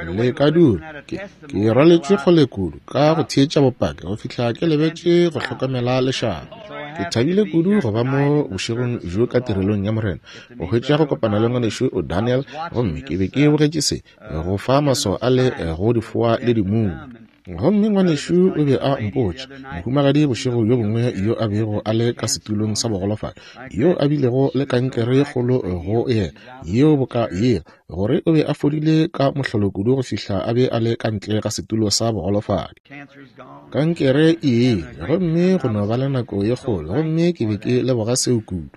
Le ka dula. Ke, ke rwaletšwe kgole kudu ka go theetša bopaki go fihla ke lebetše go hlokomela lešaba. Ke thabile kudu go ba mo bošegong bjo ka tirelong ya Morena, go hwetša go kopana le ngwanešu Daniel, gomme ke be ke bogetše se, go fa maswao a le go difoa le dimumu. Gomme ngwanešu o be a mpotša, mohumagadi bošego bjo bongwe yo a bego a le ka setulong sa bogolofadi, yo a bilego le kankere ye kgolo go yena, yeo boka yela, gore o be a fodile ka mohlolo kudu go fihla a be a le ka ntle ga setulo sa bogolofadi. Kankere e ile, gomme go no ba le nako ye kgolo, gomme ke be ke leboga seo kudu.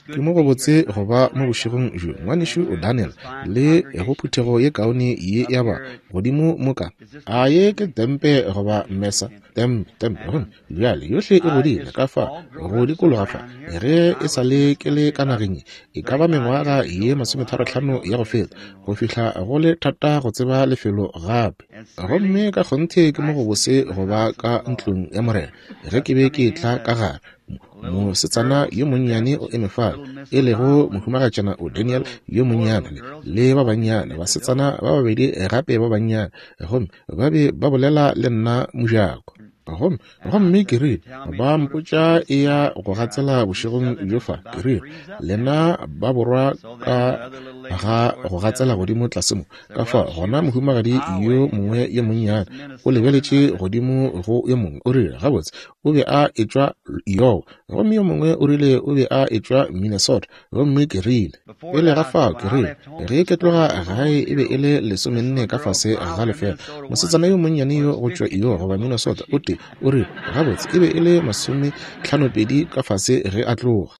Ke mo gobotse go ba mo bošegong bjo, Ngwanešu Daniel, le go phuthego ye kaone ye ya ba godimo mo ka. A ye ke tempe goba mesa? Tempe, tempe. Gomme bjale yohle e godile ka fa, go dikologa fa. Ge e sa le ke le ka nageng ye, e ka ba mengwaga ye masometharohlano ya go feta, go fihla go le thata go tseba lefelo gape. Gomme ka kgonthe ke mo gobose go ba ka ntlong ya Morena. Ge ke be ke etla ka gare, mosetsana yo monnyane o eme fale, e lego mohumagatšana o Daniel yo monnyane le, le ba bannyane, basetsana ba babedi gape ba bannyane, gomme ba be ba bolela le nna mojako. Gomme, gomme ke rile, ba mpotša e ya go gatsela bošegong bjo fa, ke rile, lena ba borwa ka ga go gatsela godimo tlase mo. Ka fa gona mohumagadi yo mongwe yo monnyane o lebeletše godimo go yo mongwe, o rile, Gabotse, o be a etšwa Iowa, gomme yo mongwe o rile o be a etšwa Minnesota. Gomme ke rile, pele ga fao, ke rile, ge ke tloga gae e be e le lesomenne ka fase ga lefela. Mosetsana yo monnyane yo go tšwa Iowa goba Minnesota, o tee, o rile, gabotse, e be e le masometlhanopedi ka fase ge a tloga.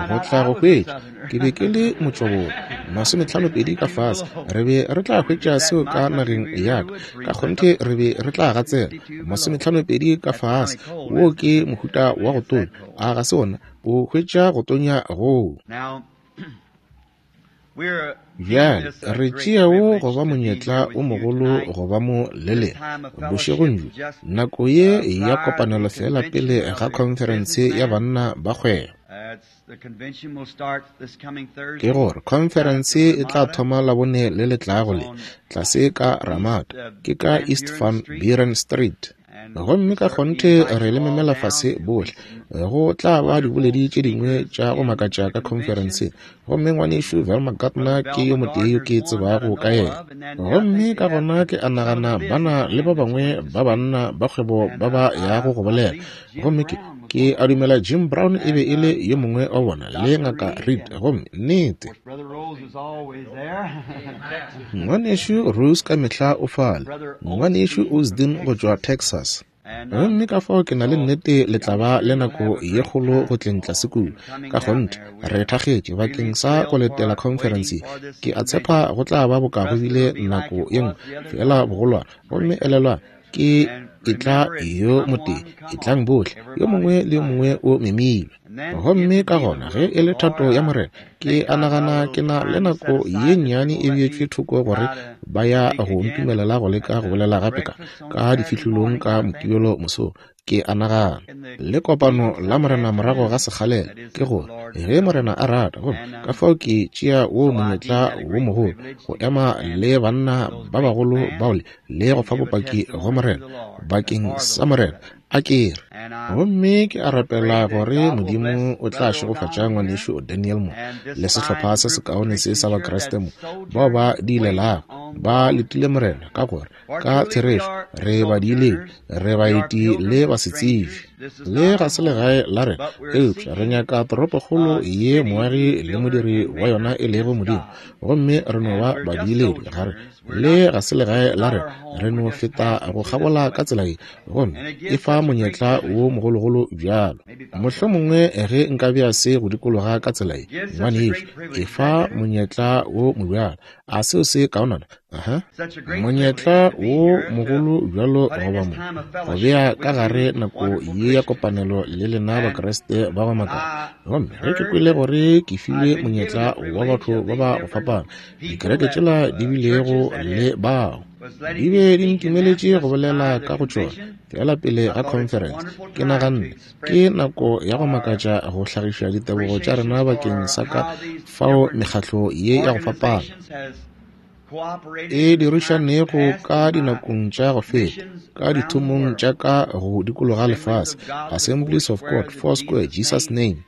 Go tla go hwetša, ke be ke le motšwaborwa, masometlhanopedi ka fase. Re be re tla hwetša seo ka nageng ya ka. Ka kgonthe re be re tla gatsela, masometlhanopedi ka fase. Wo ke mohuta wa go tonya, a ga se wona? O hwetša go tonya goo. Bjale re tšea wo go ba monyetla o mogolo go ba mo le lena bošegong bjo, nako ye ya kopanelo feela pele ga khonferense ya banna ba kgwebo. Ke gore khonferense e tla thoma Labone le le tlago le, tlase ka Ramada, ke ka East Van Buren Street. Gomme ka kgonthe re le memela fase bohle. Go tla ba diboledi tše dingwe tša go makatša ka khonferenseng. Gomme ngwanešu Velma Gardner ke yo motee yo ke tsebago ka yena. Gomme ka gona ke a nagana ba na le ba bangwe ba banna ba kgwebo ba ba yago go bolela. Gomme ke, ke a dumela Jim Brown e be e le yo mongwe wa bona, le Ngaka Reed. Gomme, nnete, Ngwanešu Rose ka mehla o fale, Ngwanešu Osdin go tšwa Texas. Gomme ka fao ke na le nnete le tla ba le nako ye kgolo go tleng tlase kua. Ka kgonthe, re thakgetše bakeng sa go letela khonferense ye. Ke a tshepa go tla ba boka go bile nako ye nngwe, feela bogolwane. Gomme elelwang, ke etla yo motee, etlang bohle, yo mongwe le yo mongwe o memilwe. Gomme ka gona ge e le thato ya Morena, ke a nagana ke na le nako ye nnyane e beetšwe thoko gore ba ya go ntumelela go leka go bolela gape ka, ka difihlolong ka Mokibelo mosong, ke a nagana. Le kopano la Morena morago ga sekgalela, ke gore, ge Morena a rata. Gomme ka fao ke tšea wo monyetla wo mogolo go ema le banna ba bagolo bao le, le go fa bopaki go Morena, bakeng sa Morena, a ke re. Gomme ke a rapela gore Modimo o tla šegofatša ngwanešu Daniel mo, le sehlopha se sekaone se sa Bakriste mo, bao ba diilelago, ba letile Morena, ka gore, ka therešo, re badiiledi, re baeti le basetsebi. Le ga se legae la rena, eupša re nyaka toropokgolo ye moagi le modiri wa yona e lego Modimo, gomme re no ba badiiledi ga re Le ga se legae la rena, re no feta go kgabola ka tsela ye, gomme e fa monyetla wo mogologolo bjalo. Mohlomongwe ge nka bea se go dikologa ka tsela ye, ngwanešu, e fa monyetla wo mobjalo. A seo se kaonana? Aha. Monyetla wo mogolo bjalo go ba mo, go bea ka gare nako ye ya kopanelo le lena Bakriste ba go makala. Gomme ge ke kwele gore ke filwe monyetla wa batho ba ba go fapana, dikereke tšela di bilego le bao. Di be di ntumeletše go bolela ka go tšona feela pele ga khonferense. Ke naganne ke nako ya go makatša go hlagiša ditebogo tša rena bakeng sa ka fao mekgatlo ye ya go fapana e dirišanego ka dinakong tša go feta ka dithomong tša ka go dikologa lefase, Assemblies of God, Foursquare, Jesus Name,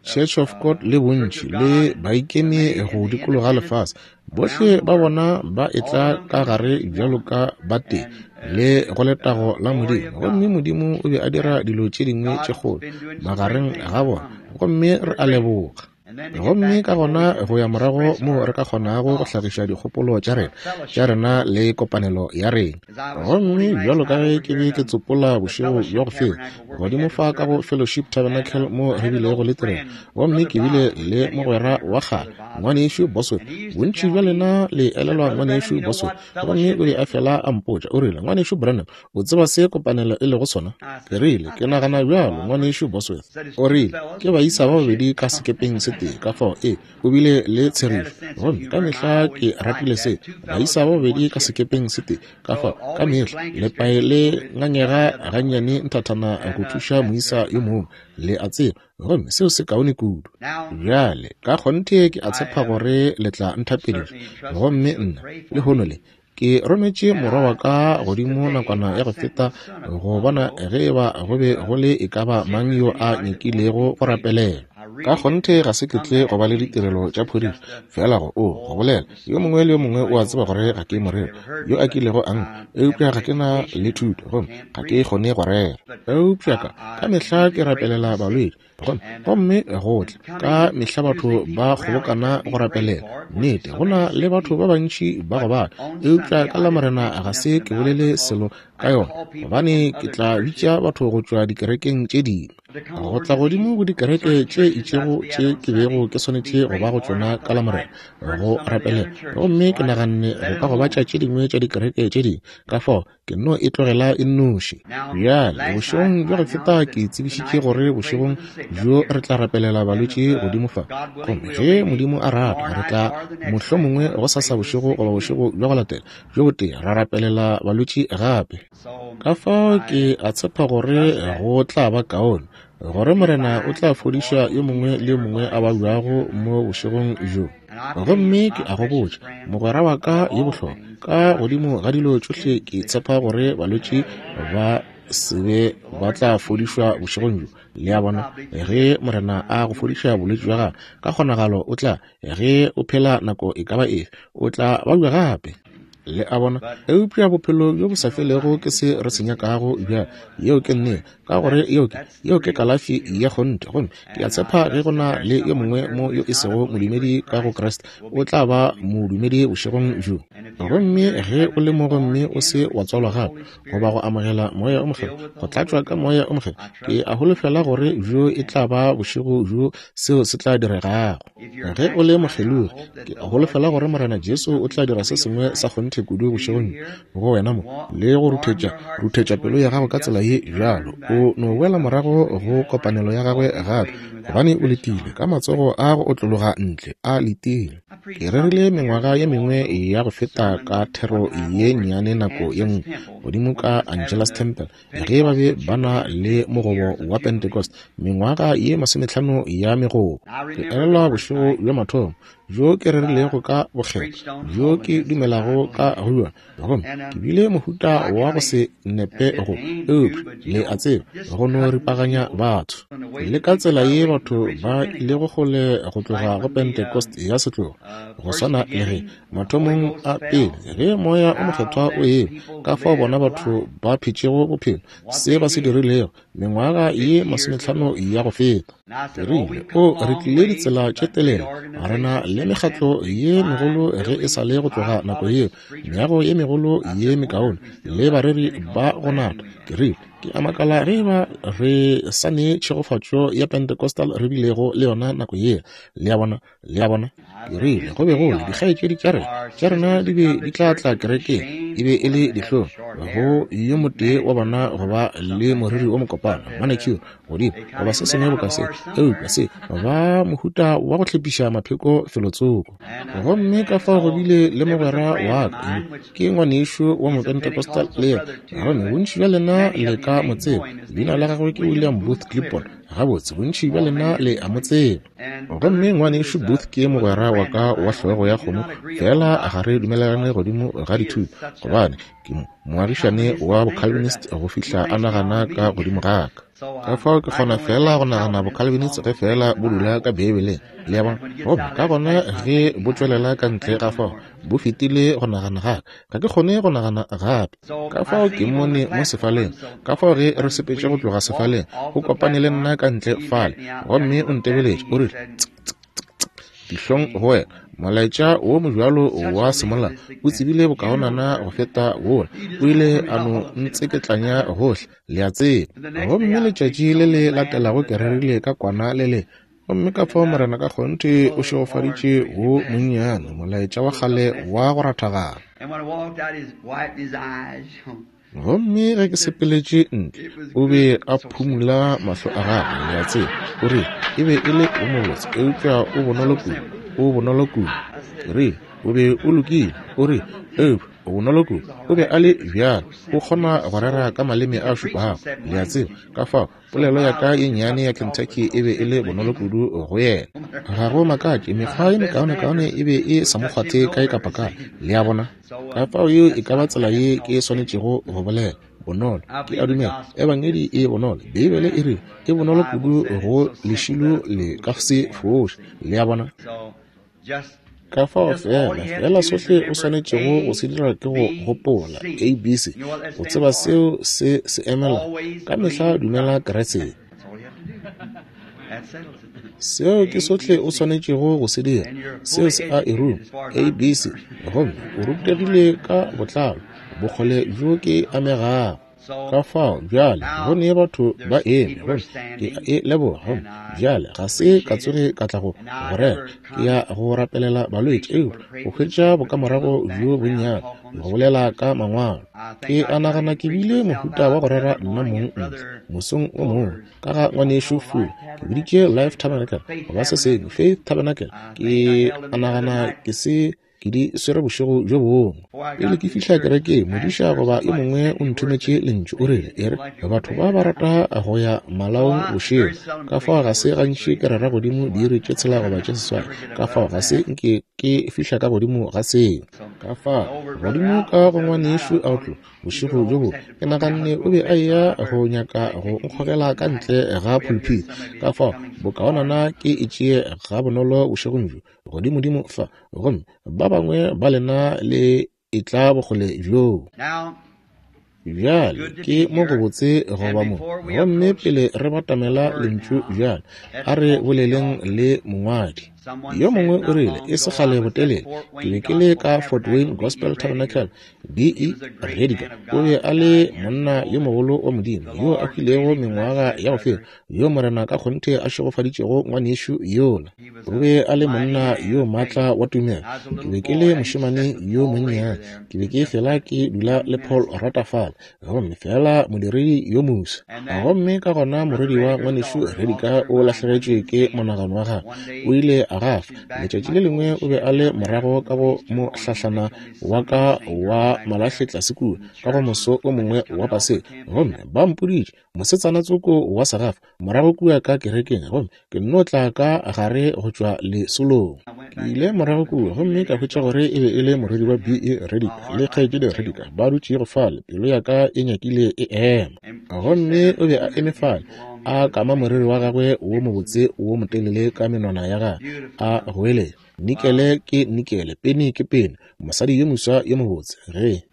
Church of God le bontši le baikemi go dikologa lefase. Bohle ba bona ba etla ka gare bjalo ka ba tee le go letago la Modimo, gomme Modimo o be a dira dilo tše dingwe tše kgolo magareng ga bona, gomme re a leboga. Gomme ka gona go ya morago moo re ka kgonago go hlagiša dikgopolo tša rena tša rena le kopanelo ya rena. Gomme bjalo ka ge ke be ke tsopola bošego bja go feta godimo fa ka go Fellowship Tabernacle mo re bilego le tirelo, gomme ke bile le mogwera wa kgale, Ngwanešu Bosworth. Bontši bja lena le elelwa Ngwanešu Bosworth. Gomme o be a fela a mpotša, o rile, Ngwanešu Branham, o tseba se kopanelo e lego sona? Ke rile, ke nagana bjalo, Ngwanešu Bosworth. O rile, ke baisa ba babedi ka sekepeng se tee, ka fao e o bile le tsherišo. Gomme ka mehla ke ratile se, baisa ba babedi ka sekepeng se tee, ka fao ka mehla lepae le ngangega gannyane nthathana go thuša moisa yo mongwe, le a tseba, gomme seo se kaone kudu. Bjale ka kgonthe ke a tshepa gore le tla nthapediša. Gomme nna lehono le ke rometše morwa wa ka godimo nakwana ya go feta go bona ge e ba go be go le e ka ba mang yo a nyakilego go rapelela. Ka kgonthe ga se ke tle go ba le ditirelo tša phodišo, feela go o go bolela. Yo mongwe le yo mongwe o a tseba gore ga ke moreri yo a kilego a nkwa, eupša ga ke na le thuto gomme ga ke kgone go rera. Eupša ka mehla ke rapelela balwetši, gomme go tla ka mehla batho ba kgobokana go rapelela. Nnete, go na le batho ba bantši ba go bala, eupša ka Lamorena ga se ke bolele selo ka yona, gobane ke tla bitša batho go tšwa dikerekeng tše dingwe go tla godimo go dikereke tše itšego tše ke bego ke swanetše go ba go tšona ka Lamorena go rapelela. Gomme ke naganne go ka gobatša tše dingwe tša dikereke tše dingwe, ka fao ke no e tlogela e nnoši. Bjale bošegong bja go feta ke tsebišitše gore bošegong bjo re tla rapelela balwetši godimo fa, gomme ge Modimo a rata re tla mohlomongwe gosasa bošego goba bošego bja go latela bjo botee ra rapelela balwetši gape. Ka fao ke a tshepa gore go tla ba kaone gore Morena o tla fodiša yo mongwe le yo mongwe a babjago mo bošegong bjo. Gomme ke a go botša, mogwera wa ka yo bohlokwa, ka godimo ga dilo tšohle ke tshepa gore balwetši ba se be ba tla fodišwa bošegong bjo. Le a bona, ge Morena a go fodiša bolwetši bja gago, ka kgonagalo o tla, ge o phela nako e ka ba efe, o tla babja gape. Le a bona? Eupša bophelo bjo bo sa felego ke se re se nyakago bjale. Yeo ke nnete, ka gore yeo ke, yeo ke kalafi ya kgonthe. Gomme ke a tshepa ge go na le yo mongwe mo yo e sego modumedi ka go Kriste, o tla ba modumedi bošegong bjo. Gomme ge o le mo gomme o se wa tswalwa gape, goba go amogela Moya o Mokgethwa, go tlatšwa ka Moya o Mokgethwa, ke a holofela gore bjo e tla ba bošego bjo seo se tla diregago. Ge o le mokgelogi, ke holofela gore Morena Jesu o tla dira se sengwe sa kgonthe kudu bošegong go wena mo, le go ruthetša pelo ya gago ka tsela ye bjalo, o no boela morago go kopanelo ya gagwe gape, gobane o letile ka matsogo a go otlologa ntle, a letile. Ke rerile mengwaga ye mengwe ya go feta ka thero ye nnyane nako ye nngwe godimo ka Angelus Temple, ge ba be ba na le mogobo wa Pentecost, mengwaga ye 50 ya megobo. Ke elelwa bošego bja mathomo bjo ke rerilego ka bokgethwa bjo ke dumelago ka go bjona, gomme ke bile mohuta wa go se nepe go, eupša le a tseba, go no ripaganya batho. Le ka tsela ye batho ba ilego kgole go tloga go Pentecost ya setlogo, go swana le ge mathomong a pele ge Moya o Mokgethwa o ewa, ka fao bona batho ba phetšego bophelo, se ba se dirilego mengwaga ye 50 ya go feta. Ke rile, O, re tlile ditsela tše telele, re na le mekgatlo ye megolo ge e sa le go tloga nako yeo, meago ye megolo ye mekaone le bareri ba go nata. Ke rile, Ke a makala ge eba re sa ne tšhegofatšo ya Pentecostal re bilego le yona nako yela. Le a bona? Le a bona? Ke rile, go be go le dikgaetšedi tša rena, tša rena di be di tla tla kerekeng, e be e le dihlong go yo motee wa bona go ba le moriri wo mokopana, manicure godimo, goba se sengwe boka se, eupša se ba mohuta wa go hlephiša mapheko felotsoko. Gomme ka fao go bile le mogwera wa ka, yo ke ngwanešu wa Mopentecostal le yena, gomme bontši bja lena le ka mo tseba, leina la gagwe ke William Booth Clibborn. Gabotse, bontši bja lena le a mo tseba. Gomme ngwanešu Booth ke mogwera wa ka wa hlogo ya kgomo, fela ga re dumelelane godimo ga dithuto, gobane ke moagišane wa Bocalvinist go fihla a nagana ka godimo ga ka. Ka fao ke kgona fela go nagana Bocalvinist ge fela bo dula ka Beibeleng, le a bona. Gomme ka gona ge bo tšwelela ka ntle ga fao, bo fetile go nagana ga ka. Ga ke kgone go nagana gape. Ka fao ke mmone mo sefaleng. Ka fao ge re sepetše go tloga sefaleng, o kopane le nna ka ntle fale, gomme o ntebeletše, o rile, Tsk, tsk, tsk, tsk. Dihlong go wena. Molaetša wo mobjalo wa semola o tsebile bokaonana go feta wola. O ile a no ntseketlanya gohle, le a tseba. Gomme letšatši le le latelago ke rerile ka kwana le le Gomme ka fao Morena ka kgonthe o šegofaditše wo monnyane, molaetša wa kgale wa go rathagana. Gomme ge ke sepeletše ntle, o be a phumula mahlo a gagwe, le a tseba. O rile, E be e le wo mobotse, eupša o bonolo kudu, o bonolo kudu. Ke rile, O be o lokile. O rile, Eupša o bonolo kudu. O be a le bjalo, o kgona go rera ka maleme a šupago, le a tseba. Ka fao Polelo ya ka ye nnyane ya Kentucky e be e le bonolo kudu go yena. Ga go makatše, mekgwa ye mekaonekaone e be e sa mo kgwathe kae kapa kae, le a bona. Ka fao yeo e ka ba tsela ye ke swanetšego go bolela, bonolo. Ke a dumela Ebangedi e bonolo. Beibele e rile e bonolo kudu go lešilo le ka se foše, le a bona. Ka fao fela, fela sohle o swanetšego go se dira ke go gopola ABC, o tseba seo se se emela. Ka mehla dumela Kriste. Seo ke sohle o swanetšego go se dira. Seo se a e ruma, ABC, gomme o rutegile ka botlalo bokgole bjo ke amegago. Ka fao bjale go ne batho ba eme, gomme ke a e leboga. Gomme bjale ga se ka tsoge ka tla go go rera, ke ya go rapelela balwetši, eupša go hwetša bokamorago bjo bonnyane go bolela ka Mangwalo. Ke a nagana ke bile mohuta wa go rera nna mong ntle mosong o mongwe ka ga Ngwanešu Fuller. Ke biditše Life Tabernacle goba se sengwe, Faith Tabernacle. Ke a nagana ke se Ke di swere bošego bjo bongwe. Pele ke fihla kerekeng, modiša goba yo mongwe o nthometše lentšu, o rile, E re, batho ba ba rata go ya malaong bošego, ka fao ga se gantši ke rera godimo diiri tše tshela goba tše seswai, ka fao ga se nke ke fihla ka godimo ga seo. Ka fao, godimo ka go Ngwanešu Outlaw, bošego bjo bongwe, ke naganne o be a eya go nyaka go nkgogela ka ntle ga phulphithi, ka fao bokaonana ke e tšee gabonolo bošegong bjo, godimodimo fa, gomme ba bangwe ba lena le etla bokgole bjoo. Bjale ke mo gobotse go ba mo, gomme pele re batamela lentšu bjale, a re boleleng le mongwadi. Yo mongwe o rile, e se kgale botelele, ke be ke le ka Fort Wayne Gospel Tabernacle, B. E. Rediger o be a le monna yo mogolo wa Modimo yo a hwilego mengwaga ya go feta, yo Morena ka kgonthe a šegofaditšego ngwanešu yola. O be a le monna yo maatla wa tumelo. Ke be ke le mošemane yo monnyane, ke be ke fela ke dula le Paul Ratafala, gomme fela modiredi yo mofsa. Gomme ka gona morwedi wa ngwanešu Rediger o lahlegetšwe ke monagano wa gagwe, o ile a gafa. Letšatši le lengwe o be a le morago ka go mohlahlana wa ka wa malahle tlase kua ka go moso o mongwe wa Paseka, gomme ba mpoditše mosetsana tsoko wa segafa morago kua ka kerekeng, gomme ke nno tla ka gare go tšwa lesolong. Ke ile morago kua gomme ka hwetša gore e be e le morwedi wa B. E. Rediker le kgaetšedi Rediker ba dutšego fale. Pelo ya ka e nyakile e ema. Gomme o be a eme fale a kama moriri wa gagwe wo mobotse wo motelele ka menwana ya gagwe, a goeletša, Nikele ke nikele, peni ke peni, mosadi yo moswa yo mobotse. Ge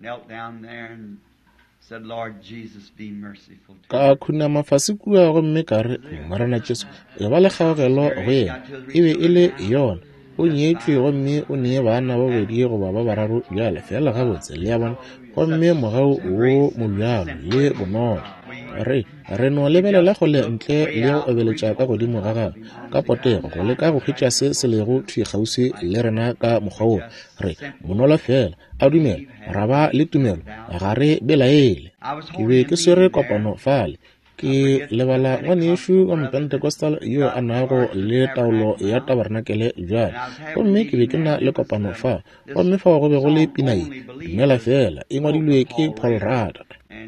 ka khunama fase kua gomme ka re, Morena Jesu, e ba le kgaogelo go yena. E be e le yona. O nyetšwe gomme o nee bana ba babedi goba ba bararo bjale, feela gabotse, le a bona. Gomme mogau wo mobjalo le bonolo. Re, re no lebelela kgole ntle le go obeletša ka godimo ga gagwe, ka potego, go leka go hwetša se se lego thwi kgauswi le rena ka mokgwa wo. Re bonolo feela, a dumela, ra ba le tumelo, ga re belaele. Ke be ke swere kopano fale. Ke lebala ngwanešu wa Mopentecostal yo a nago le taolo ya tabarenakele bjale. Gomme ke be ke na le kopano fa, gomme fao go be go le pina ye, Dumela Feela, e ngwadilwe ke Paul Rudd.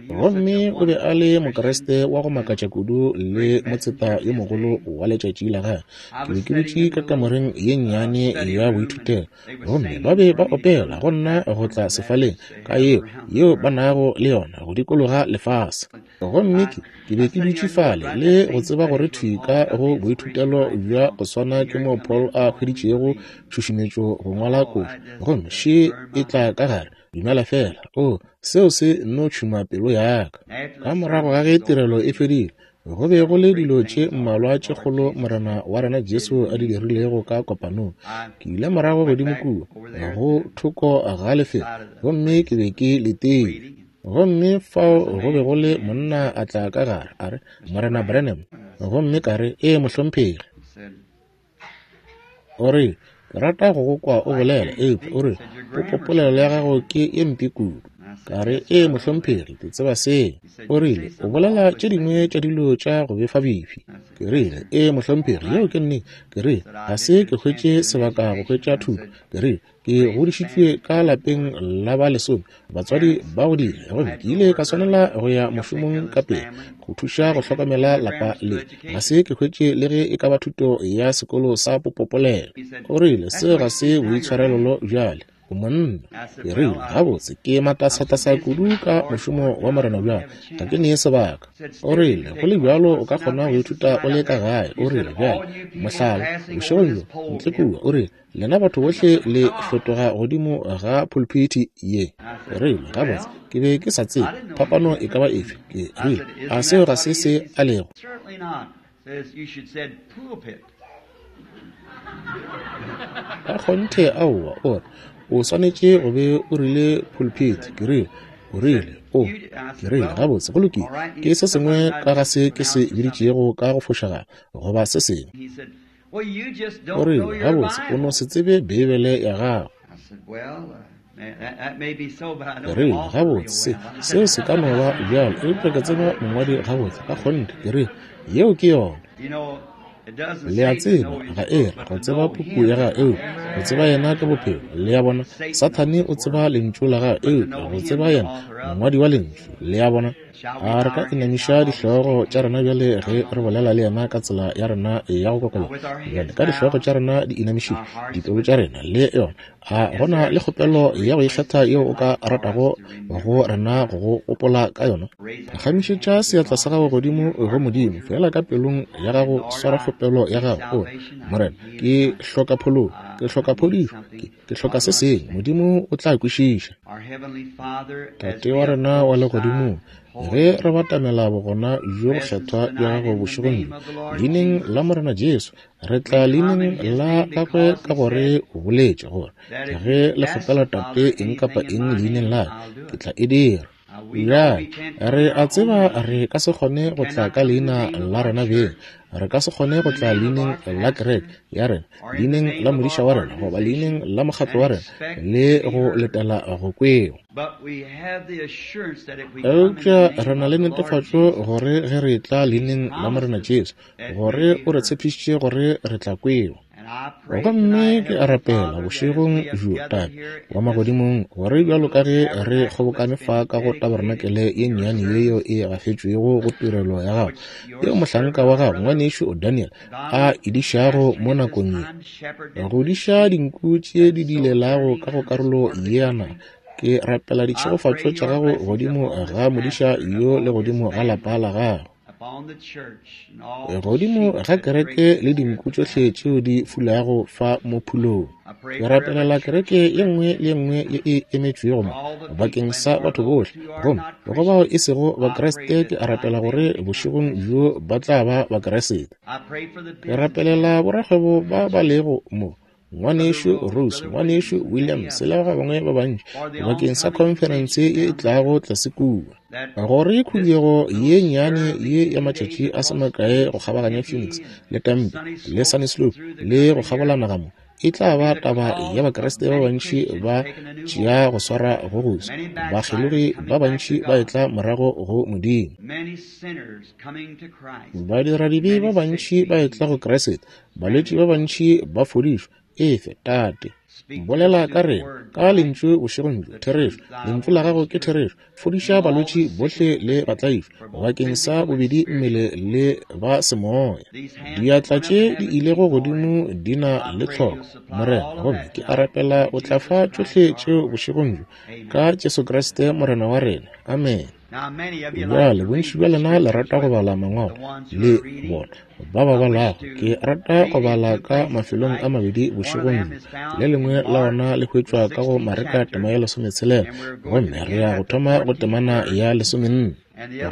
Gomme o be a le Mokriste wa go makatša kudu le motseta yo mogolo wa letšatši la gagwe. Ke be ke dutše ka kamoreng ye nnyane ya boithutelo, gomme ba be ba opela go nna go tla sefaleng ka yeo, yeo ba nago le yona go dikologa lefase. Gomme ke, ke be ke dutše fale le go tseba gore thwi ka go boithutelo bja go swana ke moo Paul a hweditšego tšhušumetšo go ngwala koša, gomme še e tla ka gare, Dumela feela. Oo, seo se nno tšhuma pelo ya ka. Ka morago ga ge tirelo e fedile, go be go le dilo tše mmalwa tše kgolo Morena wa rena Jesu a di dirilego ka kopanong. Ke ile morago godimo kua, go thoko ga lefelo, gomme ke be ke letile. Gomme fao go be go le monna a tla ka gare, a re, Morena Branham. Gomme ka re, Ee, mohlomphegi. O re, Ke rata go go kwa o bolela, eupša o re, popopolelo ya gago ke ye mpe kudu. Ka re, Ee, mohlomphegi, ke tseba seo. O rile, O bolela tše dingwe tša dilo tša go befabefi. Ke rile, Ee, mohlomphegi, yeo ke nnete. Ke rile, Ga se ke hwetše sebaka go hwetša thuto. Ke rile, Ke godišitšwe ka lapeng la ba lesome, batswadi ba godile, gomme ke ile ka swanela go ya mošomong ka pele go thuša go hlokomela lapa le. Ga se ke hwetše le ge e ka ba thuto ya sekolo sa popopolelo. O rile, Seo ga se boitshwarelelo bjale. O monna. Ke rile, Gabotse, ke matasatasa kudu ka mošomo wa Morena bjale, ga ke nee sebaka. O rile, Go le bjalo o ka kgona go ithuta o le ka gae. O rile, Bjale, mohlala, bošegong bjo, ntle kua, o rile, Lena batho bohle le fetoga godimo ga pulpiti ye. Ke rile, Gabotse, ke be ke sa tsebe phapano e ka ba efe. Ke rile, A seo ga se se a lego? Ka kgonthe aowa. O re, O swanetše go be o rile pulpiti. Ke rile, O rile, O. Ke rile, Gabotse, go lokile. Ke se sengwe ka ga se ke se biditšego ka go fošagala, goba se sengwe. O rile, Gabotse, o no se tsebe Beibele ya gago. Ke rile, Gabotse, seo se ka no ba bjalo, eupša ke tseba mongwadi gabotse ka kgonthe. Ke rile, Yeo ke yona. Le a tseba, ga e re go tseba puku ya gagwe, eupša go tseba yena ke bophelo. Le a bona? Sathane o tseba lentšu la gagwe, eupša go tseba yena, mongwadi wa lentšu. Le a bona? A re ka inamiša dihlogo tša rena bjale ge re bolela le yena ka tsela ya rena ya go kokobela? Bjale ka dihlogo tša rena di inamišitšwe, dipelo tša rena le yona, a go na le kgopelo ya go ikgetha yeo o ka ratago go rena go go gopola ka yona? Phagamišetša seatla sa gago godimo go Modimo, feela ka pelong ya gago swara kgopelo ya gago. O re, Morena, ke hloka phološo, ke hloka phodišo, ke Ke hloka se sengwe. Modimo o tla kwešiša. Tate wa rena wa Legodimong, ge re batamela bogona bjo bokgethwa bja gago bošegong bjo, leineng la Morena Jesu, re tla leineng la gagwe ka gore o boletše gore ge le kgopela Tate eng kapa eng leineng la ka, ke tla e dira. Bjale, re a tseba re ka se kgone go tla ka leina la rena beng. Re ka se kgone go tla leineng la kereke ya rena, leineng la modiša wa rena, goba leineng la mokgatlo wa rena, le go letela go kwewa. Eupša re na le netefatšo gore ge re etla leineng la Morena Jesu, gore o re tshepišitše gore re tla kwewa. Gomme ke a rapela bošegong bjo, Tate wa Magodimong, gore bjalo ka ge re kgobokane fa ka go tabarenakele ye nnyane ye yeo e gafetšwego go tirelo ya Gago, yeo mohlanka wa Gago, ngwanešu Daniel, a e dišago mo nakong ye, go diša dinku tše di diilelago ka go karolo ye ya naga, ke rapela ditšhegofatšo tša Gago godimo ga modiša yo le godimo ga lapa la gagwe. Godimo ga kereke le dinku tšohle tšeo di fulago fa mo phulong. Ke rapelela kereke ye nngwe le ye nngwe ye e emetšwego mo bakeng sa batho bohle. Gomme go bao e sego Bakriste, ke a rapela gore bošegong bjo ba tla ba Bakriste. Ke rapelela borakgwebo ba ba lego mo. Ngwanešu Rose, Ngwanešu Williams le ba bangwe ba bantši, bakeng sa khonferense ye e tlago tlase kua. Gore khuduego ye nnyane ye ya matšatši a se makae go kgabaganya Phoenix le Tempe le Sunnyslope le go kgabola naga mo, e tla ba taba ya Bakriste ba bantši ba tšea go swara go goso, bakgelogi ba bantši ba etla morago go Modimo, badiradibe ba bantši ba etla go Kriste, balwetši ba bantši ba fodišwa. Efe, Tate, bolela ka rena ka Lentšu bošegong bjo, therešo. Lentšu la Gago ke therešo. Fodiša balwetši bohle le batlaišwa, bakeng sa bobedi mmele le ba semoya. Diatla tše di ilego godimo di na le tlhoko, Morena, gomme ke a rapela o tla fa tšohle tšeo bošegong bjo, ka Jesu Kriste Morena wa rena. Amene. Bjale, bontši bja lena le rata go bala Mangwalo, le bona ba ba balago. Ke rata go bala ka mafelong a mabedi bošegong bjo. Le lengwe la ona le hwetšwa ka go Mareka tema ya 16, gomme re ya go thoma go temana ya 14.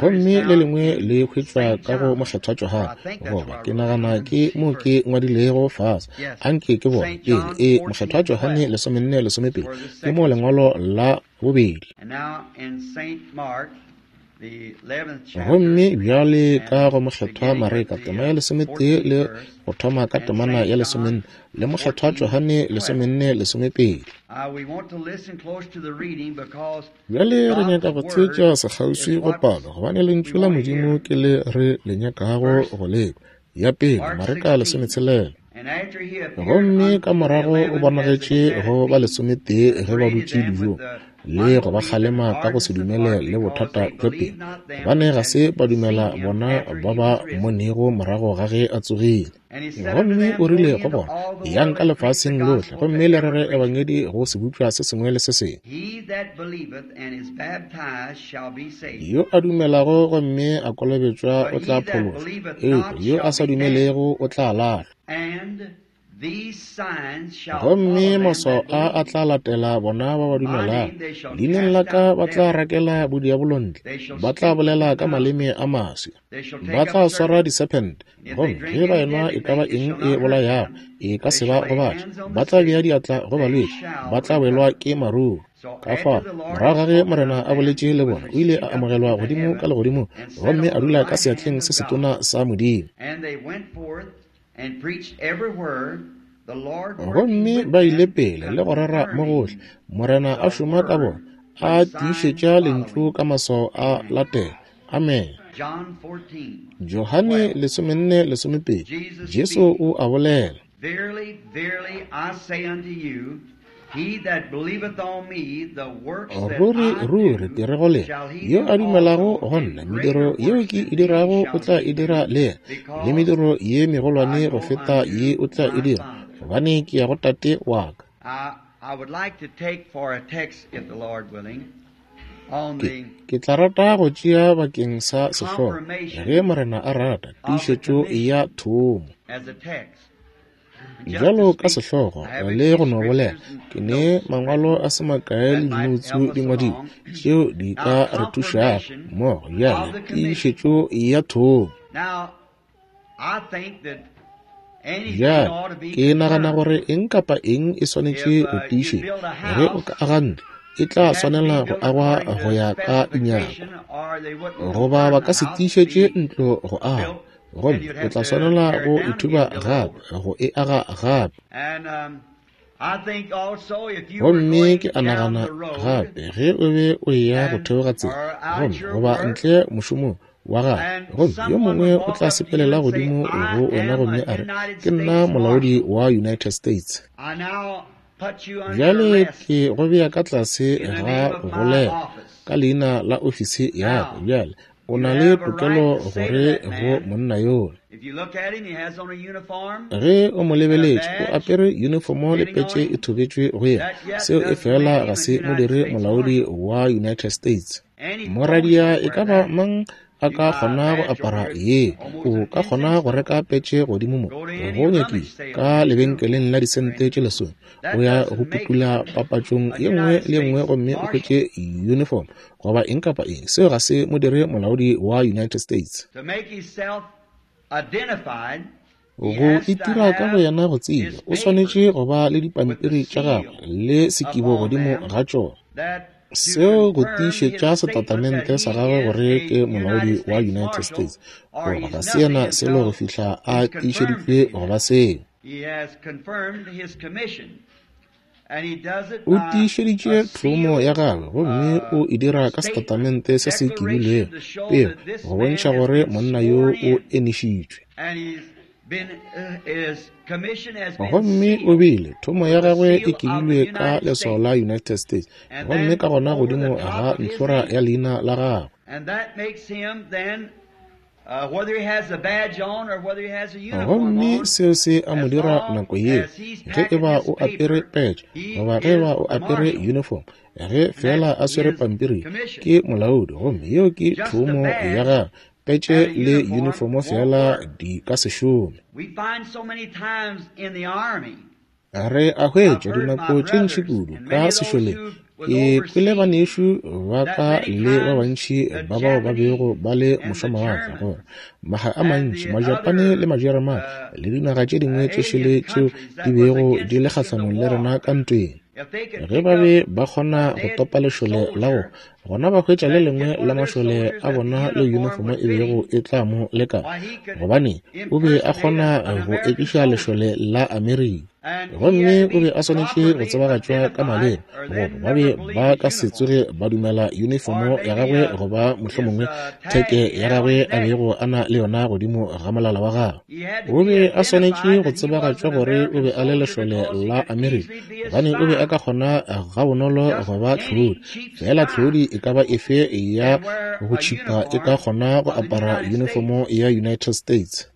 Gomme le lengwe le hwetšwa ka go Mokgethwa Johane, goba ke nagana ke mo ke ngwadilego fase. Anke ke bone pele. E, Mokgethwa Johane 14:12 ke mo lengwalo la bobedi. Gomme bjale ka go Mokgethwa Mareka tema ya 11 le go thoma ka temana ya 14, le Mokgethwa Johane 14:12. Bjale re nyaka go theetša sekgauswi go palo, gobane Lentšu la Modimo ke le re le nyakago go lekwa. Ya pele, Mareka 16. Gomme ka morago o bonagetše go ba 11 ge ba dutše dijong, le go ba kgalema ka go se dumele le bothata bja pelo, gobane ga se ba dumela bona ba ba mmonego morago ga ge a tsogile. Gomme o rile go bona, Yang ka lefaseng lohle, gomme le rere ebangedi go sebopša se sengwe le se sengwe. Yo a dumelago gomme a kolobetšwa o tla phološwa, eupša yo a sa dumelego o tla lahlwa. Gomme maswao a a tla latela bona ba ba dumelago. Leineng la ka ba tla rakela bodiabolo ntle, ba tla bolela ka maleme a maswi, ba tla swara disephente, gomme ge ba enwa e ka ba eng e bolayago, e ka se ba gobatše, ba tla bea diatla go balwetši, ba tla welwa ke maruru. Ka fao, morago ga ge Morena a boletše le bona, o ile a amogelwa godimo ka legodimong gomme a dula ka seatleng se setona sa Modimo. Gomme ba ile pele le go rera mo gohle, Morena a šoma ka bona, a tiišetša lentšu ka maswao a latela. Amen. Johane 14:12, Jesu o a bolela. Ruri, ruri, ke re go lena, yo a dumelago go nna, mediro yeo ke e dirago o tla e dira le yena, le mediro ye megolwane go feta ye o tla e dira, gobane ke ya go Tate wa ka. Ke tla rata go tšea bakeng sa sehlogo, ge Morena a rata, tiišetšo ya thomo. Bjalo ka sehlogo le go no bolela, ke ne mangwalo a se makae le dinoutsu di ngwadilwe tšeo di ka re thušago mmogo. Bjale, tiišetšo ya thomo. Bjale, ke nagana gore eng kapa eng e swanetše go tiišetšwa. Ge o ka aga ntlo, e tla swanela go agwa go ya ka dinyakwa, goba ba ka se tiišetše ntlo go agwa, gomme o tla swanela go ithuba gape, go e aga gape. Gomme ke a nagana gape, ge o be o eya go theoga tsela, gomme goba ntle mošomong wa gago, gomme yo mongwe o tla sepelela godimo go wena gomme a re, Ke nna molaodi wa United States. Bjale ke go bea ka tlase ga go golega ka leina la ofisi ya ka. Bjale o na le tokelo gore go monna yola. Ge o mo lebeletše, o apere unifomo le petše e thobetšwe go yena. Seo e fela ga se mo dire molaodi wa United States. Moradia e ka ba mang a ka kgona go apara ye. O ka kgona go reka petše godimo mo, go nyakile, ka lebenkeleng la disente tše 10. O ya go putula papatšong ye nngwe le ye nngwe gomme o hwetše uniform goba eng kapa eng. Seo ga se mo dire molaodi wa United States. Go itira ka boyena go tsebja, o swanetše go ba le dipampiri tša gagwe le sekibo godimo ga tšona. Seo go tiišetša setatamente sa gagwe gore ke molaodi wa United States, goba ga se yena selo go fihla a tiišeditšwe go ba seo. O tiišeditše thomo ya gagwe gomme o e dira ka setatamente se se kibilwego, pego, go bontšha gore monna yo o enišitšwe. Gomme o bile, thomo ya gagwe e kibilwe ka leswao la United States, gomme ka gona godimo ga ntlhora ya leina la gagwe. Gomme seo se a mo dira nako yeo, ge eba o apere petše goba ge eba o apere uniform, ge feela a swere pampiri, ke molaodi, gomme yeo ke thomo ya gagwe. Petše le uniformo feela di ka se šome. Re a hwetša dinako tše ntši kudu ka sešoleng. Ke kwele banešu ba ka le ba bantši ba bao ba bego ba le mošwamawatle gore maga a mantši Majapane le Majeremane le dinaga tše dingwe tše šele tšeo di bego di le kgahlanong le rena ka ntweng, ge ba be ba kgona go topa lešole la go gona ba hwetša le lengwe la mašole a bona le yunifomo e bego e tla mo lekana, gobane o be a kgona go ekiša lešole la Amerika. Gomme o be a swanetše go tsebagatšwa ka maleba, goba ba be ba ka se tsoge ba dumela yunifomo ya gagwe goba mohlomongwe theke ya gagwe a bego a na le yona godimo ga molala wa gagwe. O be a swanetše go tsebagatšwa gore o be a le lešole la Amerika, gobane o be a ka kgona gabonolo go ba tlhodi. Fela tlhodi e ka ba efe ya go tšhipa e ka kgona go apara yunifomo ya United States.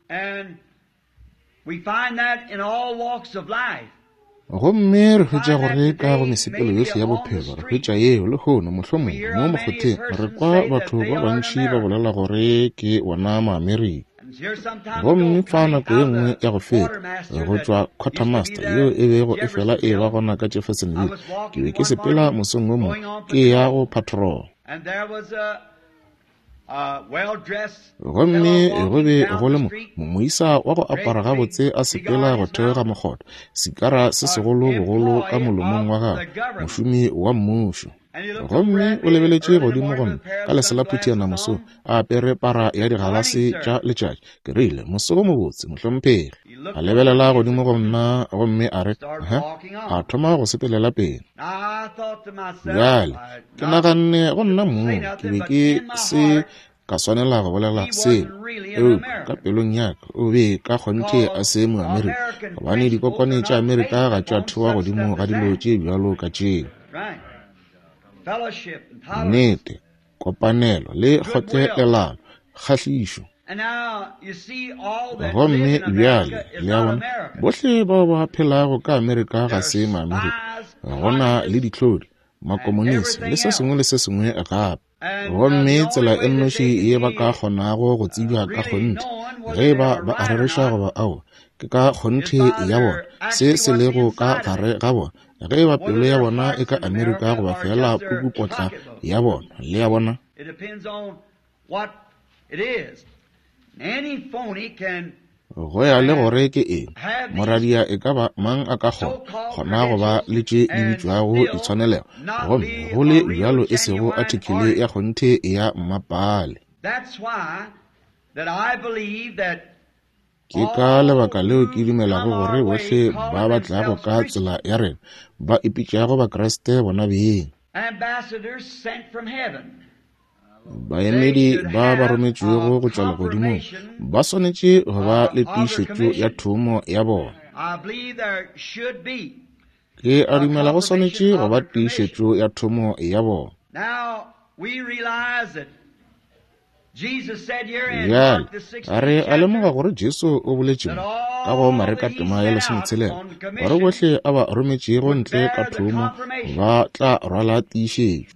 Gomme re hwetša gore ka go mesepelo yohle ya bophelo, re hwetša yeo lehono, mohlomongwe mo mokgotheng, re kwa batho ba bantši ba bolela gore ke bona Maamerika. Gomme fa nako ye nngwe ya go feta, go tšwa quartermaster yeo e bego e fela e ba gona ka Jeffersonville, ke be ke sepela mosong wo mongwe ke ya go patrol. Gomme go be go le moisa wa go apara gabotse a sepela go theoga mokgotha, sikara se segolo bogolo ka molomong wa gagwe, mošomi wa mmušo. Gomme o lebeletše godimo go nna ka leselaphutiana mosong, a apere para ya digalase tša letšatši. Ke rile, Moso wo mobotse, mohlomphegi. A lebelela godimo go nna gomme a re, Huh? A thoma go sepelela pele. Bjale, ke naganne go nna mong, ke be ke se ka swanela go bolela selo, eupša ka pelong ya ka o be ka kgonthe a se Moamerika, gobane dikokwane tša Amerika ga tša thewa godimo ga dilo tše bjalo ka tšeo. Nnete, kopanelo le kgotlelelano, kgahlišo. Gomme bjale, le a bona, bohle bao ba phelago ka Amerika ga se Maamerika. Go na le dihlodi, makomonisi le se sengwe le se sengwe gape. Gomme tsela e nnoši ye ba ka kgonago go tsebja ka kgonthe, ge eba ba a rereša goba aowa, ke ka kgonthe ya bona, se se lego ka gare ga bona, ge eba pelo ya bona e ka Amerika goba feela pukupotla ya bona. Le a bona? Go ya le gore ke eng, moradia e ka ba mang a ka kgona, kgona go ba le tše di bitšwago ditshwanelego, gomme go le bjalo e sego athikele ya kgonthe ya mmapaale. Ke ka lebaka leo ke dumelago gore bohle ba ba tlago ka tsela ya rena ba ipitšago Bakriste bona beng, Baemedi ba ba rometšwego go tšwa legodimong ba swanetše go ba le tiišetšo ya thomo ya bona. Ke a dumela go swanetše go ba tiišetšo ya thomo ya bona. Bjale, re a lemoga gore Jesu o boletše mo, ka go Mareka tema ya lesometshela, gore bohle a ba rometšego ntle ka thomo ba tla rwala tiišetšo.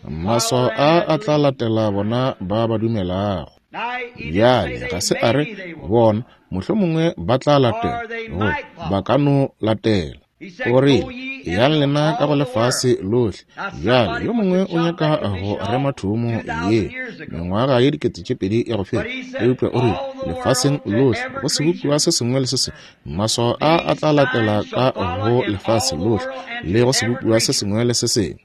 Maswao a a tla latela bona ba ba dumelago. Bjale, ga se a re, bona, mohlomongwe ba tla latela, goba ba ka no latela. O rile, Eyang lena ka go lefase lohle. Bjale, yo mongwe o nyaka go rema thomo ye mengwaga ye 2000 ya go feta, eupša o rile, lefaseng lohle, go sebopiwa se sengwe le se sengwe, maswao a a tla latela ka go lefase lohle le go sebopiwa se sengwe le se sengwe.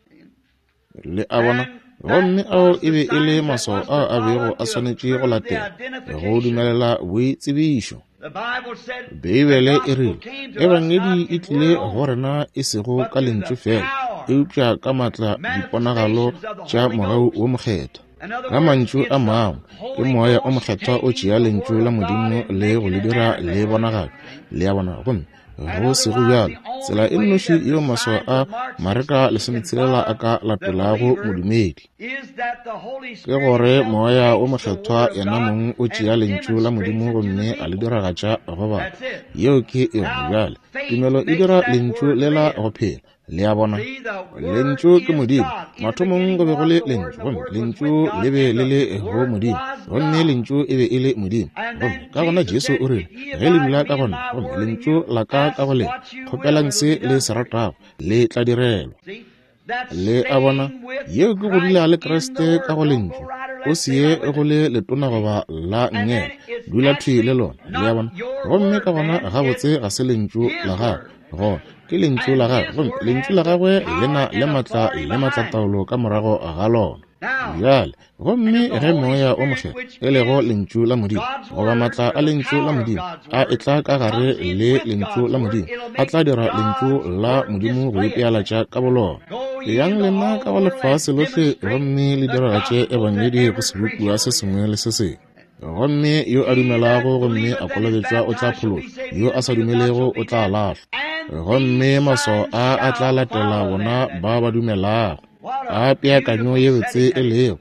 Le a bona? Gomme ao e be e le maswao ao a bego a swanetše go latela go dumelela boitsebišo. Beibele e rile, Ebangedi e tlile go rena e sego ka lentšu fela, eupša ka maatla diponagalo tša mogau wo mokgethwa. Ka mantšu a mangwe, ke Moya o Mokgethwa o tšea Lentšu la Modimo le go le dira le bonagale. Le a bona? Gomme go sego bjalo, tsela e nnoši yeo maswao a Mareka 16 a ka latelago modumedi, ke gore Moya o Mokgethwa yena mong o tšea Lentšu la Modimo gomme a le diragatša go batho. Yeo ke yona. Bjale, tumelo e dira Lentšu lela go phela. Le a bona? Lentšu ke Modimo. Mathomong go be go le Lentšu, gomme Lentšu le be le le go Modimo, gomme Lentšu e be e le Modimo. Gomme ka gona Jesu o rile, Ge le dula ka go Nna, gomme Lentšu la Ka ka go lena, kgopelang se le se ratago, le tla direlwa. Le a bona? Yeo ke go dula le Kriste ka go Lentšu. O se ye go le letona goba la nngele, dula thwi le lona. Le a bona? Gomme ka gona gabotse ga se Lentšu la gago, gona ke lentšu la gagwe, gomme lentšu la gagwe le na le matla le matlataolo ka morago ga lona. Bjale, gomme ge Moya o Mokgethwa, e lego Lentšu la Modimo, goba matla a Lentšu la Modimo, a etla ka gare le Lentšu la Modimo, a tla dira Lentšu la Modimo go ipealatša ka bolona. Eyang lena ka go lefase lohle gomme le diragatše Ebangedi go sebopiwa se sengwe le se sengwe. Gomme yo a dumelago gomme a kolobetšwa o tla phološwa, yo a sa dumelego o tla lahlwa. Gomme maswao a a tla latela bona ba ba dumelago. A peakanyo ye botse e lego,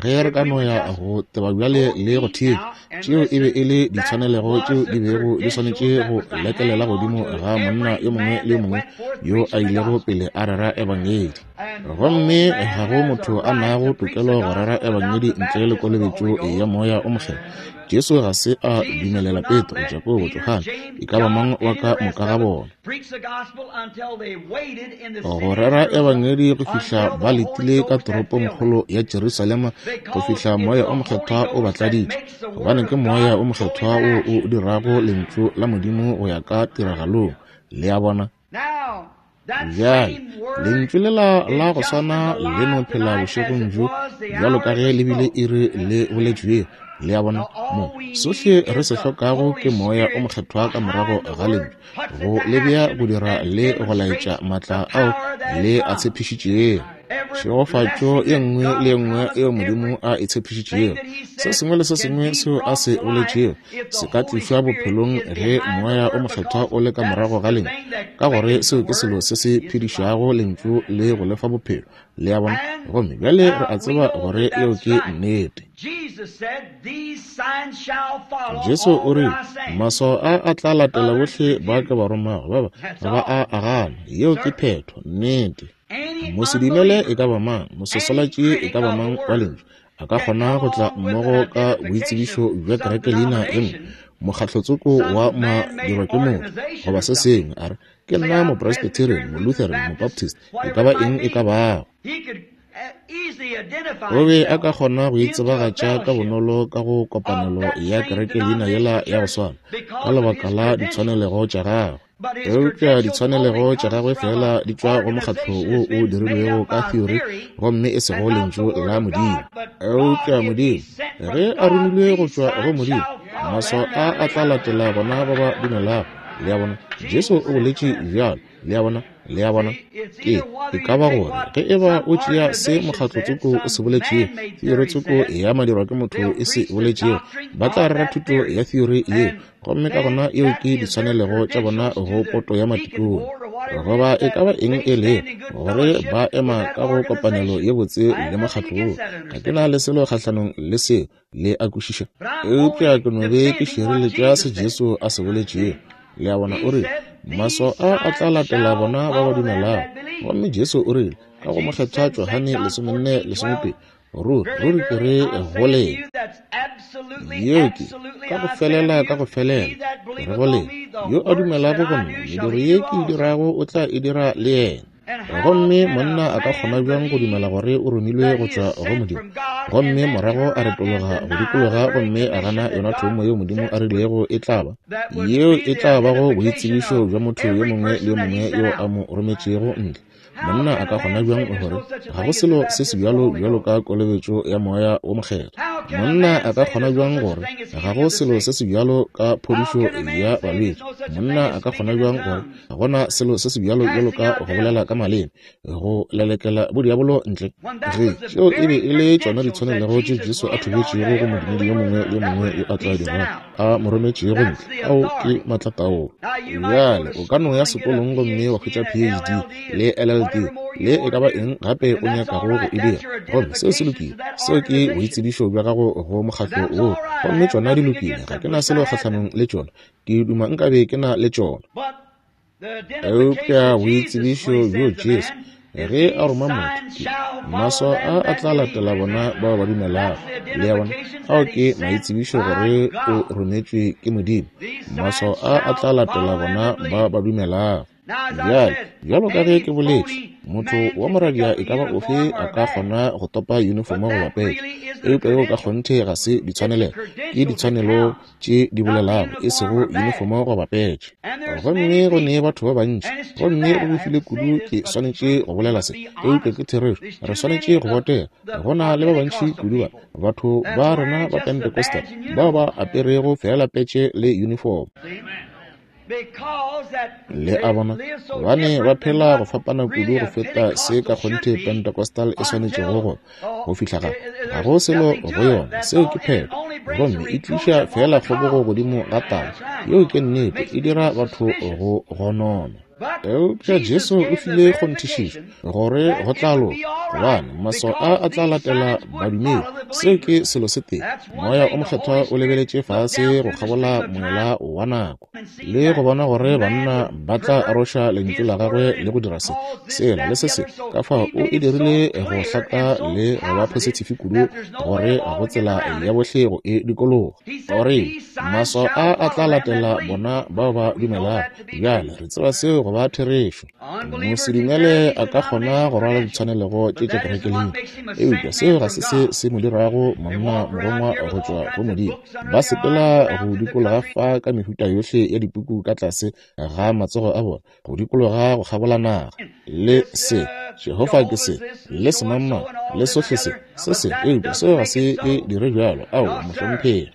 ge re ka no ya go teba bjale le go theetša, tšeo e be e le ditshwanelego tšeo di bego di swanetše go lekelela godimo ga monna yo mongwe le yo mongwe yo a ilego pele a rera Ebangedi. Gomme ga go motho a nago tokelo go rera Ebangedi ntle le kolobetšo ya Moya o Mokgethwa. Jesu ga se a dumelela Petro, Jakobo, Johane, e ka ba mang wa ka moka ga bona, go rera Ebangedi go fihla ba letile ka toropongkgolo ya Jerusalema go fihla Moya o Mokgethwa o ba tladitše, gobane ke Moya o Mokgethwa wo o dirago Lentšu la Modimo go ya ka tiragalong. Le a bona? Bjale, Lentšu lela la go swana le no phela bošegong bjo bjalo ka ge le bile iri le boletšwego. Le a bona? Mo, sohle re se hlokago ke Moya o Mokgethwa ka morago ga Lentšu, go le bea go dira le go laetša maatla ao le a tshepišitšego. Tšhegofatšo ye nngwe le ye nngwe yeo Modimo a e tshepišitšego, se sengwe le se sengwe seo a se boletšego, se ka tlišwa bophelong ge Moya o Mokgethwa o le ka morago ga Lentšu, ka gore seo ke selo se se phedišago Lentšu le go le fa bophelo. Le a bona? Gomme bjale re a tseba gore yeo ke nnete. Jesu o rile, Maswao a a tla latela bohle ba ke ba romago, ba ba ba a a gana. Yeo ke phetho, nnete. Mosedumele e ka ba mang, mososolatši e ka ba mang wa Lentšu, a ka kgona go tla mmogo ka boitsebišo bja kereke leina e nngwe, mokgatlotsoko wa madirwa ke motho, goba se sengwe, a re, Ke nna Mopresbyterian, Molutheran, Mobaptist, e ka ba eng e ka bago. O be a ka kgona go itsebagatša ka bonolo ka go kopanelo ya kereke leina yela ya go swana, ka lebaka la ditshwanelego tša gagwe. Eupša ditshwanelego tša gagwe feela di tšwa go mokgatlo wo o dirilwego ka theory gomme e sego Lentšu la Modimo. Eupša Modimo, ge a romilwe go tšwa go Modimo, maswao a a tla latela bona ba ba dumelago. Le a bona? Jesu o boletše bjalo. Le a bona? Le a bona? Ke, e ka ba gore ge e ba o tšea se mokgatlo tsoko o se boletšego, theory tsoko ya madirwa ke motho e se boletšego, ba tla rera thuto ya theory yeo, gomme ka gona eo ke ditshwanelego tša bona go poto ya matikone goba e ka ba eng e le gore ba ema ka go kopanelo ye botse le mokgatlo wo. Ga ke na le selo kgahlanong le seo, le a kwešiša, eupša ke no be ke šireletša se Jesu a se boletšego. Le a bona, o rile, Maswao a a tla latela bona ba ba dumelago. Gomme Jesu o rile, ka go Mokgethwa Johane 14:12, Ruri, ruri ke re go lena. Yeo ke, ka go felela, ka go felela, ke re go lena, yo a dumelago go nna, mediro ye ke e dirago o tla e dira le yena. Gomme monna a ka kgona bjang go dumela gore o romilwe go tšwa go Modimo, gomme morago a retologa go dikologa gomme a gana yona thomo yeo Modimo a rilego e tla ba, yeo e tla bago boitsebišo bja motho yo mongwe le yo mongwe yo a mo rometšego ntle? Monna a ka kgona bjang gore ga go selo se se bjalo bjalo ka kolobetšo ya Moya wo Mokgethwa? Monna a ka kgona bjang gore ga go selo se se bjalo ka phodišo ya balwetši? Monna a ka kgona bjang gore ga gona selo se se bjalo bjalo ka go bolela ka maleme, go lelekela bodiabolo ntle? Ge tšeo e be e le tšona ditshwanelego tše Jesu a thobetšego go modumedi yo mongwe le yo mongwe yo a tla dirago a mo rometšego ntle, ao ke maatlataolo. Bjale o ka no ya sekolong gomme wa hwetša PhD le LLD le e ka ba eng gape o nyakago go e dira, gomme seo se lokile. Seo ke boitsebišo bja gago go mokgatlo woo, gomme tšona di lokile. Ga ke na selo kgahlanong le tšona. Ke duma nkabe ke na le tšona. Eupša boitsebišo bjo Jesu ge a roma motho, ke maswao a a tla latela bona bao ba dumelago. Le a bona? Ao ke maitsebišo gore o rometšwe ke Modimo. Maswao a a tla latela bona ba ba dumelago. Bjale, bjalo ka ge ke boletše, motho wa moradia e ka ba ofe a ka kgona go topa yunifomo goba petše, eupša yeo ka kgonthe ga se ditshwanelego, ke ditshwanelo tše di bolelago, e sego yunifomo goba petše. Gomme go ne batho ba bantši, gomme go befile kudu ke swanetše go bolela se, eupša ke therešo, re swanetše go botega. Go na le ba bantši kudu ba batho ba rena ba Pentecostal bao ba aperego feela petše le yunifomo. Le a bona, gobane ba phela go fapana kudu go feta se ka kgonthe Pentecostal e swanetšego go go fihla ga ga go selo go yona. Seo ke phetho, gomme e tliša feela kgobogo godimo ga taba. Yeo ke nnete, e dira batho go gonona. Eupša Jesu o file kgonthišišo gore go tla loka, gobane maswao a a tla latela badumedi. Seo ke selo se tee. Moya o Mokgethwa o lebeletše fase go kgabola moela wa nako le go bona gore banna ba tla aroša lentšu la gagwe le go dira se, sela le se se. Ka fao o e dirile go hlaka le go ba phosithifi kudu gore go tsela ya bohle go e dikologa. O rile, Maswao a a tla latela bona bao ba dumelago. Bjale re tseba seo go ba therešo. Mosedumele a ka kgona go rwala ditshwanelego tše tša kerekeleng, eupša seo ga se se se mo dirago monna morongwa go tšwa go Modimo. Ba sepela go dikologa fa ka mehuta yohle ya dipuku ka tlase ga matsogo a bona, go dikologa go kgabola naga, le se Jehofa ke se, le semangmang, le sohle se, se se, eupša seo ga se e dire bjalo. Aowa, mohlomphegi.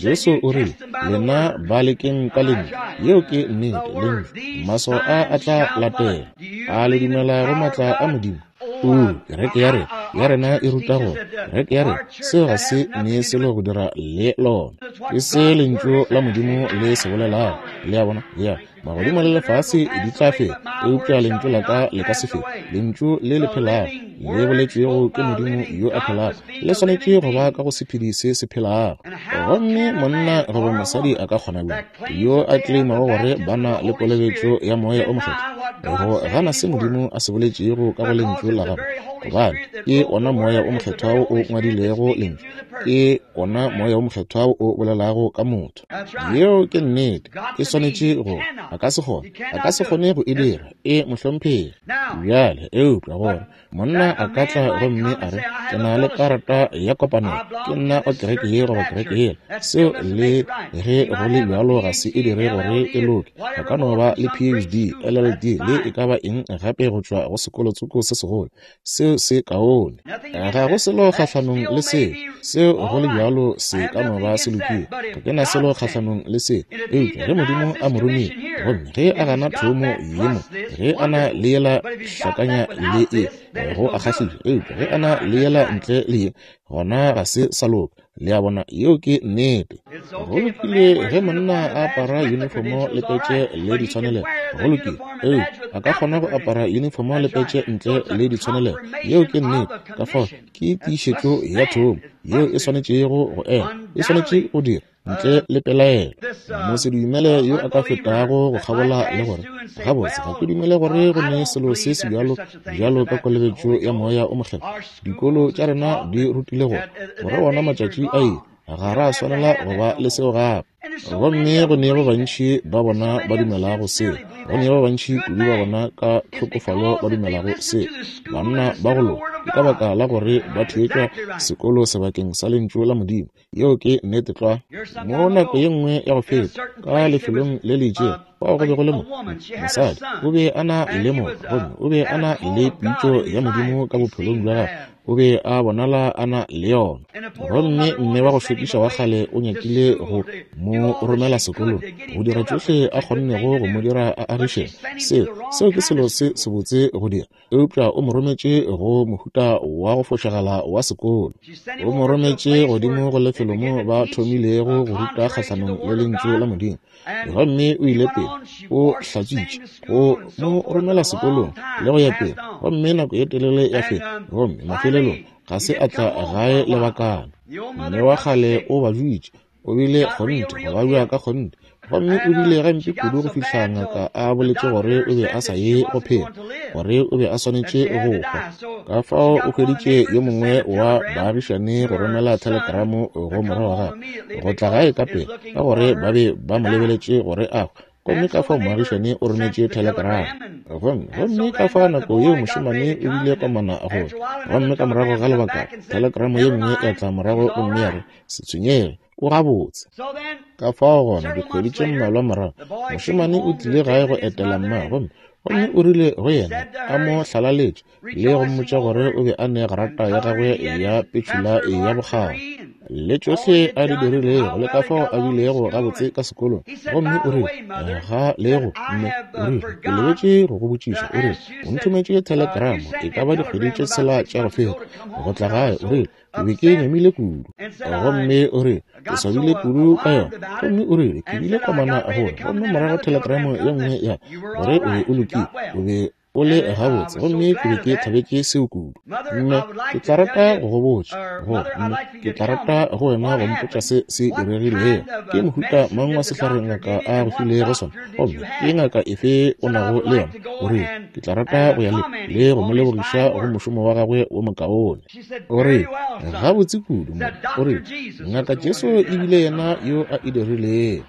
Jesu o rile, Lena ba lekeng ka lentšu. Yeo ke nnete, lentšu. Maswao a a tla latela. A le dumela go maatla a Modimo? Oo, kereke ya rena, ya rena e ruta gore, kereke ya rena, seo ga se ne selo go dira le lona. Ke se lentšu la Modimo le se bolelago. Le a bona? Ya. Magodimo le lefase di tla feta, eupša lentšu la ka le ka se fete. Lentšu le le phelago, le boletšwego ke Modimo yo a phelago, le swanetše go ba ka go sephedi se se phelago. Gomme monna goba mosadi a ka kgona bjang, yo a kleimago gore ba na le kolobetšo ya Moya o Mokgethwa, go gana se Modimo a se boletšego ka go Lentšu la Gagwe? Gobane ke ona Moya o Mokgethwa wo o ngwadilego Lentšu, ke ona Moya o Mokgethwa wo o bolelago ka motho. Yeo ke nnete. E swanetše go, a ka se kgone, a ka se kgone go e dira. E, mohlomphegi. Bjale, eupša gore monna a ka tla gomme a re, Ke na le karata ya kopanelo, ke nna wa kereke ye goba kereke yela, seo le ge go le bjalo ga se e dire gore e loke. A ka no ba le PhD, LLD, le e ka ba eng gape go tšwa go sekolotsoko se segolo. Seo se kaone. Ga go selo kgahlanong le seo. Seo go le bjalo se ka no ba se lokile. Ga ke na selo kgahlanong le seo. Eupša ge Modimo a mo romile, gomme ge a gana thomo ye mo, ge a na le yela hlakanya le ye, go a kgahliša. Eupša ge a na le yela ntle le ye, gona ga se sa loka. Le a bona, yeo ke nnete. Go lokile ge monna a apara yunifomo le petše le ditshwanelego. Go lokile. Eupša a ka kgona go apara yunifomo le petše ntle le ditshwanelego. Yeo ke nnete. Ka fao ke tiišetšo ya thomo yeo e swanetšego go ema, e swanetše go dira. Ntle le pelaelo, mosedumele yo a ka fetago go kgabola le gore, Gabotse, ga ke dumele gore go ne selo se sebjalo bjalo ka kolobetšo ya Moya o Mokgethwa. Dikolo tša rena di rutile gore, gore wona matšatši a ile, ga ra swanela go ba le seo gape. Gomme go ne ba bantši ba bona ba dumelago seo. Go ne ba bantši kudu ba bona ka tlhokofalo ba dumelago seo. Banna ba go loka, ke ka baka la gore ba theetša sekolo sebakeng sa Lentšu la Modimo. Yeo ke nnete tlwa. Mo nako ye nngwe ya go feta, ka lefelong le le itšego, fao go be go le mo, mosadi, o be a na le moka, gomme o be a na le pitšo ya Modimo ka bophelong bja gagwe. O be a bonala a na le yona. Gomme mme wa go šokiša wa kgale o nyakile go mo romela sekolong, go dira tšohle a kgonnego go mo dira a agišege. Seo, seo ke selo se sebotse go dira. Eupša o mo rometše go mohuta wa go fošagala wa sekolo. O mo rometše godimo go lefelo mo ba thomilego go ruta kgahlanong le Lentšu la Modimo. Gomme o ile pele, o hlatswitše, go mo romela sekolong le go ya pele. Gomme nako ye telele ya feta, gomme mafelelong ga se a tla gae lebakana. Mme wa kgale o badutše, o bile kgonthe go babja ka kgonthe, gomme o bile gampe kudu go fihla ngaka a boletše gore o be a sa ye go phela, gore o be a swanetše go hwa. Ka fao o hweditše yo mongwe wa baagišani go romela thelekramo go morwa wa gagwe go tla gae ka pela, ka gore ba be ba mo lebeletše gore a hwe. Gomme ka fao moagišani o rometše thelekramo. Gomme, gomme ka fao nako yeo mošemane o bile komana go tla. Gomme ka morago ga lebaka, thelekramo ye nngwe ya tla morago gomme ya re, Se tshwenyege, o gabotse. Ka fao gona dikgwedi tše mmalwa morago, mošemane o tlile gae go etela mma, gomme, gomme o rile go yena, a mo hlalaletše, le go mmotša gore o be a ne grata ya gagwe ya petšhula ya bokgabo le tšohle a di dirilego le ka fao a bilego gabotse ka sekolong. Gomme o rile, Ga lego, mme, o rile, ke lebetše go go botšiša. O rile, O nthometše thelekramo e ka ba dikgwedi tše tshela tša go feta, go tla gae. O rile, Ke be ke nyamile kudu. Gomme o rile, Ke swabile kudu ka yona. Gomme o rile, Ke bile komana gore, gomme morago thelekramo ye nngwe ya gore o be o lokile, o be o le gabotse, gomme ke be ke thabetše seo kudu. Mme, ke tla rata go go botša, go, mme, ke tla rata go wena go mpotša se se diregilego. Ke mohuta mang wa sehlare ngaka a go filego sona, gomme ke ngaka efe o nago le yona? O rile, Ke tla rata go ya le, le go mo lebogiša go mošomo wa gagwe wo mokaone. O re, Gabotse kudu, mo. O re, Ngaka Jesu e bile yena yo a e dirilego.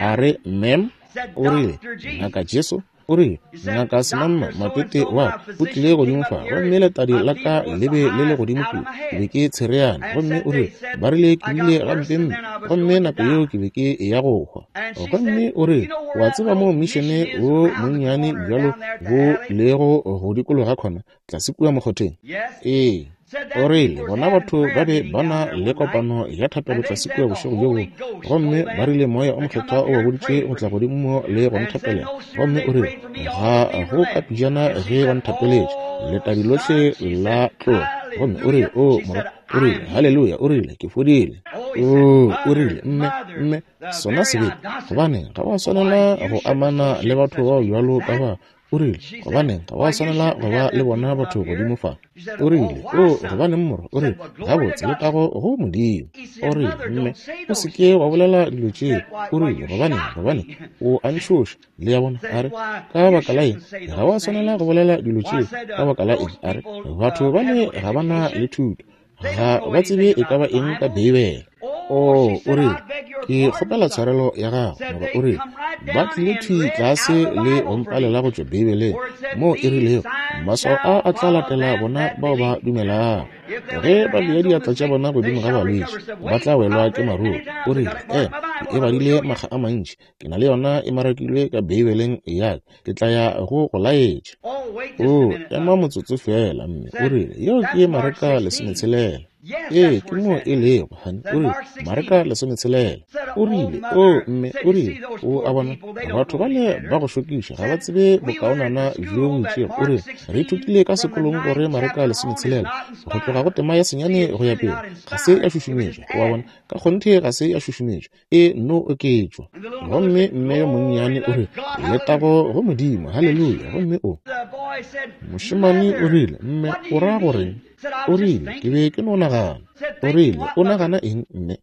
A re, Ma'am, o rile, Ngaka Jesu? O rile, Ngaka Semamma Matete wa ka o tlile godimo fa, gomme letadi la ka le be le le godimo kua. Ke be ke tshereane. Gomme o rile, Ba rile ke bile gampempe, gomme nako yeo ke be ke eya go hwa. Gomme o rile, Wa tseba moo mišene wo monnyane bjalo bo lego go dikologa khona, tlase kua mokgotheng? Ee. O rile, Bona batho ba be ba na le kopano ya thapelo tlase kua bošego bjo bongwe, gomme ba rile Moya o Mokgethwa o ba boditše go tla godimo mo le go nthapelela. Gomme o rile, Ga go ka pejana ge ba nthapeletše, letadi lohle la tloga. Gomme o rile, O morwa, o rile, haleluya, o rile, ke fodile. O, o rile, mme, mme, sona sebete, gobaneng, ga wa swanela go amana le batho bao bjalo ka ba. O rile, Gobaneng, ga wa swanela go ba le bona batho godimo fa. O rile, O, gobaneng, morwa? O rile, Gabotse, letago go Modimo. O rile, Mme, o se ke wa bolela dilo tšeo. O rile, Gobaneng, gobaneng, o a ntšhoša. Le a bona? A re, Ka baka la eng? Ga wa swanela go bolela dilo tšeo. Ka baka la eng? A re, Batho bale ga ba na le thuto. Ga ba tsebe e ka ba eng ka Beibele. O, o rile, ke kgopela tshwarelo ya gago, morwa. O rile, ba tlile thwi tlase le go mpalela go tšwa Beibeleng, moo e rilego, Maswao a a tla latela bona bao ba dumelago. Ge ba bea diatla tša bona godimo ga balwetši, ba tla welwa ke maruru. O rile, Ema, ke e badile makga a mantši. Ke na le yona e marakilwe ka Beibeleng ya ka. Ke tla ya go go laetša. O, ema motsotso feela, mme. O rile, Yeo ke Mareka 16. Ee, ke mo e lego, honey. O rile, Mareka 16. O rile, O, mme, o rile, o a bona, batho bale ba go šokiša ga ba tsebe bokaonana bjo bo itšego. O rile, Re ithutile ka sekolong gore Mareka 16, go tloga go tema ya senyane go ya pele, ga se ya šušumetšwa. O a bona, ka kgonthe ga se ya šušumetšwa. E nno oketšwa. Gomme mme yo monnyane o rile, Letago go Modimo, haleluya. Gomme o, mošemane o rile, Mme, o ra goreng? O rile, Ke be ke no nagana. O rile, O nagana eng, mme?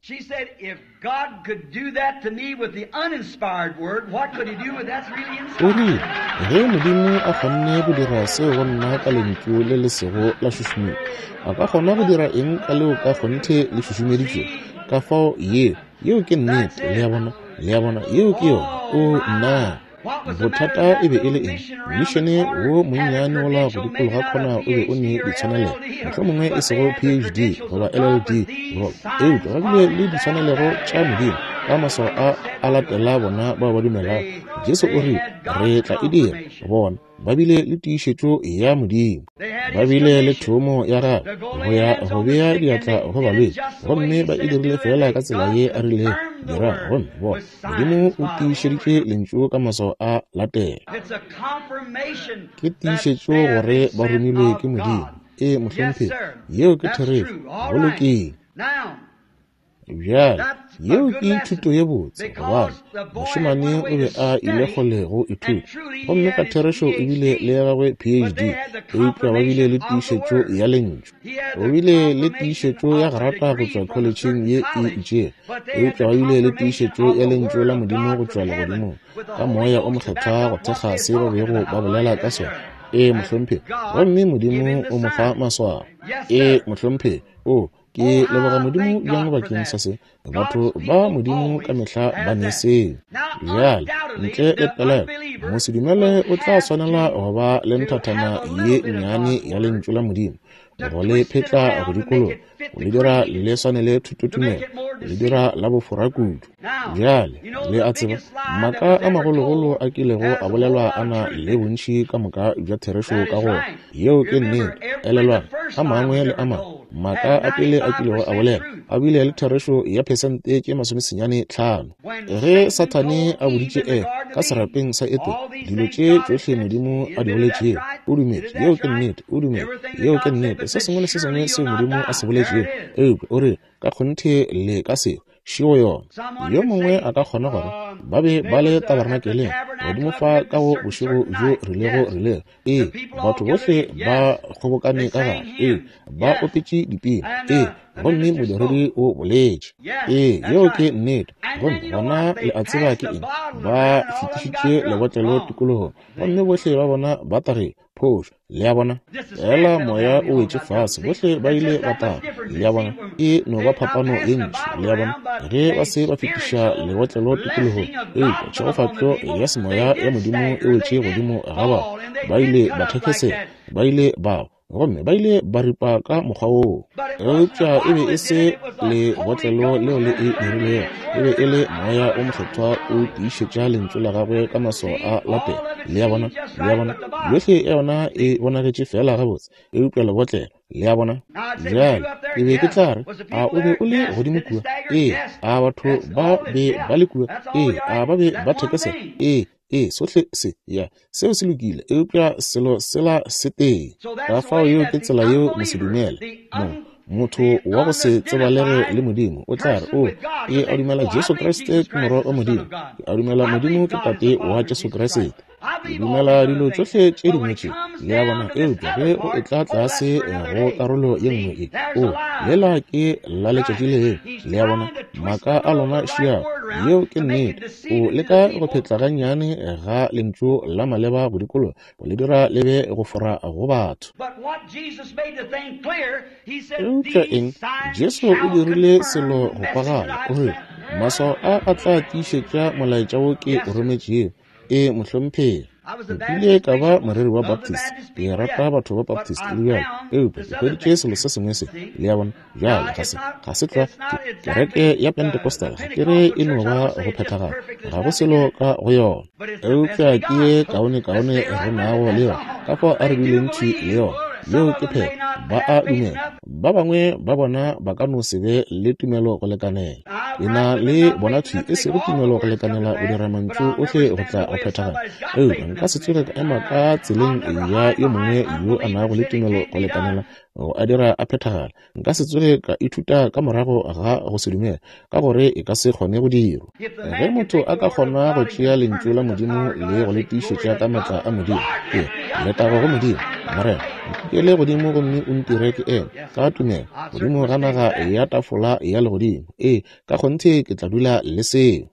O rile, Ge Modimo a kgonne go dira seo go nna ka lentšu le le sego la šušumetšwa, a ka kgona go dira eng ka leo ka kgonthe le šušumeditšwego? Ka fao yeo, yeo ke nnete, le a bona, le a bona, yeo ke yona. Oo, nna! Bothata e be e le eng? Mmišene wo monnyane wola go dikologa khona o be o ne ditshwanelego, mohlomongwe e sego PhD goba LLD, goba, eupša ba bile le ditshwanelego tša Modimo ka maswao a a latela bona bao ba dumelago. Jesu o rile, Re tla e dira. Bona, ba bile le tiišetšo ya Modimo. Ba bile le thomo ya gagwe go ya go bea diatla go balwetši, gomme ba e dirile feela ka tsela ye a rilego dira. Gomme bona, Modimo o tiišeditše lentšu ka maswao a latela. Ke tiišetšo gore ba romilwe ke Modimo. Ee, mohlomphegi, yeo ke therešo. Go lokile. Bjale, yeo ke thuto ye botse, gobane mošemane o be a ile kgole go ithuta, gomme ka therešo o bile le ya gagwe PhD, eupša ba bile le tiišetšo ya Lentšu. O bile le tiišetšo ya grata go tšwa kholetšheng ye e itšego, eupša ba bile le tiišetšo ya Lentšu la Modimo go tšwa legodimong, ka Moya o Mokgethwa go thekga se ba bego ba bolela ka sona. Ee, mohlomphegi. Gomme Modimo o mo fa maswao. Ee, mohlomphegi. O, Ke leboga Modimo bjang bakeng sa se. Batho ba Modimo ka mehla ba ne seo. Bjale, ntle le pelaelo, mosedumele o tla swanela go ba le nthathana ye nnyane ya Lentšu la Modimo, go le phetla go dikologa, go le dira le swanele thutotumelo, go le dira la bofora kudu. Bjale, le a tseba, maaka a magologolo a kilego a bolelwa a na le bontši ka moka bja therešo ka go yeo ke nnete. Elelwang, a mangwe le a mangwe maaka a pele a kilego a bolelwa a bile le therešo ya phesente tše masomesenyane tlhano. Ge Sathane a boditše Efa ka serapeng sa Edene dilo tše tšohle Modimo a di boletšego, o dumetše yeo ke nnete, o dumetše yeo ke nnete, se sengwe le se sengwe seo Modimo a se boletšego, eupša o re ka kgonthe le ka seo Šego yona. Yo mongwe a ka kgona gore ba be ba le tabernakeleng godimo fa ka go bošego bjo rilego rilego. Ee, batho bohle ba kgobokane ka gare. Ee, ba opetše dipina. Ee, gomme modiredi o boletše. Ee, yeo ke nnete. Gomme gona le a tseba ke eng? Ba fetišitše lebotlelo tikologong, gomme bohle ba bona ba tagile. Phošo. Le a bona? Fela moya o wetše fase, bohle ba ile ba taga. Le a bona? E no ba phapano ye ntši. Le a bona? Ge ba se ba fetiša lebotlelo tikologong, eupša tšhegofatšo ya semoya ya Modimo e wetše godimo ga ba, ba ile ba thekesela, ba ile ba wa, gomme ba ile ba ripa ka mokgwa woo. Eupša e be e se lebotlelo leo le e dirilego, e be e le Moya wo Mokgethwa o tiišetša Lentšu la Gagwe ka maswao a lapela. Le a bona? Le a bona? Yohle ya yona e bonagetše feela gabotse, eupša lebotlelo, le a bona? Bjale, ke be ke tla re, a o be o le godimo kua? Ee. A batho ba be ba le kua? Ee. A ba be ba thekesela? Ee. Ee, sohle se, ya, seo se lokile, eupša selo sela se tee. Ka fao yeo ke tsela yeo mosedumele, mo, motho wa go se tsebalege le Modimo, o tla re, O, ke a dumela Jesu Kriste ke Morwa wa Modimo. Ke a dumela Modimo ke Tate wa Jesu Kriste. Ke dumela dilo tšohle tše dingwe tše, le a bona, eupša ge o etla tlase go karolo ye nngwe ye, o, lela ke la letšatši leo, le a bona, maaka a lona šiago. Yeo ke nnete. O leka go phetla gannyane ga lentšu la maleba go dikologa, go le dira le be go fora go batho. Eupša eng? Jesu o dirile selo go kwagala. O rile, Maswao a a tla tiišetša molaetša wo ke o rometšego. Ee, mohlomphegi. Nkile ka ba moreri wa Baptist. Ke rata batho ba Baptist le bjalo. Eupša ke hweditše selo se sengwe se, le a bona. Bjale, ga se, ga se tlwa ke, kereke ya Pentecostal, ga ke re e no ba go phethagala. Ga go selo ka go yona. Eupša ke ye kaonekaone re nago le yona, ka fao a re bileng thwi le yona. Yeo ke phetho. Ba a dumela. Ba bangwe ba bona ba ka no se be le tumelo go lekanela. Ke na le bona thwi e sego tumelo go lekanela go dira mantšu ohle go tla go phethagala. Eupša nka se tsoge ka ema ka tseleng ya yo mongwe yo a nago le tumelo go lekanela go a dira a phethagala. Nka se tsoge ka ithuta ka morago ga go se dumela, ka gore e ka se kgone go dirwa. Ge motho a ka kgona go tšea Lentšu la Modimo le go le tiišetša ka maatla a Modimo, ke letago go Modimo. Morena, nkukele godimo gomme o ntire ke eme ka tumelo godimo ga naga ya tafola ya legodimo. Ee, ka kgonthe ke tla dula le seo.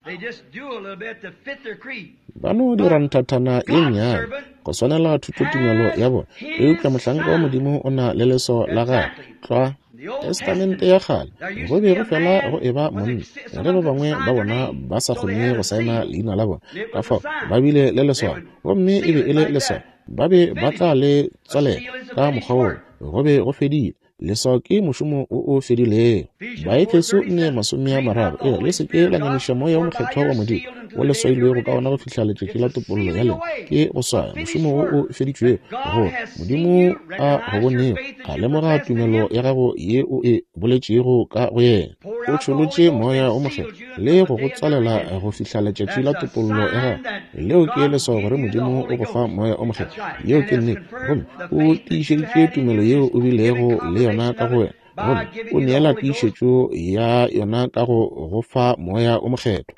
Ba no dira nthathana ye nnyane go swanela thutotumelo ya bona, eupša mohlanka wa Modimo o na le leswao la gagwe tlwa. Testamente ya Kgale go be go fela go eba monna, ge ba bangwe ba bona ba sa kgone go saena leina la bona, ka fao ba bile le leswao, gomme e be e le leswao. Ba be ba tla le tswalela ka mokgwa woo, go be go fedile. Leswao ke mošomo o o fedilego. Baefeso 4:30 e re, Le se ke la nyamiša Moya wo Mokgethwa wa Modimo, wo le swailwego ka ona go fihla letšatši la topollo ya lena. Ke go swaya mošomo wo o feditšwego, gore Modimo a go bonego, a lemoga tumelo ya gago ye o e boletšego ka go yena. O tšholotše Moya wo Mokgethwa le go go tswalela go fihla letšatši la topollo ya gago. Leo ke leswao gore Modimo o go fa Moya o Mokgethwa. Yeo ke nnete. Gomme o tiišeditše tumelo yeo o bilego le yona ka go wena, gomme o neela tiišetšo ya yona ka go go fa Moya o Mokgethwa.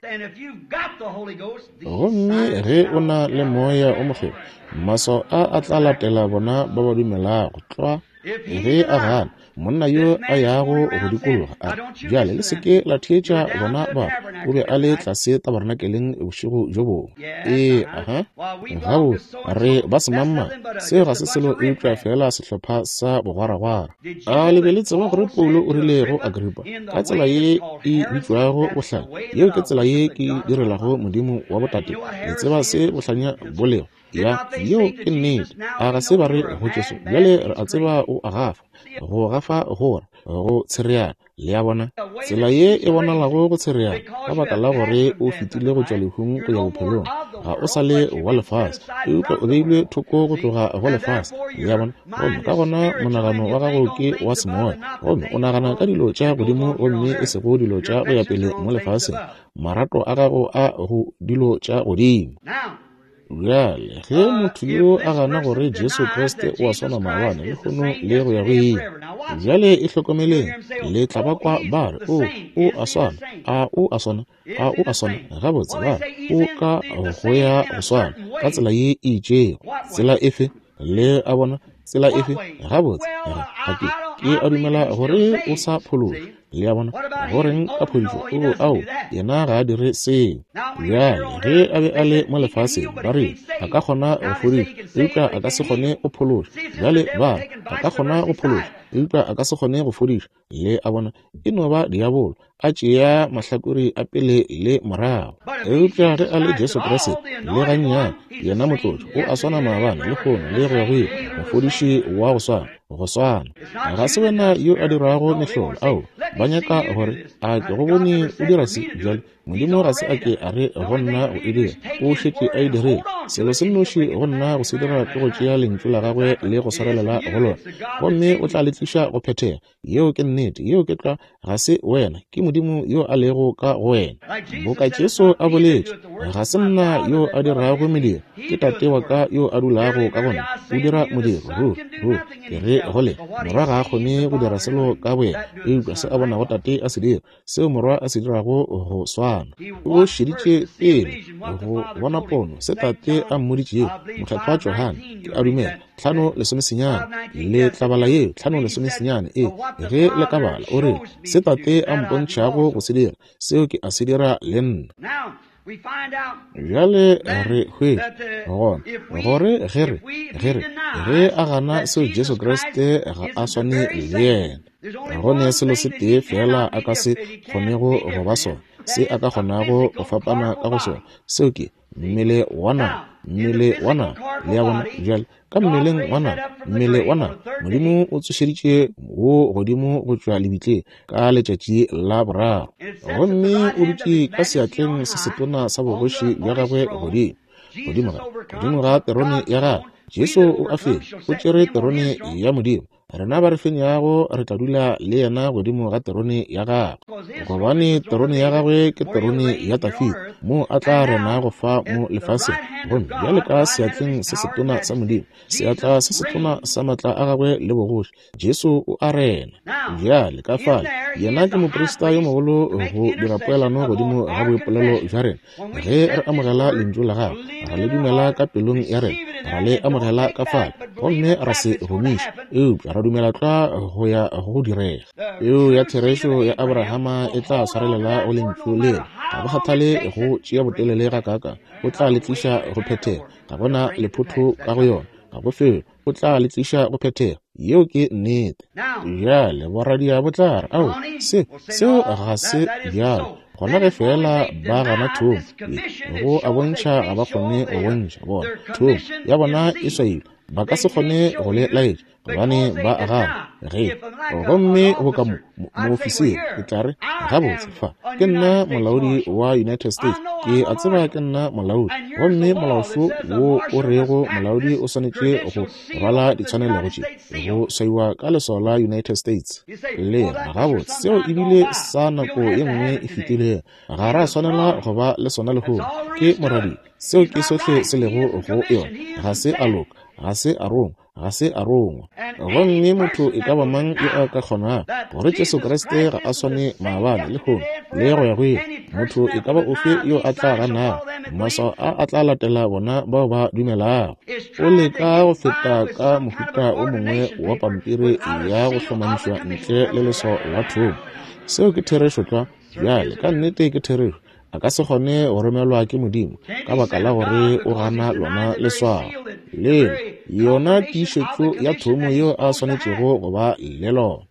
Gomme ge o na le Moya o Mokgethwa, maswao a a tla latela bona ba ba dumelago. Tlwa. Ge a gana, monna yo a yago go dikologa a re, Bjale le se ke la theetša bona batho. O be a le tlase tabernakeleng bošego bjo bongwe. Ee, aha. Gabotse, re ba semangmang. Seo ga se selo eupša feela sehlopha sa bogwaragwara. A le be le tseba gore Paulo o rile go Agripa, ka tsela ye e bitšwago bohlanya, yeo ke tsela ye ke direlago Modimo wa botate? Le tseba se bohlanya bo lego? Ya, yeo ke nnete. A ga se ba re go Jesu, bjale re a tseba o a gafa, go gafa go ra, go tshereana. Le a bona? Tsela ye e bonalago go tshereana, ka baka la gore o fetile go tšwa lehung go ya bophelong. Ga o sa le wa lefase, eupša o beilwe thoko go tloga go lefase. Le a bona? Gomme ka gona monagano wa gago ke wa semoya, gomme o nagana ka dilo tša godimo gomme e sego dilo tša go ya pele mo lefaseng. Marato a gago a go dilo tša godimo. Bjale, ge motho yo a gana gore Jesu Kriste o a swana maabane, lehono le go ya go ile, bjale e hlokomeleng, le tla ba kwa ba re, O, o a swana, a o a swana, a o a swana. Gabotse, ba re, o ka go ya go swana, ka tsela ye e itšego. Tsela efe? Le a bona? Tsela efe? Gabotse, ga ke, ke a dumela gore o sa phološwa. Le a bona? Go reng ka phodišo? O, ao, yena ga a dire seo. Bjale, ge a be a le mo lefaseng, ba rile, a ka kgona go fodiša, eupša a ka se kgone go phološa. Bjale ba re, a ka kgona go phološa, eupša a ka se kgone go fodiša. Le a bona? E no ba diabolo, a tšea mahlakore a pele le morago. Eupša ge a le Jesu Kriste, le gannyane, yena Motlotšwa, o a swana maabane, lehono, le go ya go ile, mofodiši wa go swana, go swana. Ga se wena yo a dirago mehlolo, ao, ba nyaka gore, a ke go bone o dira se bjale. Modimo ga se a ke a re go nna go e dira, o šetše a e dirile. Selo se nnoši go nna go se dira ke go tšea Lentšu la Gagwe le go swarelela go lona, gomme o tla le tliša go phethega. Yeo ke nnete, yeo ke tlwa, ga se wena, ke Modimo yo a lego ka go wena. Boka Jesu a boletše, ga se nna yo a dirago mediro, ke Tate wa ka yo a dulago ka go nna, o dira modiro. Ruri, ruri, ke re go lena, Morwa ga a kgone go dira selo ka boyena, eupša se a bonago Tate a se dira, seo Morwa a se dirago go swana. O šeditše pele go bona pono, se Tate a mmoditšego, Mokgethwa Johane, ke a dumela, 5:19. Le tla bala yeo, 5:19, ee, ge le ka bala. O rile, Se Tate a mpontšhago go se dira, seo ke a se dira le nna. Bjale re hwetša gona gore ge re, ge re, ge a gana seo Jesu Kriste ga a swane le yena. Go ne selo se tee feela a ka se kgonego go ba sona, se a ka kgonago go fapana ka go sona, seo ke mmele wa nama, mmele wa nama. Le a bona? Bjale, ka mmeleng wa nama, mmele wa nama, Modimo o tsošeditše wo godimo go tšwa lebitleng ka letšatši la boraro, gomme o dutše ka seatleng se setona sa bogoši bja gagwe godimo, godimo ga, godimo ga terone ya gagwe. Jesu o a fenya, o tšere terone ya Modimo. Rena ba re fenyago re tla dula le yena godimo ga terone ya gagwe, gobane terone ya gagwe ke terone ya Dafida, moo a tla renago fa mo lefaseng. Gomme bjale ka seatleng se setona sa Modimo, seatla se setona sa matla a gagwe le bogoši, Jesu o a rena. Bjale ka fale, yena ke moprista yo mogolo go dira poelano godimo ga boipolelo bja rena. Ge re amogela lentšu la gagwe, ra le dumela ka pelong ya rena, ra le amogela ka fale, gomme ra se gomiša, eupša ra dumela tlwa go ya go direga. Peu ya therešo ya Abrahama e tla swarelela go lentšu lela. Ga go kgathale go tšea botelele gakaakang, o tla le tliša go phethega. Ga go na lephotho ka go yona, ga go felo. O tla le tliša go phethega. Yeo ke nnete. Bjale boradia bo tla re, Ao, se, seo ga se bjalo. Gona ge feela ba gana thomo ye, go a bontšha ga ba kgone go bontšha. Bona, thomo ya bona e swailwe. Ba ka se kgone go le laetša, gobane ba a gana. Ge, gomme boka mo, mo, moofisiri, ke tla re, Gabotse, fa, ke nna molaodi wa United States. Ke a tseba ke nna molaodi. Gomme molaošo wo o rego molaodi o swanetše go rwala ditshwanelego tše, go swaiwa ka leswao la United States. Le re, Gabotse, seo e bile sa nako ye nngwe e fetilego. Ga ra swanela go ba le sona lehono. Ke moradia. Seo ke sohle se lego go yona. Ga se a loka. Ga se a rongwa. Ga se a rongwa. Gomme motho e ka ba mang yo a ka kgonago gore Jesu Kriste ga a swane maabane, lehono, le go ya go ile, motho e ka ba ofe yo a tla ganago, maswao a a tla latela bona bao ba dumelago. O leka go feta ka mohuta o mongwe wa pampiri ya go hlomamišwa ntle le leswao la thomo. Seo ke therešo tlwa. Bjale, ka nnete ke therešo. A ka se kgone go romelwa ke Modimo ka baka la gore o gana lona leswao leo, yona tiišetšo ya thomo yeo a swanetšego go ba le lona.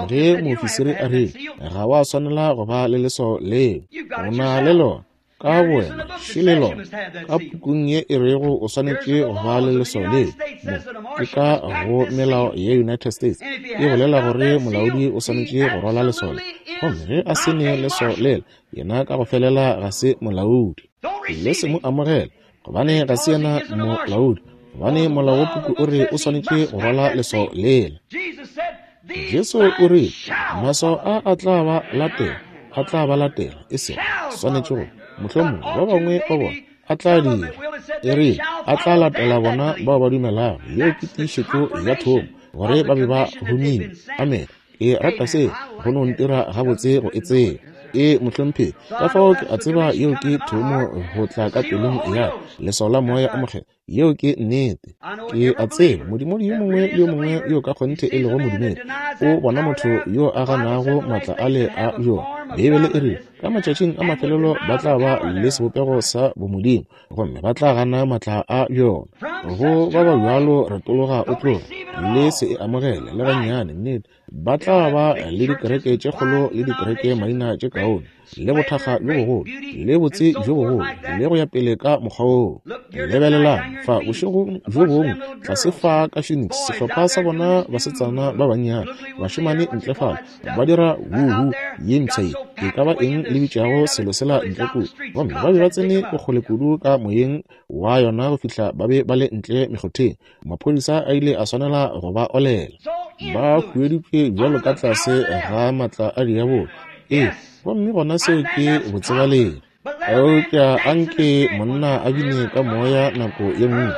Ge moofisiri a rile, Ga wa swanela go ba le leswao leo, o na le lona ka bowena, šele lona ka pukung ye e rego o swanetše go ba le leswao leo. Mo ke ka go melao ya United States e bolela gore molaodi o swanetše go rwala leswao le, gomme ge a se ne leswao lela, yena ka go felela ga se molaodi. Le se mo amogela, gobane ga se yena molaodi, gobane molao wa puku o re o swanetše go rwala leswao lela. Jesu o rile, Maswao a a tla ba latela, a tla ba latela, e sego swanetše go, mohlomongwe ba bangwe ba bona a tla dira. E rile, a tla latela bona bao ba dumelago. Yeo ke tiišetšo ya thomo, gore ba be ba humile. Amene. Ke rata seo, go no ntira gabotse go e tseba. Ee, mohlomphegi. Ka fao ke a tseba yeo ke thomo go tla ka pelong ya leswao la Moya o Mokgethwa. Yeo ke nnete. Ke a tseba modumedi yo mongwe le yo mongwe yo ka kgonthe e lego modumedi o bona motho yo a ganago maatla ale a bjona. Beibele e rile ka matšatšing a mafelelo ba tla ba le sebopego sa bomodimo gomme ba tla gana maatla a bjona. Go ba ba bjalo retologa o tloge, le se e amogele le gannyane. Nnete. Ba tla ba le dikereke tše kgolo le dikereke maina tše kaone, le bothakga bjo bogolo, le botse bjo bogolo, le go ya pele ka mokgwa woo. Lebelelang fa bošegong bjo bongwe, tlase fa ka Phoenix, sehlopha sa bona basetsana ba bannyane, bašemane ntle fale, ba dira wuhu ye mpsha ye, e ka ba eng le bitšago selo sela ntle kua. Gomme ba be ba tsene bokgole kudu ka moyeng wa yona go fihla ba be ba le ntle mekgotheng. Maphodisa a ile a swanela go ba olela. Ba hueditšwe bjalo ka tlase ga matla a diabolo. Ee, gomme gona seo ke botsebalegi. Eupša anke monna a bine ka moya nako ye nngwe,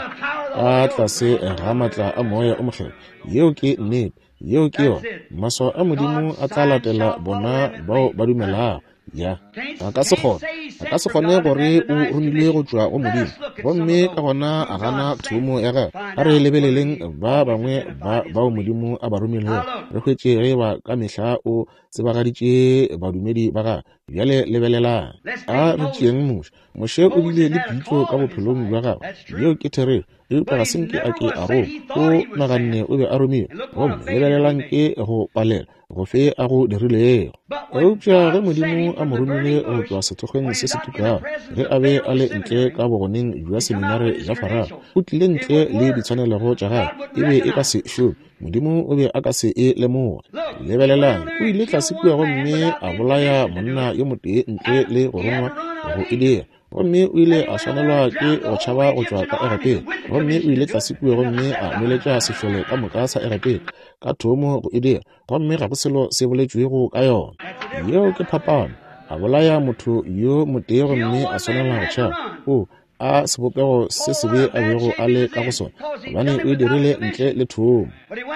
ka tlase ga matla a Moya o Mokgethwa. Yeo ke nnete. Yeo ke yona. Maswao a Modimo a tla latela bona bao ba dumelago. Ya, a ka se kgone, a ka se kgone gore o romilwe go tšwa go Modimo, gomme ka gona a gana thomo ya gagwe. A re lebeleleng ba bangwe ba bao Modimo a ba romilego, re hwetše ge ba ka mehla o tsebagaditše badumedi ba gagwe. Bjale lebelelang, a re tšeeng Moshe. Moshe o bile le pitšo ka bophelong bja gagwe, yeo ke therešo, eupša ga se nke a ke a roma. O naganne o be a romilwe, gomme lebelelang ke go palela gofe a go dirilego. Eupša ge Modimo a mo romile go tšwa sethokgweng se se tukago, ge a be a le ntle ka bogoneng bja seminare ya Farao, o tlile ntle le ditshwanelego tša gagwe, e be e ka se šome. Modimo o be a ka se e lemoge. Lebelelang, o ile tlase kua gomme a bolaya monna yo motee ntle le go rongwa go e dira. Gomme o ile a swanelwa ke go tšhaba go tšwa ka Egepeta. Gomme o ile tlase kua gomme a nweletša sešole ka moka sa Egepeta, ka thomo go e dira, gomme ga go selo se boletšwego ka yona. Yeo ke phapano. A bolaya motho yo motee gomme a swanela go tšhaba. O, a sebopego se sebe a bego a le ka go sona, gobane o e dirile ntle le thomo.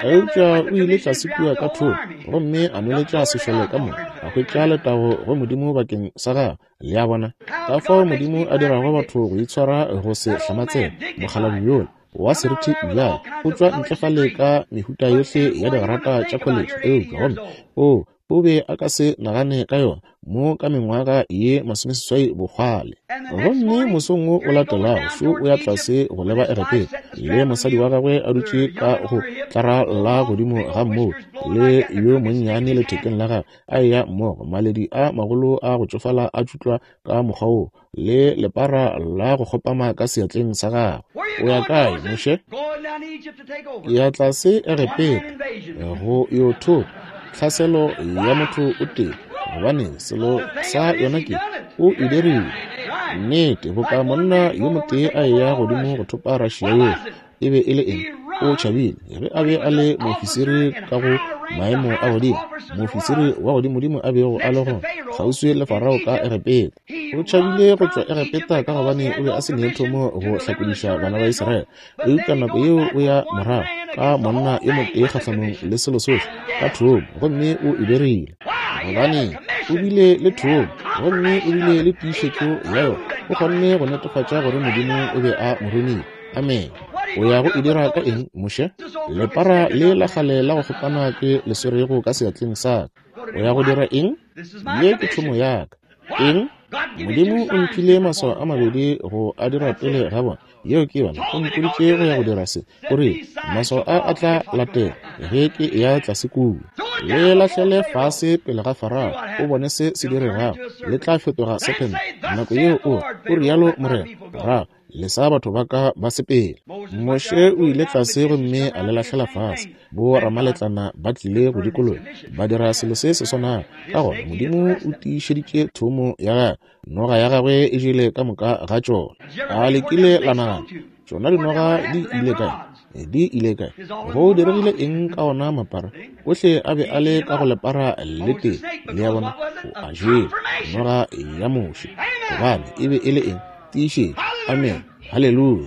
Eupša o ile tlase kua ka thomo gomme a nweletša sešole ka moka, a hwetša letago go Modimo bakeng sa gagwe. Le a bona ka fao Modimo a dirago batho go itshwara go se hlamatsega? Mokgalabje yola wa seriti bjale o tšwa ntle fale ka mehuta yohle ya digrata tša kholetše, eupša gomme o o be a ka se nagane ka yona mo ka mengwaga ye 80 bokgwale. Gomme mosong wo o latelago šo o ya tlase go leba Egepeta, le mosadi wa gagwe a dutše ka go tlara la godimo ga mmoula, le yo monnyane lethekeng la gagwe, a eya mmogo, maledi a magolo a go tšofala a tšutlwa ka mokgwa wo, le lepara la go kgopama ka seatleng sa gagwe. O ya kae, Moshe? Ke ya tlase Egepeta go yo thopa tlhaselo ya motho o tee, gobane selo sa yona ke o e dirile. Nnete, boka monna yo motee a eya godimo go thopa Russia yohle, e be e le eng? O tšhabile ge a be a le moofisiri ka go maemo a godimo, moofisiri wa godimodimo a bego a le gona kgauswi le Farao ka Egepeta. O tšhabile go tšwa Egepeta ka gobane o be a se ne thomo go hlakodiša bana ba Israele. Eupša nako yeo o ya morago ka monna yo motee kgahlanong le selo sohle ka thomo, gomme o e dirile gobane o bile le thomo gomme o bile le tiišetšo ya yona. O kgonne go netefatša gore Modimo o be a mo romile. Amen. O ya go e dira ka eng, Moshe? Lepara le la kgale la go kgopana ke le swerego ka seatleng sa ka. O ya go dira eng? Ye ke thomo ya ka. Eng? Modimo o mphile maswao a mabedi go a dira pele ga bona. Yeo ke yona. O mpoditše go ya go dira se. O rile, maswao a a tla latela ge ke eya tlase kua. Le lahlele fase pele ga Farao, o bone se se diregago. Le tla fetoga sephente. Nako yeo o, o rialo Morena, morago lesa batho ba ka ba sepele. Moshe o ile tlase gomme a le lahlela fase. Bo ramaletlana ba tlile go dikologa, ba dira selo se se swanago. Ka gona Modimo o tiišeditše thomo ya gagwe. Noga ya gagwe e jele ka moka ga tšona. A le kile la nagana, tšona dinoga di ile kae? Di ile kae? Go diregile eng ka ona mapara? Ohle a be a le ka go lepara le tee. Le a bona, o a jele, noga ya Moshe. Gobane e be e le eng? Tiišetšo. Amen. Haleluya.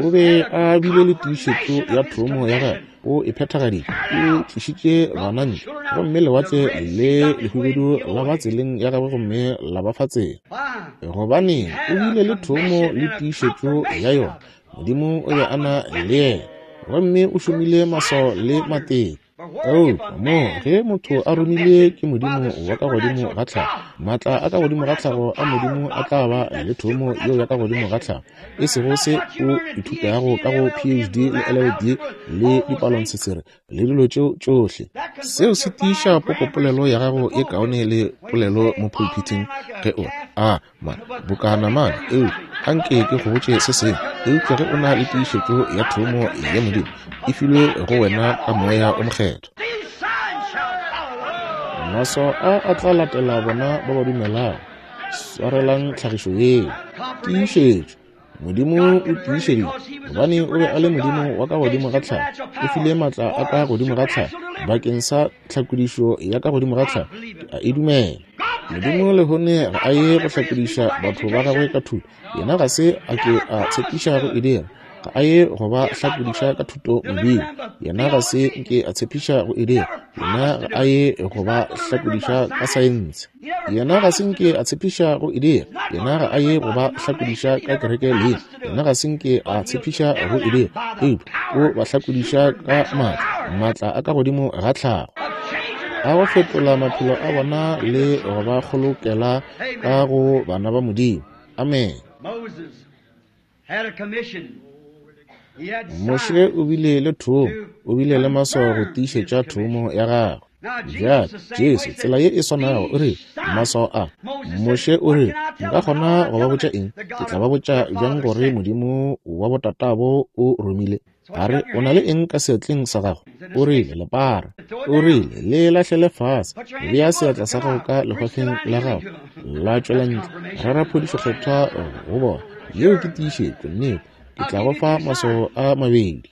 O be a bile le tiišetšo ya thomo ya gagwe. O e phethagaditše. O tlišitše bana ntle, gomme lewatle le lehubedu la ba tseleng ya gagwe gomme la ba fa tsela. Gobane o bile le thomo le tiišetšo ya yona. Modimo o be a na le yena, gomme o šomile maswao le matete. Eupša mo ge motho a romilwe ke Modimo wa ka godimo ga tlhago, maatla a ka godimo ga tlhago a Modimo a tla ba le thomo yeo ya ka godimo ga tlhago, e sego se o ithutago ka go PhD le LLD le dipalontshetshere le dilo tšeo tšohle. Seo se tiiša popopolelo ya gago ye kaone le polelo mo pulpiting ge o a ma boka namane. Eupša anke ke go botše se sengwe, eupša ge o na le tiišetšo ya thomo ya Modimo e filwe go wena ka Moya o Mokgethwa, maswao a a tla latela bona ba ba dumelago. Swarelang tlhagišo yeo. Tiišetšo. Modimo o tiišeditše, gobane o be a le Modimo wa ka godimo ga tlhago. O file maatla a ka godimo ga tlhago bakeng sa tlhakodišo ya ka godimo ga tlhago. Ke a e dumela. Modimo lehono ga a ye go hlakodiša batho ba gagwe ka thuto. Yena ga se a ke a tshepiša go e dira. Ga a ye go ba hlakodiša ka thuto modimo. Yena ga se nke a tshepiša go e dira. Yena ga a ye go ba hlakodiša ka saense. Yena ga se nke a tshepiša go e dira. Yena ga a ye go ba hlakodiša ka kereke leina. Yena ga se nke a tshepiša go e dira. Eupša o ba hlakodiša ka maatla, maatla a ka godimo ga tlhago, a go fetola maphelo a bona le go ba kgolokela ka go bana ba Modimo. Amen. Moshe o bile le thomo, o bile le maswao go tiišetša thomo ya gagwe. Bjale, Jesu, tsela ye e swanago, o rile, maswao a. Moshe o rile, nka kgona go ba botša eng? Ke tla ba botša bjang gore Modimo wa botatabo o romile? A re, O na le eng ka seatleng sa gago? O rile, Lepara. O rile, Le lahlele fase. Bea seatla sa gago ka lehwafeng la gago. La tšwela ntle. Rera phodišo Kgethwa go bona. Yeo ke tiišetšo, nnete. Ke tla go fa maswao a mabedi.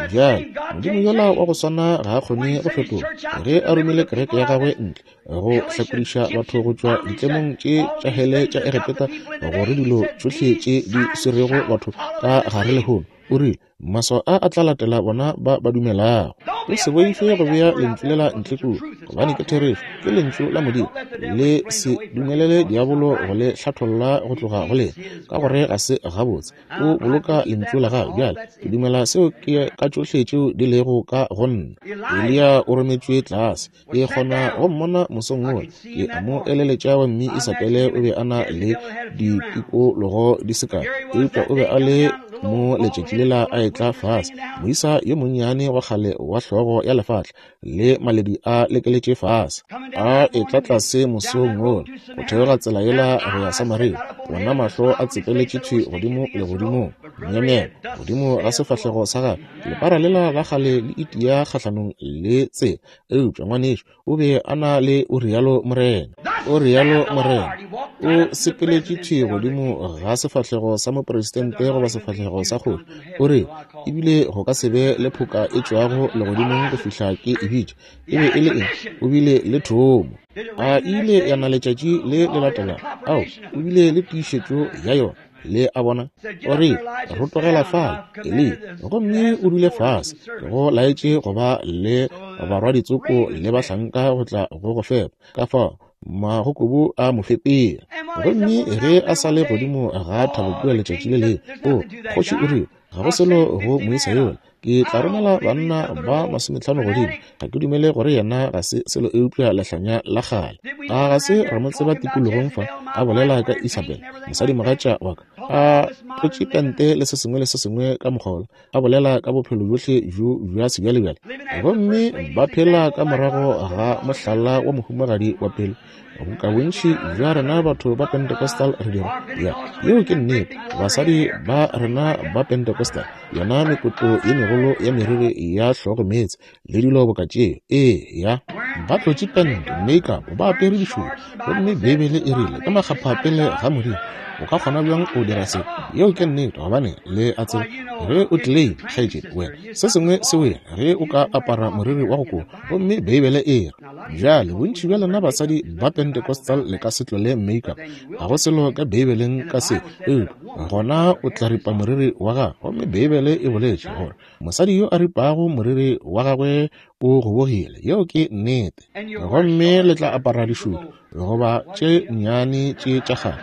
Bjale, Modimo yola wa go swana ga a kgone go fetoga. Ge a romile kereke ya gagwe ntle, go hlakodiša batho go tšwa ditlemong tše tša hele tša Egepeta, gore dilo tšohle tše di swerego batho ka gare lehono, o rile, Maswao a a tla latela bona ba ba dumelago. O se boife go bea lentšu lela ntle kua, gobane ke therešo, ke lentšu la Modimo. Le se dumelele diabolo go le hlatholla go tloga go lena, ka gore ga se gabotse. O boloka lentšu la gagwe. Bjale, ke dumela seo ke ka tšohle tšeo di lego ka go nna. Eliya o rometšwe tlase. Ke kgona go mmona mosong wola. Ke a mo eleletša gomme Isabele o be a na le ditikologo di se kae, eupša o be a le mo letšatši lela a etla fase, moisa yo monnyane wa kgale wa hlogo ya lefatla le maledu a lekeletše fase, a etla tlase mosong wola go theoga tsela yela go ya Samaria, wona mahlo a tsepeletše thwi godimo legodimong, myemyelo godimo ga sefahlego sa gagwe, lepara lela la kgale le itia kgahlanong le tsela. Eupša, ngwanešu, o be a na le o rialo morena. O rialo morena. O sepeletše thwi godimo ga sefahlego sa mopresidente goba sefahlego sa kgoši. O re, ebile go ka se be le phoka e tšwago legodimong go fihla ke e bitša. E be e le eng? O bile le thomo. A e ile ya na letšatši le le latelago? Ao, o bile le tiišetšo ya yona. Le a bona? O re, Rotogela fale, Eliya, gomme o dule fase. Ke go laetše go ba le barwaditsoko le bahlanka go tla go go fepa. Ka fao magokobu a mo fepela. Gomme ge a sa le godimo ga thabo kua letšatši le lengwe, o, kgoši o rile, ga go selo go moisa yola. Ke tla romela banna ba masometlhano godimo. Ga ke dumele gore yena ga se selo eupša lehlanya la kgale. A ga se ra mo tseba tikologong fa a bolela ka Isabel, mosadimogatša wa ka, a tlotše pente le se sengwe le se sengwe ka mokgwa wola, a bolela ka bophelo bjohle bjo bja sebjalebjale. Gomme ba phela ka morago ga mohlala wa mohumagadi wa pele. Boka bontši bja rena batho ba Pentecostal re dira. Ya, yeo ke nnete. Basadi ba rena ba Pentecostal, yona mekotlo ye megolo ya meriri ya hlogo meetse le dilo boka tšeo. Ee, ya. Ba tlotše pente, makeup, ba apere dišupo. Gomme Beibele e rile, ke makgapha pele ga Modimo. O ka kgona bjang go dira se? Yeo ke nnete, gobane le a tseba ge o tleleima, kgaetšedi, wena, se sengwe se wena ge o ka apara moriri wa go koba. Gomme Beibele e re, Bjale, bontši bja lena basadi ba Pentecostal le ka se tlole makeup. Ga go selo ka Beibeleng ka se. Eupša gona o tla ripa moriri wa gago. Gomme Beibele e boletše gore mosadi yo a ripago moriri wa gagwe o gobogile. Yeo ke nnete. Gomme le tla apara dišupo goba tše nnyane tše tša kgale.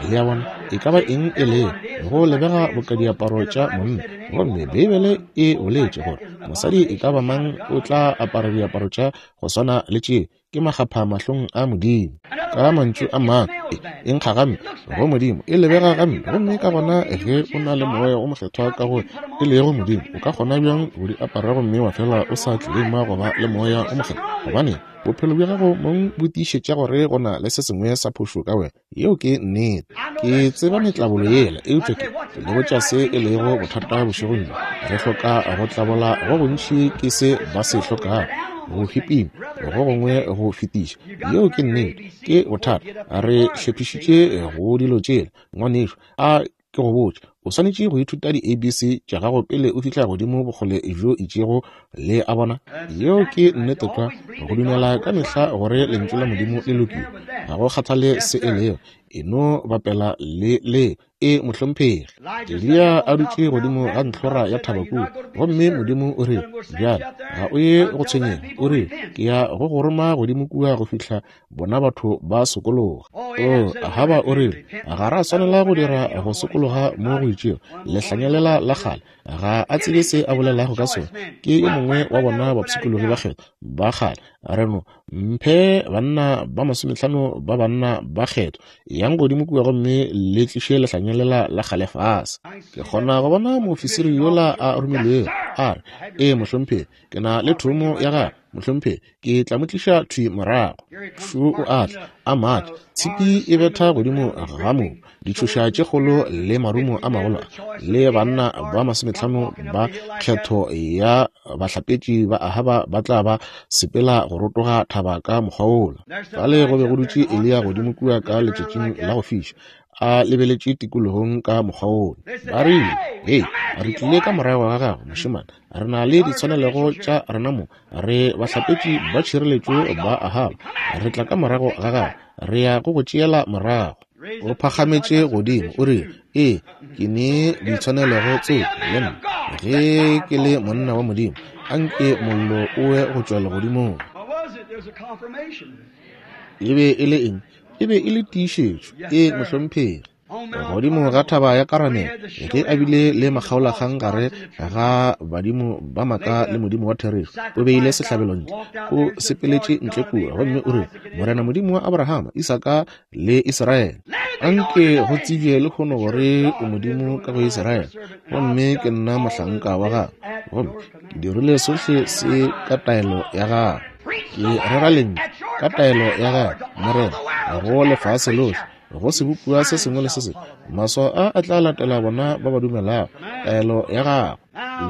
Le a bona, e ka ba eng e lego, go lebega boka diaparo tša monna. Gomme Beibele e boletše gore mosadi e ka ba mang o tla apara diaparo tša go swana le tše, ke makgapha mahlong a Modimo. Ka mantšu a mangwe, e nkga gampe go Modimo, e lebega gampe. Gomme ka gona ge o na le Moya wo Mokgethwa ka go e lego Modimo, o ka kgona bjang go di apara gomme wa fela o sa tleleima go ba le Moya wo Mokgethwa? Gobane bophelo bja gago mong bo tiišetša gore go na le se sengwe sa phošo ka wena. Yeo ke nnete. Ke tseba metlabolo yela, eupša ke le botša se e lego bothata bošegong bjo. Re hloka go tlabola go gontši ke se ba se hlokago, go hipima go gongwe go fetiša. Yeo ke nnete. Ke bothata. Re hlephišitše go dilo tšela, ngwanešu. A ke go botše, o swanetše go ithuta di-ABC tša gago pele o fihla godimo bokgole bjo itšego, le a bona. Yeo ke nnete tlwa, go dumela ka mehla gore Lentšu la Modimo le lokile, ga go kgathale se e lego, e no bapela le le. E, mohlomphegi. Eliya a dutše godimo ga ntlhora ya thaba kua, gomme Modimo o rile, Bjale, ga o ye go tshwenyega. O rile, Ke ya go go roma godimo kua go fihla bona batho ba sokologa. O, Ahaba o rile, ga ra swanela go dira go sokologa mo go itšego. Lehlanyelela la kgale, ga a tsebe se a bolelago ka sona. Ke yo mongwe wa bona bapshikologi ba kgetho ba kgale. Re no mphe banna ba masometlhano ba banna ba kgetho, yang godimo kua gomme le tliše lehlanyelela la kgale fase. Ke kgona go bona moofisiri yola a romilwego, a re, Ee, mohlomphegi, ke na le thomo ya gagwe. mohlomphegi, ke tla mo tliša thwi morago. Šo o a tla, a matha, tshipi e betha godimo ga mobu, ditšhoša tše kgolo le marumo a magolo a, le banna ba 50 ba kgetho ya bahlapetši ba Ahaba ba tla ba sepela go rotoga thaba ka mokgwa wola. Fale go be go dutše Eliya godimo kua ka letšatšing la go fiša, a lebeletše tikologong ka mokgwa wola. Ba rile, Hei, re tlile ka morago ga gago, mošemane. Re na le ditshwanelego tša rena mo. Re bahlapetši ba tšhireletšo ba Ahaba. Re tla ka morago ga gago. Re ya go go tšeela morago. O phagametše godimo, o rile, Ee, ke ne ditshwanelego tseo le nna. Ge ke le monna wa Modimo, a nke mollo o we go tšwa legodimong. E be e le eng? E be e le tiišetšo. Ee, mohlomphegi. Godimo ga thaba ya Karamele, ge a bile le makgaolakgang gare ga badimo ba maaka le Modimo wa therešo, o beile sehlabelo ntle, o sepeletše ntle kua, gomme o rile, Morena Modimo wa Abrahama, Isaka le Israele, anke go tsebje lehono gore o Modimo ka go Israele, gomme ke nna mohlanka wa gago, gomme ke dirile sohle se ka taelo ya gago. Ke rera lentšu ka taelo ya gago, Morena, go lefase lohle, go sebopiwa se sengwe le se sengwe. Maswao a a tla latela bona ba ba dumelago taelo ya gago.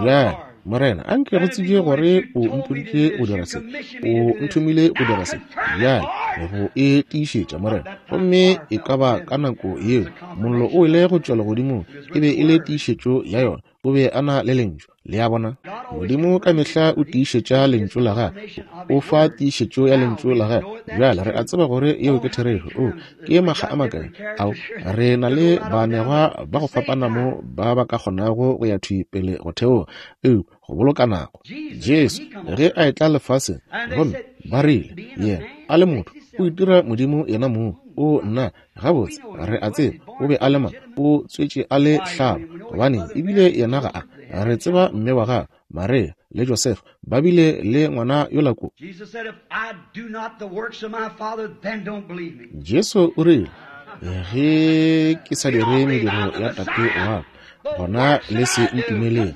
Bjale, Morena, anke go tsebje gore o mpoditše go dira se, o nthomile go dira se. Bjale, go e tiišetša, Morena. Gomme e ka ba ka nako yeo mollo o ile go tšwa legodimong, e be e le tiišetšo ya yona. O be a na le lentšu. Le a bona? Modimo ka mehla o tiišetša lentšu la gagwe, o fa tiišetšo ya lentšu la gagwe. Bjale re a tseba gore yeo ke therešo. O, ke makga a makae ao re na le baanegwa ba go fapana mo ba ba ka kgonago go ya thwi pele go theoga, eupša go boloka nako. Jesu, ge a etla lefaseng, gomme ba rile, Yena, a le motho, o itira Modimo yena mong. O, nna, Gabotse, re a tseba o be a le mang, o tswetše a le hlaba, gobane ebile yena ga a. Re tseba mme wa gagwe, Maria, le Josefa, ba bile le ngwana yola ko. Jesu o rile, Ge ke sa dire mediro ya Tate wa ka, gona le se ntumeleng.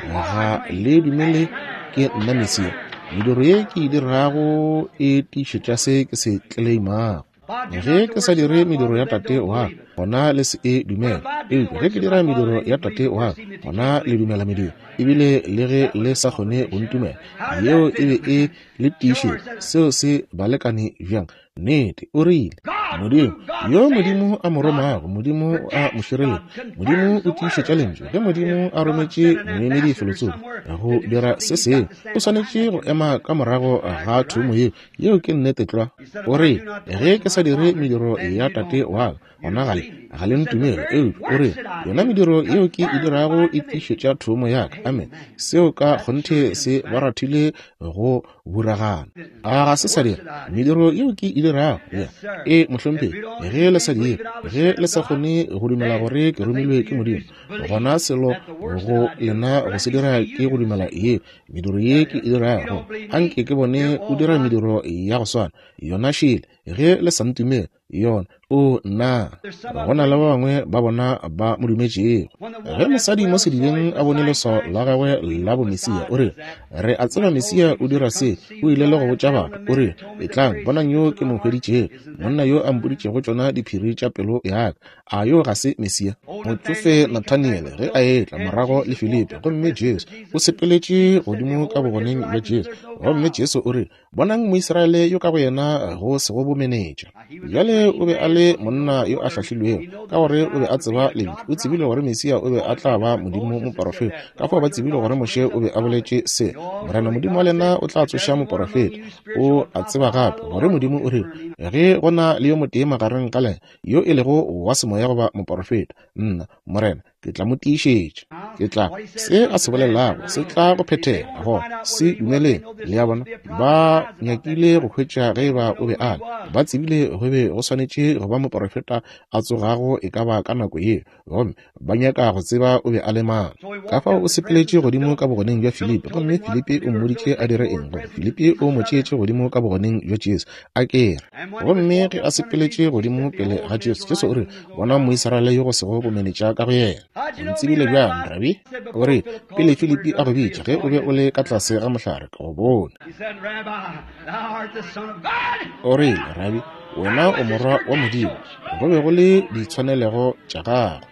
Ga le dumele ke nna Mesia. Mediro ye ke e dirago e tiišetša se ke se tleleimago. Ge ke sa dire mediro ya Tate wa ka, gona le se e dumele. Eupša ge ke dira mediro ya Tate wa ka, gona le dumela mediro, ebile le ge le sa kgone go ntumela. Yeo e be e le tiišetšo. Seo se balekane bjang? Nnete, o rile, Modimo, yo Modimo a mo romago, Modimo o a mo šireletša. Modimo o tiišetša Lentšu. Ge Modimo a rometše moemedi felotsoko go dira se sengwe, o swanetše go ema ka morago ga thomo yeo. Yeo ke nnete tlwa. O re, Ge ke sa dire mediro ya Tate wa ka, gona ga le, ga le ntumele. Eupša o re, Yona mediro yeo ke e dirago e tiišetša thomo ya ka. Amen. Seo ka kgonthe se ba rathile go buragana. A ga se sa dira? Mediro yeo ke e dirago, ya. Ee, mohlomphegi. Ge le sa dire, ge le sa kgone go dumela gore ke romilwe ke Modimo, gona selo go lena go se dira ke go dumela yeo. Mediro ye ke e dirago, anke ke bone o dira mediro ya go swana. Yona šele, ge le sa ntumele, yona. O, nna! Go na le ba bangwe ba bona ba mo dumetšego. Ge mosadi mo sedibeng a bone leswao la gagwe la bomesia, o rile, Re a tseba Mesia o dira se. O ile le go botša batho, o rile, Etlang, bonang yo ke mo hweditšego, monna yo a mpoditšego tšona diphiri tša pelo ya ka. A yo ga se Mesia? Motšofe Nathaniele ge a etla morago le Filipi, gomme Jesu o sepeletše godimo ka bogoneng bja Jesu, gomme Jesu o rile, Bonang Moisraele yo ka go yena go sego bomenetša. Bjale o be a le monna yo a hlahlilwego, ka gore o be a tseba Lentšu. O tsebile gore Mesia o be a tla ba Modimo moporofeta. Ka fao ba tsebile gore Moshe o be a boletše se, Morena Modimo wa lena o tla tsoša moporofeta. O a tseba gape gore Modimo o rile, Ge go na le yo motee magareng ga lena yo e lego wa semoya goba moporofeta, nna, Morena, ke tla mo tiišetša. Ke tla, se a se bolelago se tla go phethega, gona se dumeleng. Le a bona, ba nyakile go hwetša ge eba o be a le. Ba tsebile go be go swanetše go ba moporofeta a tsogago e ka ba ka nako yeo, gomme ba nyaka go tseba o be a le mang. Ka fao o sepeletše godimo ka bogoneng bja Filipi, gomme Filipi o mmoditše a dire eng, gomme Filipi o mo tšeetše godimo ka bogoneng bja Jesu, a ke re. Gomme ge a sepeletše godimo pele ga Jesu, Jesu o rile, Bona Moisraele yo go sego bomenetša ka go yena. O ntsebile bjang, Rabi? O rile, Pele Filipi a go bitša, ge o be o le ka tlase ga mohlare, ke go bone. O rile, Rabi, wena o Morwa wa Modimo. Go be go le ditshwanelego tša gagwe.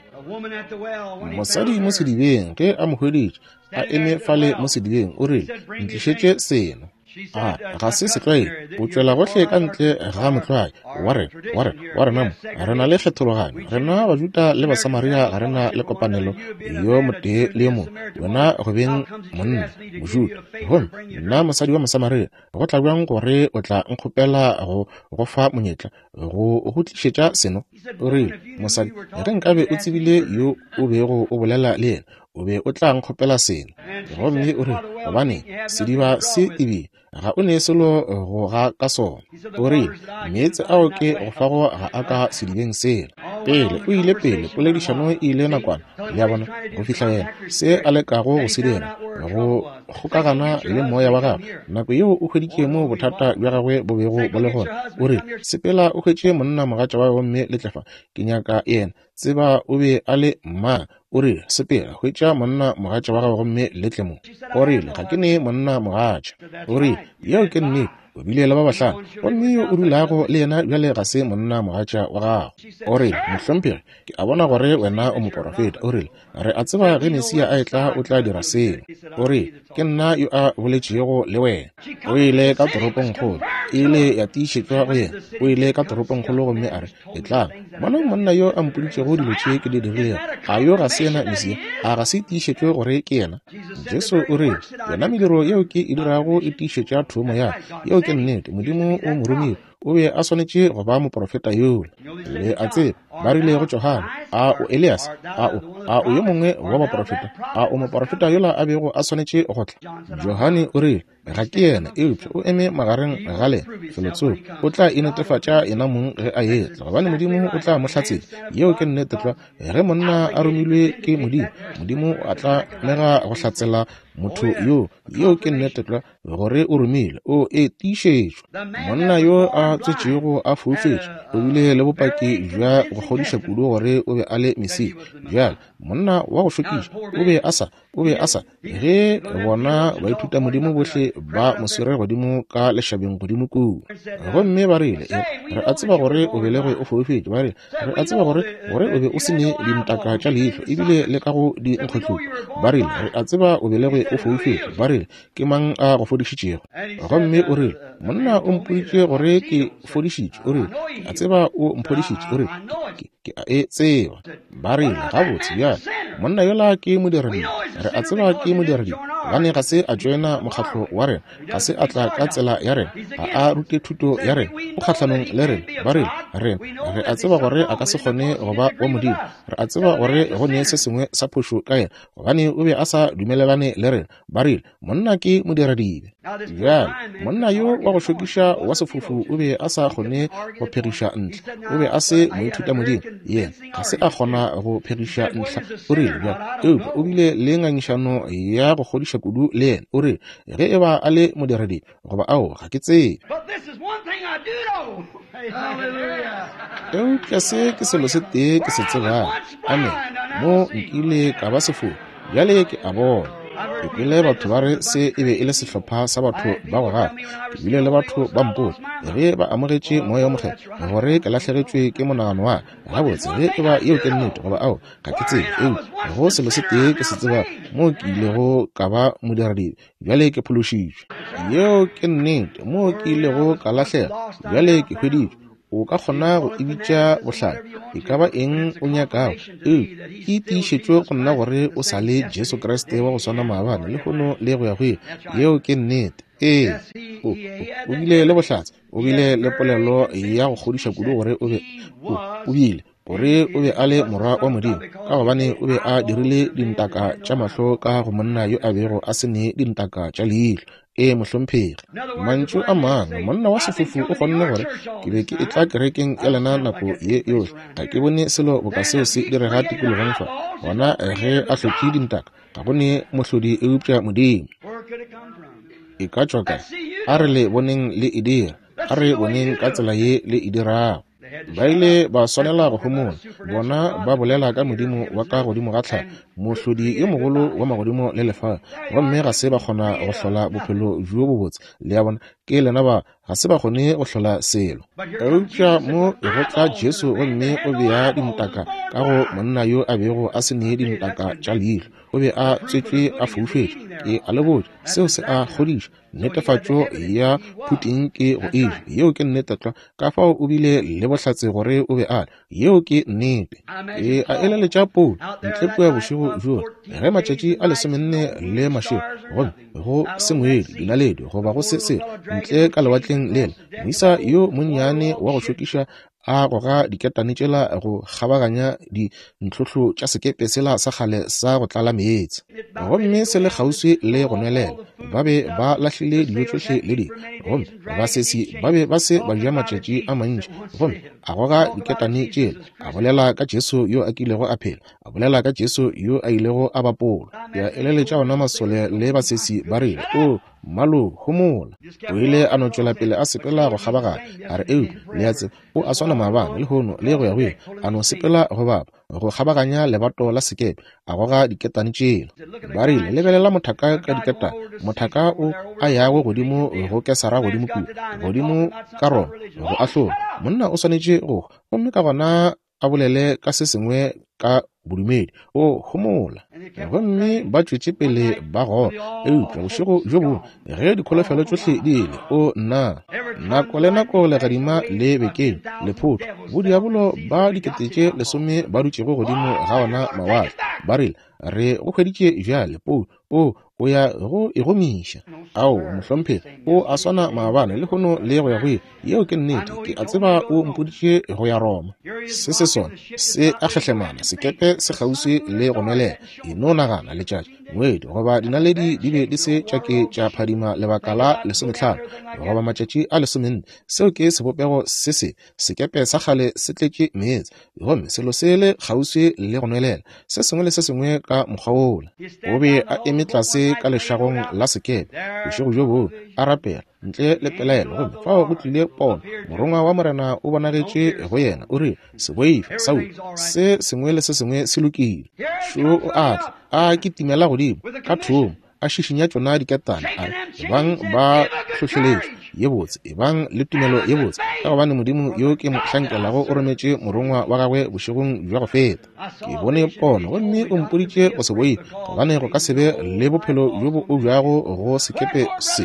Mosadi mo sedibeng, ge a mo hweditše a eme fale mo sedibeng, o rile, Ntlišetše seno. A ga se setlwaedi o tšwela gohle ka ntle ga motlwae wa rena, wa rena, wa rena mo. Re na le kgethologanyo. Rena Bajuda le Basamaria ga re na le kopanelo yo motee le yo mongwe. Wena go beng monna, Mojuda, gomme nna mosadi wa Mosamaria, go tla bjang gore o tla nkgopela go go fa monyetla go go tlišetša seno? O rile, Mosadi, ge nkabe o tsebile yo o bego o bolela le yena, o be o tla nkgopela seno. Gomme o rile, Gobaneng, sediba se tebile, ga o ne selo go ga ka sona. O rile, Meetse ao ke go fago ga a ka sedibeng sela. Pele, o ile pele, poledišano e ile nakwana, le a bona, go fihla yena, se a lekago go se dira, go kgokagana le moya wa gagwe. Nako yeo o hweditše moo bothata bja gagwe bo bego bo le gona. O rile, Sepela o hwetše monna mogatša wa gomme le tle fa. Ke nyaka yena. Tseba o be a le mang. O rile, Sepela, hwetša monna mogatša wa gago gomme le tle mo. O rile, Ga ke ne monna mogatša. O rile, Yeo ke nnete. O bile le ba bahlano, gomme yo o dulago le yena bjale ga se monna mogatša wa gago. O rile, Mohlomphegi, ke a bona gore wena o moporofeta. O rile, Re a tseba ge Mesia a etla o tla dira seo. O rile, Ke nna yo a boletšego le wena. O ile ka toropongkgolo, e ile ya tiišetšwa go yena. O ile ka toropongkgolo gomme a re, Etlang, bonang monna yo a mpoditšego dilo tše ke di dirilego. A yo ga se yena Mesia? A ga se tiišetšwe gore ke yena? Jesu o rile, Yona mediro yeo ke e dirago e tiišetša thomo ya ka. Yeo ke nnete. Modimo o mo romile. O be a swanetše go ba moprofeta yola. Le a tseba, ba rile go Johane, A o Elias? A o, a o yo mongwe wa baprofeta? A o moprofeta yola a bego a swanetše go tla? Johane o rile, Ga ke yena, eupša o eme magareng ga lena, felotsoko. O tla inetefatša yena mong ge a etla, gobane Modimo o tla mo hlatsela. Yeo ke nnete tlwa. Ge monna a romilwe ke Modimo, Modimo a tla mega go hlatsela motho yo. Yeo ke nnete tlwa, gore o romilwe. O e tiišetšwa. Monna yo a tswetšego a foufetše o bile le bopaki bja go kgodiša kudu gore o be a le Mesia. Bjale, monna wa go šokiša o be a sa O be a sa, ge bona baithutamodimo bohle ba mo swere godimo ka lešabeng godimo kua. Gomme ba rile, Re a tseba gore o belegwe o foufetše. Ba rile, Re a tseba gore, gore o be o se ne dintaka tša leihlo, ebile le ka go dinkgohlupo. Ba rile, Re a tseba o belegwe o foufetše. Ba rile, Ke mang a go fodišitšego? Gomme o rile, Monna o mpoditše gore ke fodišitšwe. O rile, Ke a tseba o mphodišitše. O rile, Ke, ke a e tseba. Ba rile, Gabotse, bjale, monna yola ke modiradibe. Re a tseba ke modiradibe, gobane ga se a tšoena mokgatlo wa rena, ga se a tla ka tsela ya rena, ga a rute thuto ya rena, o kgahlanong le rena. Ba rile, Rena, re a tseba gore a ka se kgone go ba wa Modimo. Re a tseba gore go ne se sengwe sa phošo ka yena, gobane o be a sa dumelelane le rena. Ba rile, Monna ke modiradibe. Bjale, monna yo wa go šokiša wa sefofu o be a sa kgone go phegiša ntlha. O be a se moithutamodimo. Yena ga se a kgona go phegiša ntlha. O rile, bjale, eupša o bile le ngangišano ya go kgodiša kudu le yena. O rile, Ge e ba a le modiradibe, goba ao, ga ke tsebe. Eupša se ke selo se tee ke se tsebago. Amene. Mo nkile ka ba sefofu, bjale ke a bona. Ke kwele batho ba re se e be e le sehlopha sa batho ba go gafa. Ke bile le batho ba mpotša, ge ba amogetše Moya wo Mokgethwa, gore ke lahlegetšwe ke monagano wa ka. Gabotse, ge e ba yeo ke nnete, goba ao, ga ke tsebe. Eupša go selo se tee ke se tsebago, moo ke ilego ka ba modiradibe, bjale ke phološitšwe. Yeo ke nnete. Moo ke ilego ka lahlega, bjale ke hweditšwe. O ka kgona go e bitša bohlale, e ka ba eng o nyakago, eupša ke tiišetšo go nna gore o sa le Jesu Kriste wa go swana maabane, lehono, le go ya go ile. Yeo ke nnete. Ee, o, o, o bile le bohlatse, o bile le polelo ya go kgodiša kudu gore o be, o, o bile, gore o be a le Morwa wa Modimo, ka gobane o be a dirile dintaka tša mahlo ka go monna yo a bego a se ne dintaka tša leihlo. Ee, mohlomphegi. Mantšu a mangwe, monna wa sefofu o kgonne gore, Ke be ke etla kerekeng ya lena nako ye yohle, ga ke bone selo boka seo se direga tikologong fa. Gona ge a hlotše dintaka, ga go ne mohlodi eupša Modimo. E ka tšwa kae? A re le boneng le e dira. A re boneng ka tsela ye le e dirago. Ba ile ba swanela go homola. Bona ba bolela ka Modimo wa ka godimo ga tlhago, Mohlodi yo mogolo wa magodimo le lefase, gomme ga se ba kgona go hlola bophelo bjo bobotse. Le a bona, ke lena ba, ga se ba kgone go hlola selo. Eupša mo go tla Jesu gomme o bea dintaka ka go monna yo a bego a se ne dintaka tša leihlo. O be a tswetšwe a foufetše. Ke a le botša, seo se a kgodiša. Netefatšo ya phuting ke go eja. Yeo ke nnete tlwa. Ka fao o bile le bohlatse gore o be a le. Yeo ke nnete. Ke a eleletša Paulo ntle kua bošego bjo, ge matšatši a 14 le mašego, gomme go se ngwedi, dinaledi, goba go se selo, ntle ka lewatleng lela, moisa yo monnyane wa go šokiša a goga diketane tšela go kgabaganya dintlhohlo tša sekepe sela sa kgale sa go tlala meetse, gomme se le kgauswi le go nwelela. Ba be ba lahlile dijo tšohle le dilo, gomme basesi ba be ba se ba ja matšatši a mantši. Gomme a goga diketane tšela, a bolela ka Jesu yo a kilego a phela, a bolela ka Jesu yo a ilego a bapolwa. Ke a eleletša ona masole le basesi ba rile, O mmalo, homola. O ile a no tšwela pele a sepela go kgabaganya, a re, Eupša, le a tseba, o a swana maabane, lehono, le go ya go ile. A no sepela go bapa, go kgabaganya lebato la sekepe, a goga diketane tšela. Ba rile, Lebelela mothaka ka diketane, mothaka o a yago godimo go Kesara godimo kua, godimo ka Roma, go ahlola. Monna o swanetše go hwa, gomme ka gona a bolele ka se sengwe ka bodumedi. O homola. Gomme ba tšwetše pele ba goga. Eupša bošego bjo bongwe, ge dikholofelo tšohle di ile, o nna, nako le nako legadima le bekeng, lephotho, bodiabolo ba 10,000 ba dutšego godimo ga ona mawatle, ba rile, Re go hweditše bjale, Paulo. O, o ya go e gomiša. Ao, mohlomphegi, o a swana maabane, lehono, le go ya go ile. Yeo ke nnete. Ke a tseba o mpoditše go ya Roma. Se se sona, se a kgehlemana, sekepe se kgauswi le go nwelela. E no nagana, letšatši, ngwedi, goba dinaledi di be di se tša ke tša phadima lebaka la 15 goba matšatši a 14. Seo ke sebopego se se Sekepe sa kgale se tletše meetse, gomme selo se le kgauswi le go nwelela, se sengwe le se sengwe ka mokgwa wola. O be a eme tlase ka lešagong la sekepe bošego bjo bongwe, a rapela, ntle le pelaelo, gomme fao go tlile pono. Morongwa wa Morena o bonagetše go yena, o rile, Se boife, Saulo, se sengwe le se sengwe se lokile. Šo o a tla, a kitimela godimo ka thomo, a šišinya tšona diketane, a re, Ebang ba hlohleletšo ye botse, ebang le tumelo ye botse, ka gobane Modimo yo ke mo hlankelago o rometše morongwa wa gagwe bošegong bja go feta. Ke bone pono, gomme o mpoditše go se boife, gobane go ka se be le bophelo bjo bo objago go sekepe se.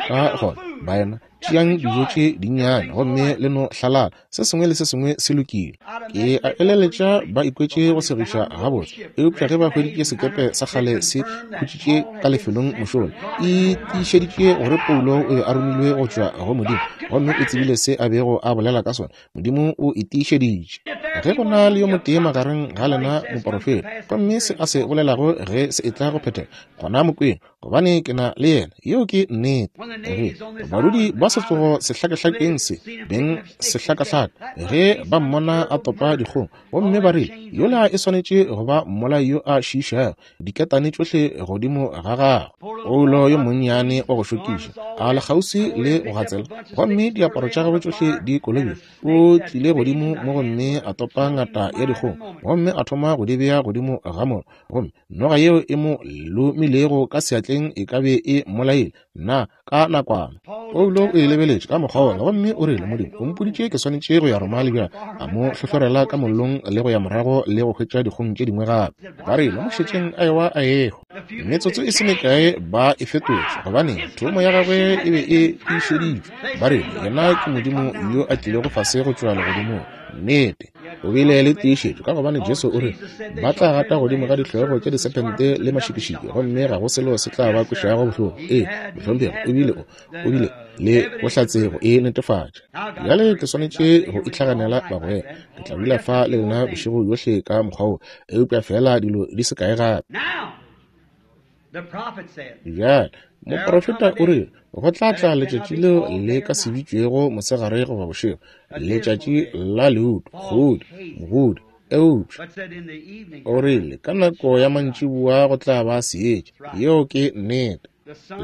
Ka gona, baena, tšeang dijo tše dinnyane gomme le no hlalala, se sengwe le se sengwe se lokile. Ke a eleletša ba ikwetše go segiša gabotse, eupša ge ba hweditše sekepe sa kgale se khutšitše ka lefelong mošola, e tiišeditše gore Paulo o be a romilwe go tšwa go Modimo, gomme o tsebile se a bego a bolela ka sona. Modimo o e tiišeditše. Ge go na le yo motee magareng ga lena moporofeta, gomme se a se bolelago ge se etla go phethega, gona mo kweng, gobane ke na le yena. Yeo ke nnete. Ge badudi ba setlogo sehlakahlakeng se beng sehlakahlaka, ge ba mmona a topa dikgong, gomme ba rile, Yola e swanetše go ba mmolai yo a šiišago, diketane tšohle godimo ga gagwe. Paulo yo monnyane wa go šokiša, a le kgauswi le go gatsela, gomme diaparo tša gagwe tšohle di kolobile, o tlile godimo mo gomme a topa ngata ya dikgong, gomme a thoma go di bea godimo ga mollo, gomme Noga yeo e mo lomilego ka seatleng e ka be e mmolaile na ka nakwana. Paulo o e lebeletše ka mokgwa wola gomme o rile, Modimo o mpoditše ke swanetše go ya Roma le bjale. A mo hlohlorela ka mollong le go ya morago le go hwetša dikgong tše dingwe gape. Ba rile, Mo šetšeng a ewa a ehwa. Metsotso e se mekae ba e fetotše, gobane thomo ya gagwe e be e tiišeditšwe. Ba rile, Yena ke Modimo yo a tlilego fase go tšwa legodimong. Nnete. O bile le tiišetšo, ka gobane Jesu o rile, Ba tla gata godimo ga dihlogo tša disephente le mašikišiki, gomme ga go selo se tla ba kwešago bohloko. Ee, mohlomphegi, o bile o, o bile le bohlatse go e netefatša. Bjale ke swanetše go itlhaganela bagwera. Ke tla dula fa le lena bošego bjohle ka mokgwa wo, eupša feela dilo di se kae gape. Bjale, moprofeta o rile, Go tla tla letšatši leo le ka se bitšwego mosegare goba bošego, letšatši la leuto, kgodi, mogodi. Eupša o rile, ka nako ya mantšiboa go tla ba seetša. Yeo ke nnete.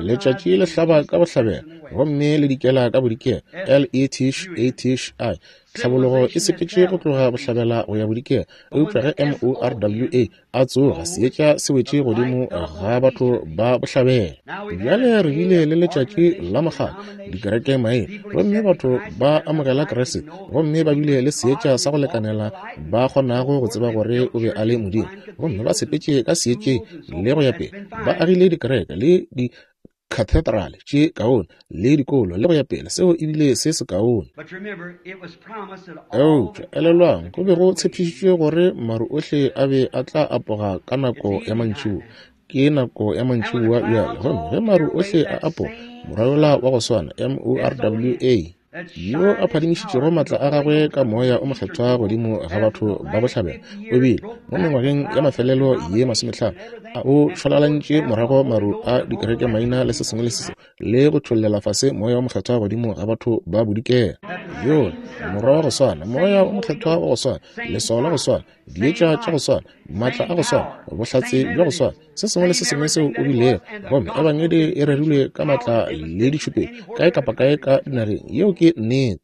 Letšatši le hlaba ka bohlabela gomme le dikela ka bodikela, L-E-T-H-A-T-H-I. Tlhabologo e sepetše go tloga bohlabela go ya bodikela, eupša ge M-o-r-w-a a tsoga, seetša se wetše godimo ga batho ba bohlabela. Bjale re bile le letšatši la mokgatlo, dikereke maina, gomme batho ba amogela Kriste, gomme ba bile le seetša sa go lekanela ba kgonago go tseba gore o be a le Modimo, gomme ba sepetše ka seetšeng le go ya pele, ba agile dikereke le di cathedrale tše kaone le dikolo le go ya pele. Seo e bile se sekaone. Eupša elelwang, go be go tshepišitšwe gore maru ohle a be a tla apoga ka nako ya mantšiboa. Ke nako ya mantšiboa bjale, gomme ge maru ohle a apoga, morwa yola wa go swana, M-o-r-w-a, yo a phadimišitšego maatla a gagwe ka moya o mokgethwa godimo ga batho ba bohlabela, o bile mo mengwageng ya mafelelo ye 50 a o šwalalantše morago maru a dikereke maina le se sengwe le se sengwe, le go tšhollela fase moya o mokgethwa godimo ga batho ba bodikela. Yola morwa wa go swana, moya o mokgethwa wa go swana, leswao la go swana, dietša tša go swana, maatla a go swana, bohlatse bja go swana, se sengwe le se sengwe seo o bilego. Gomme ebangedi e rerilwe ka maatla le ditšhupetšo kae kapa kae ka dinageng. Yeo ke nnete.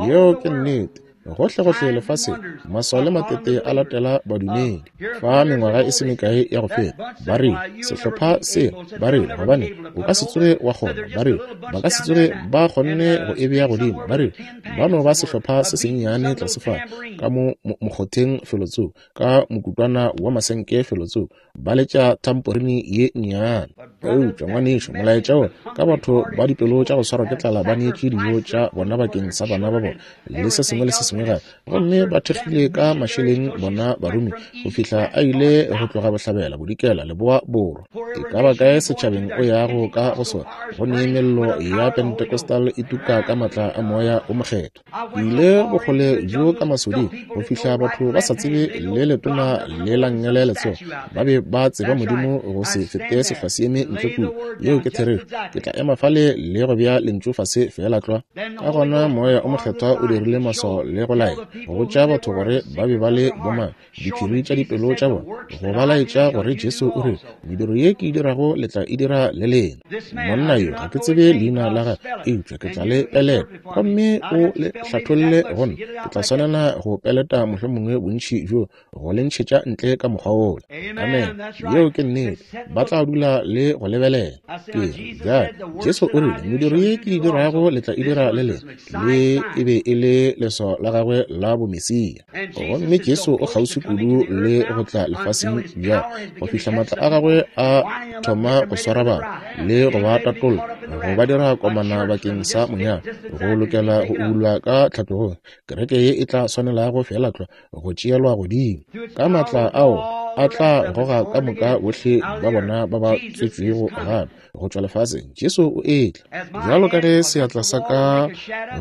Yeo ke nnete. Gohlegohle lefaseng, maswao le matete a latela badumedi. Fa mengwaga e se mekae ya go feta, ba rile, sehlopha se, ba rile, gobane o ka se tsoge wa kgona. Ba rile, ba ka se tsoge ba kgonne go e bea godimo. Ba rile, ba no ba sehlopha se sennyane tlase fa, ka mo mokgotheng felotsoko, ka mokutwana wa masenke felotsoko, ba letša thamporini ye nnyane. Eupša, ngwanešu, molaetša wo, ka batho ba dipelo tša go swarwa ke tlala ba neetše dijo tša bona bakeng sa bana ba bona, le se sengwe le se sengwe gape, gomme ba thekgile ka mašeleng bona barumi go fihla a ile go tloga bohlabela, bodikela, leboa, borwa. E ka ba kae setšhabeng o yago ka go sona, go ne mello ya Pentecostal e tuka ka maatla a Moya wo Mokgethwa. Ke ile bokgole bjo ka masoding go fihla batho ba sa tsebe le letona le la nngele letsogo. Ba be ba tseba Modimo go se fete sehlwaseeme ntle kua. Yeo ke therešo. Ke tla ema fale le go bea lentšu fase feela tlwa. Ka gona Moya o Mokgethwa o dirile maswao le go laetša, go botša batho gore ba be ba le bomang, diphiri tša dipelo tša bona, go ba laetša gore Jesu o rile, Mediro ye ke e dirago le tla e dira le lena. Monna yo ga ke tsebe leina la gagwe, eupša ke tla le peleta, gomme o le hlatholle go nna. Ke tla swanela go peleta mohlomongwe bontši bjo go le ntšhetša ntle ka mokgwa wola. Amen. Yeo ke nnete. Ba tla dula le go lebelela. Ke re, bjale, Jesu o rile, Mediro ye ke e dirago le tla e dira le lena. Le e be e le leswao la gagwe la bomesia. Gomme Jesu o kgauswi kudu le go tla lefaseng bjale, go fihla maatla a gagwe a thoma go swara batho le go ba tatolla, go ba dira komana bakeng sa monyalo, go lokela go ubulwa ka tlhatlogong. Kereke ye e tla swanelago feela tlwa go tšeelwa godimo. Ka maatla ao a tla goga ka moka bohle ba bona ba ba tswetšwego gape go tšwa lefaseng. Jesu o etla. Bjalo ka ge seatla sa ka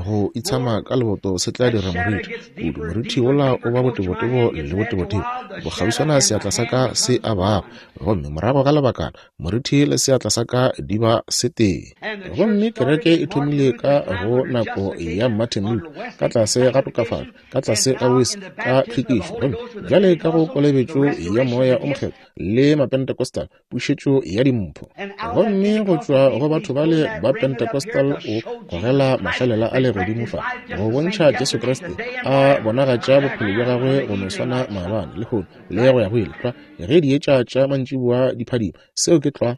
go itshama ka leboto se tla dira moriti kudu, moriti wola o ba botebotebo le botebotebo, bokgauswana seatla sa ka se a bago, gomme morago ga lebakana moriti le seatla sa ka di ba setee. Gomme kereke e thomile ka go nako ya Martin Luther, ka tlase ga tokafatšo, ka tlase ga Wesley, ka tlhwekišo, gomme bjale ka go kolobetšo ya Moya o Mokgethwa le Mapentecostal, pušetšo ya dimpho. Gomme go tšwa go batho bale ba Pentecostal o gogela mašalela a le godimo fa, go bontšha Jesu Kriste a bonagatša bophelo bja gagwe go no swana maabane, lehono, le go ya go ile, tlwa ge dietša tša mantšiboa di phadima. Seo ke tlwa.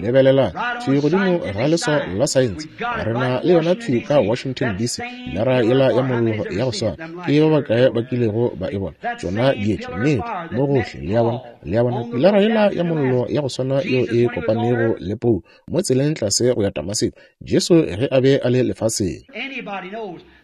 Lebelelang thwi godimo ga leswao la saense. Re na le yona thwi ka Washington, DC, lara yela ya mollo ya go swana. Ke ba bakae ba kilego ba e bona? Tšona dietša, nnete, mo gohle, le a bona. Le a bona, pilara yela ya mollo ya go swana yeo e kopanego le Paulo mo tseleng tlase go ya Damaseko, Jesu ge a be a le lefaseng.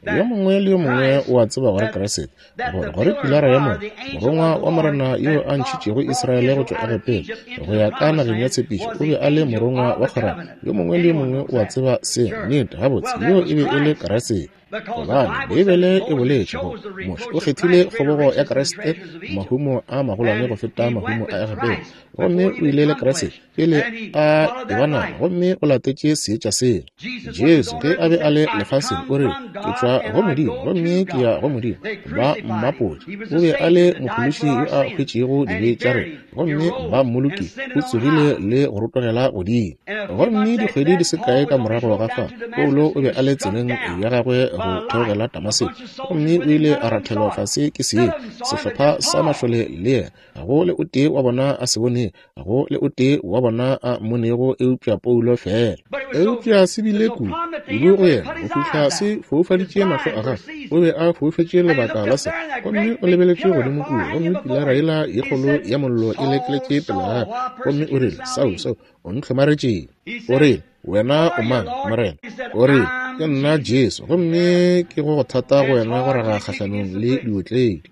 Yo mongwe le yo mongwe o a tseba gore Kriste, gore, gore pilara ya mollo, morongwa wa Morena yo a ntšhitšego Israele go tšwa Egepeta go ya ka nageng ya tshepišo, o be a le morongwa wa kgwerano. Yo mongwe le yo mongwe o a tseba se. Nnete, gabotse, yo e be e le Kriste. Gobane Beibele e boletše gore Moshe o kgethile kgobogo ya Kriste, mahumo a magolwane go feta mahumo a Egepeta, gomme o ile le Kriste pele a eba nama, gomme o latetše seetša sela. Jesu ge a be a le lefaseng o re, Ke tšwa tšwa go Modimo, gomme ke ya go Modimo. Ba mmapotše. O be a le Mophološi yo a hwetšego dibe tša rena, gomme ba mmolokile. O tsogile le go rotogela godimo. Gomme dikgwedi di se kae ka morago ga fa, Paulo o be a le tseleng ya gagwe go theogela Damaseko, gomme o ile a rathelwa fase ke seetša, sehlopha sa mašole le yena. Ga go le o tee wa bona a se bonego, ga go le o tee wa bona a mmonego eupša Paulo feela. Eupša se bile kudu, kudu go yena, go fihla se foufaditše mahlo a gagwe. O be a foufetše lebaka la se. Gomme o lebeletše godimo kua, gomme pilara yela ye kgolo ya mollo e lekeletše pele ga gagwe. Gomme o rile, Saulo, Saulo, o ntlhomaretšeng? O rile, Wena o mang, Morena? O rile, Ke nna Jesu, gomme ke go go thata go wena go raga kgahlanong le diotledi.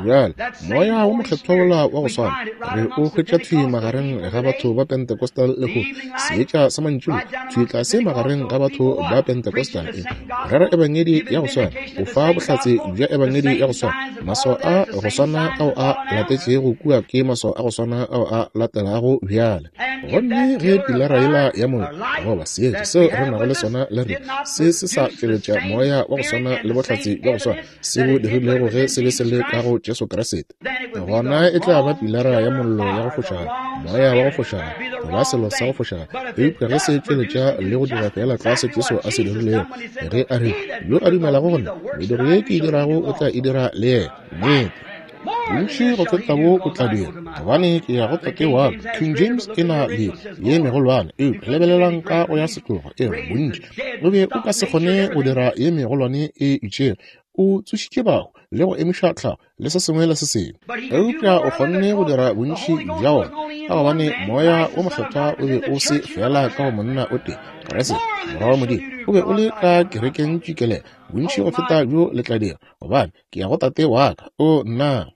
Bjale, Moya wo Mokgethwa wola wa go swana, re o hwetša thwi magareng ga batho ba Pentecostal lehono, seetša sa mantšiboa, thwi tlase magareng ga batho ba Pentecostal, e rera Ebangedi ya go swana, o fa bohlatse bja Ebangedi ya go swana, maswao a go swana ao a latetšego kua ke maswao a go swana ao a latelago bjale. Gomme ge pilara yela ya mollo, goba seetša seo re nago le sona le rena, se se sa tšweletša moya wa go swana le bohlatse bja go swana se bo dirilego ge se be se le ka go Jesu Kriste, gona e tla ba pilara ya mollo ya go fošagala, moya wa go fošagala, goba selo sa go fošagala. Eupša ge se tšweletša le go dira feela tlwa se Jesu a se dirilego, ge a rile, Yo a dumelago go nna, mediro ye ke e dirago o tla e dira le yena. Nnete. Bontši go feta bo o tla dira, gobane ke ya go Tate wa ka. King James e na le ye megolwane, eupša lebelelang ka go ya setlogo, e re bontši. O be o ka se kgone go dira ye megolwane e itšego. O tsošitše bahu le go emiša tlhago le se sengwe le se sengwe, eupša o kgonne go dira bontši bja wona ka gobane Moya wo Mokgethwa o be o se feela ka go monna o tee, Kriste, Morwa wa Modimo, o be o le ka kerekeng tšikelela. Bontši go feta bjo le tla dira, gobane ke ya go Tate wa ka. O nna!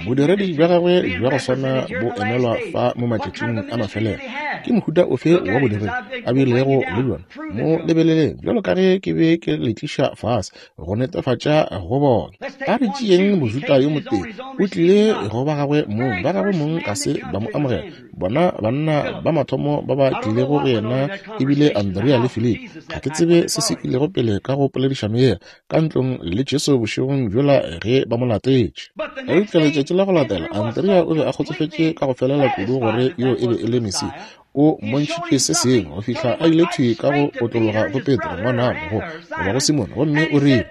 Bodiredi bja gagwe bja go swana bo emelwa fa mo matšatšing a mafelelo. Ke mohuta ofe wa bodiredi a bilego le bjona? Mo lebeleleng, bjalo ka ge ke be ke le tliša fase, go netefatša go bona. A re tšeeng Mojuda yo motee, o tlile go ba gagwe mong, ba gagwe mong ga se ba mo amogela. Bona banna ba mathomo ba ba tlilego go yena e bile Andrea le Filipi. Ga ke tsebe se se ilego pele ka go poledišano yela, ka ntlong le Jesu bošegong bjola ge ba mo latetše. Eupša letšatši la go latela, Andrea o be a kgotsofetše ka go felela kudu gore yo e be e le Mesia. O mmontšhitše se sengwe go fihla a ile thwi ka go otlologa go Petro, ngwanabo, go goba go Simone, gomme o rile,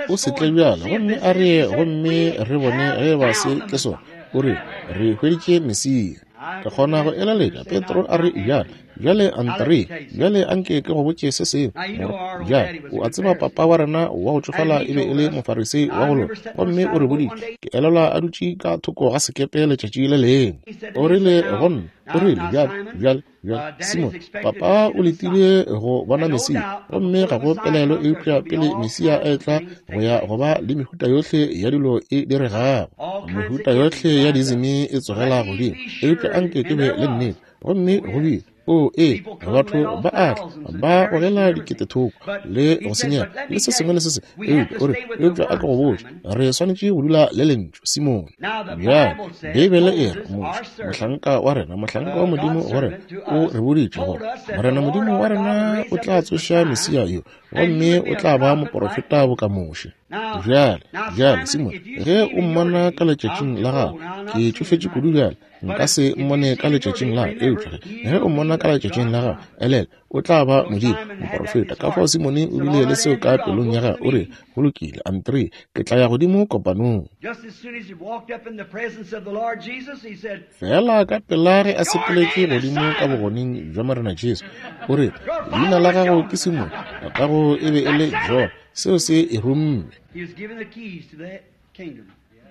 O se tle bjale, gomme a re ye gomme re bone ge eba se ke sona. O rile, Re hweditše Mesia. Ke kgona go eleletša Petro a re, Bjale, bjale Andrea, bjale anke ke go botše se sengwe. Morwa, bjale, o a tseba papa wa rena wa go tšofala e be e le Mofarisei wa go loka, gomme o re boditše, ke elelwa a dutše ka thoko ga sekepe letšatši le lengwe. O rile go nna, o rile, Bjale, bjale, bjale, Simone, papa o letile go bona Mesia, gomme ga go pelaelo eupša pele Mesia a etla go ya go ba le mehuta yohle ya dilo e diregago, mehuta yohle ya dizimi e tsogela godimo, eupša anke ke be le nnete. Gomme go bile, o ee, batho ba a tla, ba gogela diketethoko le go senyega le se sengwe le se sengwe, eupša o re, eupša a ke go botše, re swanetše go dula le Lentšu, Simone. Bjale, Beibele e re, Moshe, mohlanka wa rena, mohlanka wa Modimo go rena, o re boditše gore Morena Modimo wa rena o tla tsoša Mesia yo, gomme o tla ba moporofeta boka Moshe. Bjale, bjale, Simone, ge o mmona ka letšatšing la gago, ke tšofetše kudu bjale, nka se mmone ka letšatšing la eupša ge o mmona ka letšatšing la gago, elelwa, o tla ba Modimo, moporofeta. Ka fao Simone o bile le seo ka pelong ya gagwe, o re, Go lokile, Andre, ke tla ya godimo kopanong. Feela ka pela ge a sepeletše godimo ka bogoneng bja Morena Jesu, o re, Leina la gago ke Simone, tatago e be e le John. Seo se e rumme.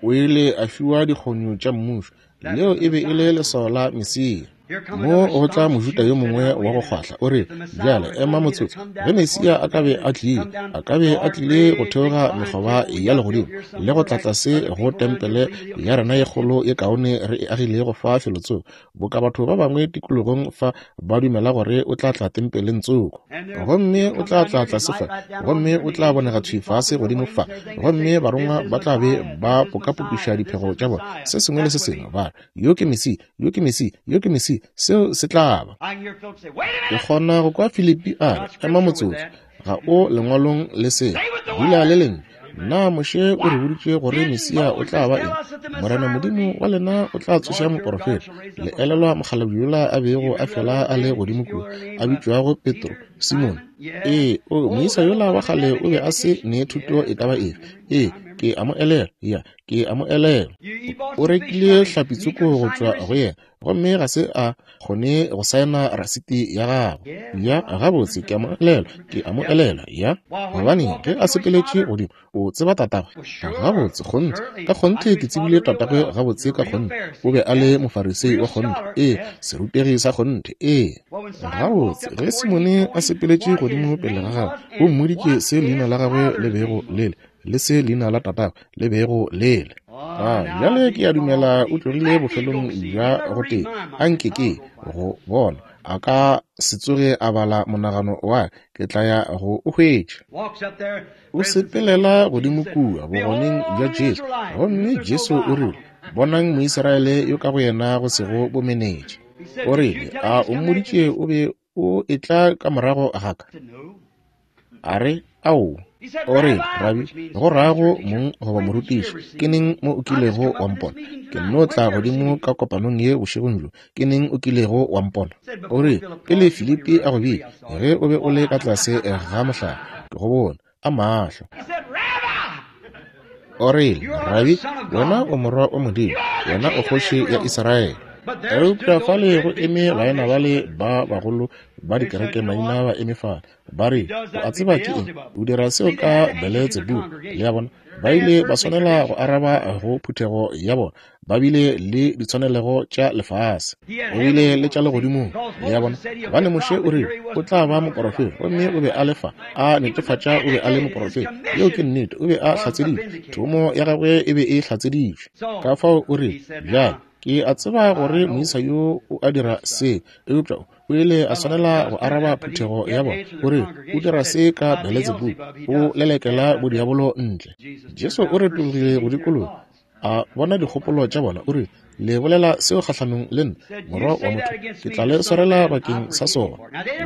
O ile a fiwa dikgonyo tša mmušo. Leo e be e le leswao la Mesia. Mo go tla Mojuda yo mongwe wa go kgwahla, o re, Bjale, ema motsotso. Ge Mesia a ka be a tlile, a ka be a tlile go theoga mekgoba ya legodimo le go tla tlase go tempele ya rena ye kgolo ye kaone re e agilego fa felotsoko, boka batho ba bangwe tikologong fa ba dumela gore o tla tla tempeleng tsoko, gomme o tla tla tlase fa, gomme o tla bonega thwi fase godimo fa, gomme barongwa ba tla be ba pokapokiša diphego tša bona, se sengwe le se sengwe, ba re, Yo ke Mesia, yo ke Mesia, yo ke Mesia. Seo se tla ba. Ke kgona go kwa Filipi a re, Ema motsotso, ga o lengwalong le se. Dula le Lentšu. Na Moshe o re boditše gore Mesia o tla ba eng? Morena Modimo wa lena o tla tsoša moporofeta. Le elelwa mokgalabje yola a bego a fela a le godimo kua, a bitšwago Petro, Simone? Ee, o, moisa yola wa kgale o be a se ne thuto e ka ba efe. Ee, ke a mo elelwa. Ya, ke a mo elelwa. O rekile hlapitsoko go tšwa go yena, gomme ga se a kgone go saena rasiti ya gagwe. Ya, gabotse, ke a mo elelwa, ke a mo elelwa. Ya, gobane ge a sepeletše godimo, o tseba tatagwe gabotse. Kgonthe, ka kgonthe ke tsebile tatagwe gabotse ka kgonthe. O be a le Mofarisei wa kgonthe, ee, serutegi sa kgonthe. Ee, gabotse, ge Simone a sepeletše godimo pele ga gagwe, o mmoditše se leina la gagwe le bego le le, le se leina la tatagwe le bego le le. A bjale ke a dumela o tlogile bofelong bja go tee. A nke ke go bona. A ka se tsoge a bala monagano wa ke tla ya go o hwetša. O sepelela godimo kua bogoneng bja Jesu, gomme Jesu o rile, Bonang Moisraele yo ka go yena go sego bomenetša. O rile, A o mmoditše o be o etla ka morago ga ka? A re, Aowa. O rile, Rabi, go rago mong goba morutiši, ke neng mo o kilego wa mpona? Ke nno tla godimo ka kopanong ye bošegong bjo. Ke neng o kilego wa mpona? O rile, Pele Filipi a go bitša, ge o be o le ka tlase ga mohlare, ke go bone ka mahlo. O rile, Rabi, wena o Morwa wa Modimo, wena o Kgoši ya Israele. Eupša fale go eme baena bale ba bagolo ba dikereke maina ba eme fale, ba re, O a tseba ke eng? O dira seo ka Beletsebubu. Le a bona? Ba ile ba swanela go araba go phuthego ya bona. Ba bile le ditshwanelego tša lefase, o bile le tša legodimong. Le a bona? Gobane Moshe o rile o tla ba moporofeta, gomme o be a le fa, a netefatša o be a le moporofeta. Yeo ke nnete, o be a hlatseditšwe. Thomo ya gagwe e be e hlatseditšwe. Ka fao o rile, Bjale, ke a tseba gore moisa yo o a dira se, eupša o ile a swanela go araba phuthego ya bona. O rile, O dira se ka Beletsebubu, o lelekela bodiabolo ntle. Jesu o retologile go dikologa, a bona dikgopolo tša bona, o rile, Le bolela seo kgahlanong le nna, Morwa wa motho, ke tla le swarela bakeng sa sona.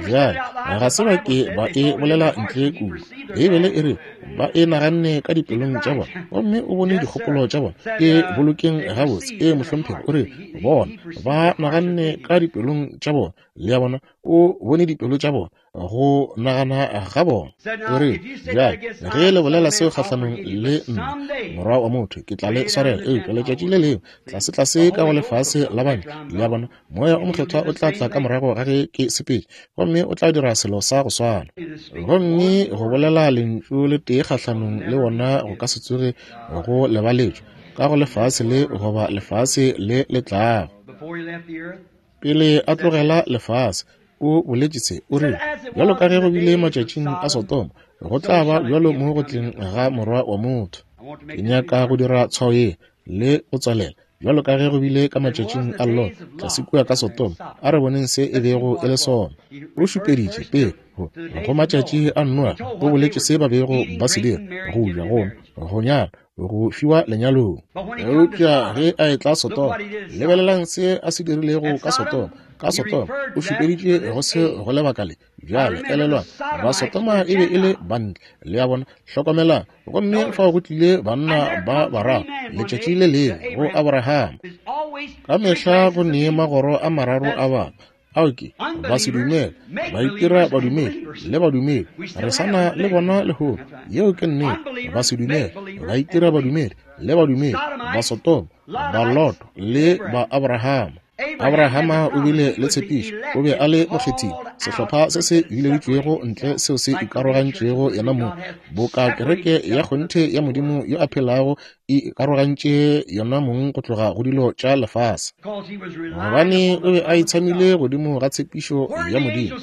Bjale, ga se ba ke ba e bolela ntle kudu. Beibele e re ba e naganne ka dipelong tša bona, gomme o bone dikgopolo tša bona. E bolokeng gabotse. E, mohlomphegi, o re bona ba naganne ka dipelong tša bona. Le a bona, o bone dipelo tša bona, go nagana ga bona. O re, Bjale, ge le bolela seo kgahlanong le nna, Morwa wa motho, ke tla le swarela. Eupša letšatši le lengwe, tlasetlase ka go lefase la bana, le a bona, Moya o Mokgethwa o tla tla ka morago ga ge ke sepetše, gomme o tla dira selo sa go swana. Gomme go bolela lentšu le tee kgahlanong le wona go ka se tsoge go lebaletšwe, ka go lefase le goba lefase le le tlago. Pele a tlogela lefase, o boletše se, o rile, Bjalo ka ge go bile matšatšing a Sodoma, go tla ba bjalo mo go tleng ga Morwa wa motho. Ke nyaka go dira tshwao ye le go tswalela. Bjalo ka ge go bile ka matšatšing a Lot, tlase kua ka Sodoma, a re boneng se e bego e le sona. O šupeditše pele go, go matšatši a Noa, o boletše se ba bego ba se dira, go ja, go nwa, go nyala, go fiwa lenyalong. Eupša ge a etla Sodoma, lebelelang se a se dirilego ka Sodoma. Ka Sodoma, o šupeditše go se go lebaka le. Bjale, elelwang, Basodoma e be e le bantle. Le a bona? Hlokomelang. Gomme fao go tlile banna ba bararo letšatši le lengwe go Abraham. Ka mehla go ne magoro a mararo a batho. Ao ke basedumele, baitira badumedi le badumedi. Re sa na le bona lehono. Yeo ke nnete. Basedumele, baitira badumedi le badumedi, Basodoma, Baloto le ba-Abrahama. Abrahama o bile le tshepišo, o be a le mokgethiwa, sehlopha se se bileditšwego ntle seo se ikarogantšego yena mong, boka kereke ya kgonthe ya Modimo yo a phelago e ikarogantše yona mong go tloga go dilo tša lefase. Gobane o be a itshamile godimo ga tshepišo ya Modimo.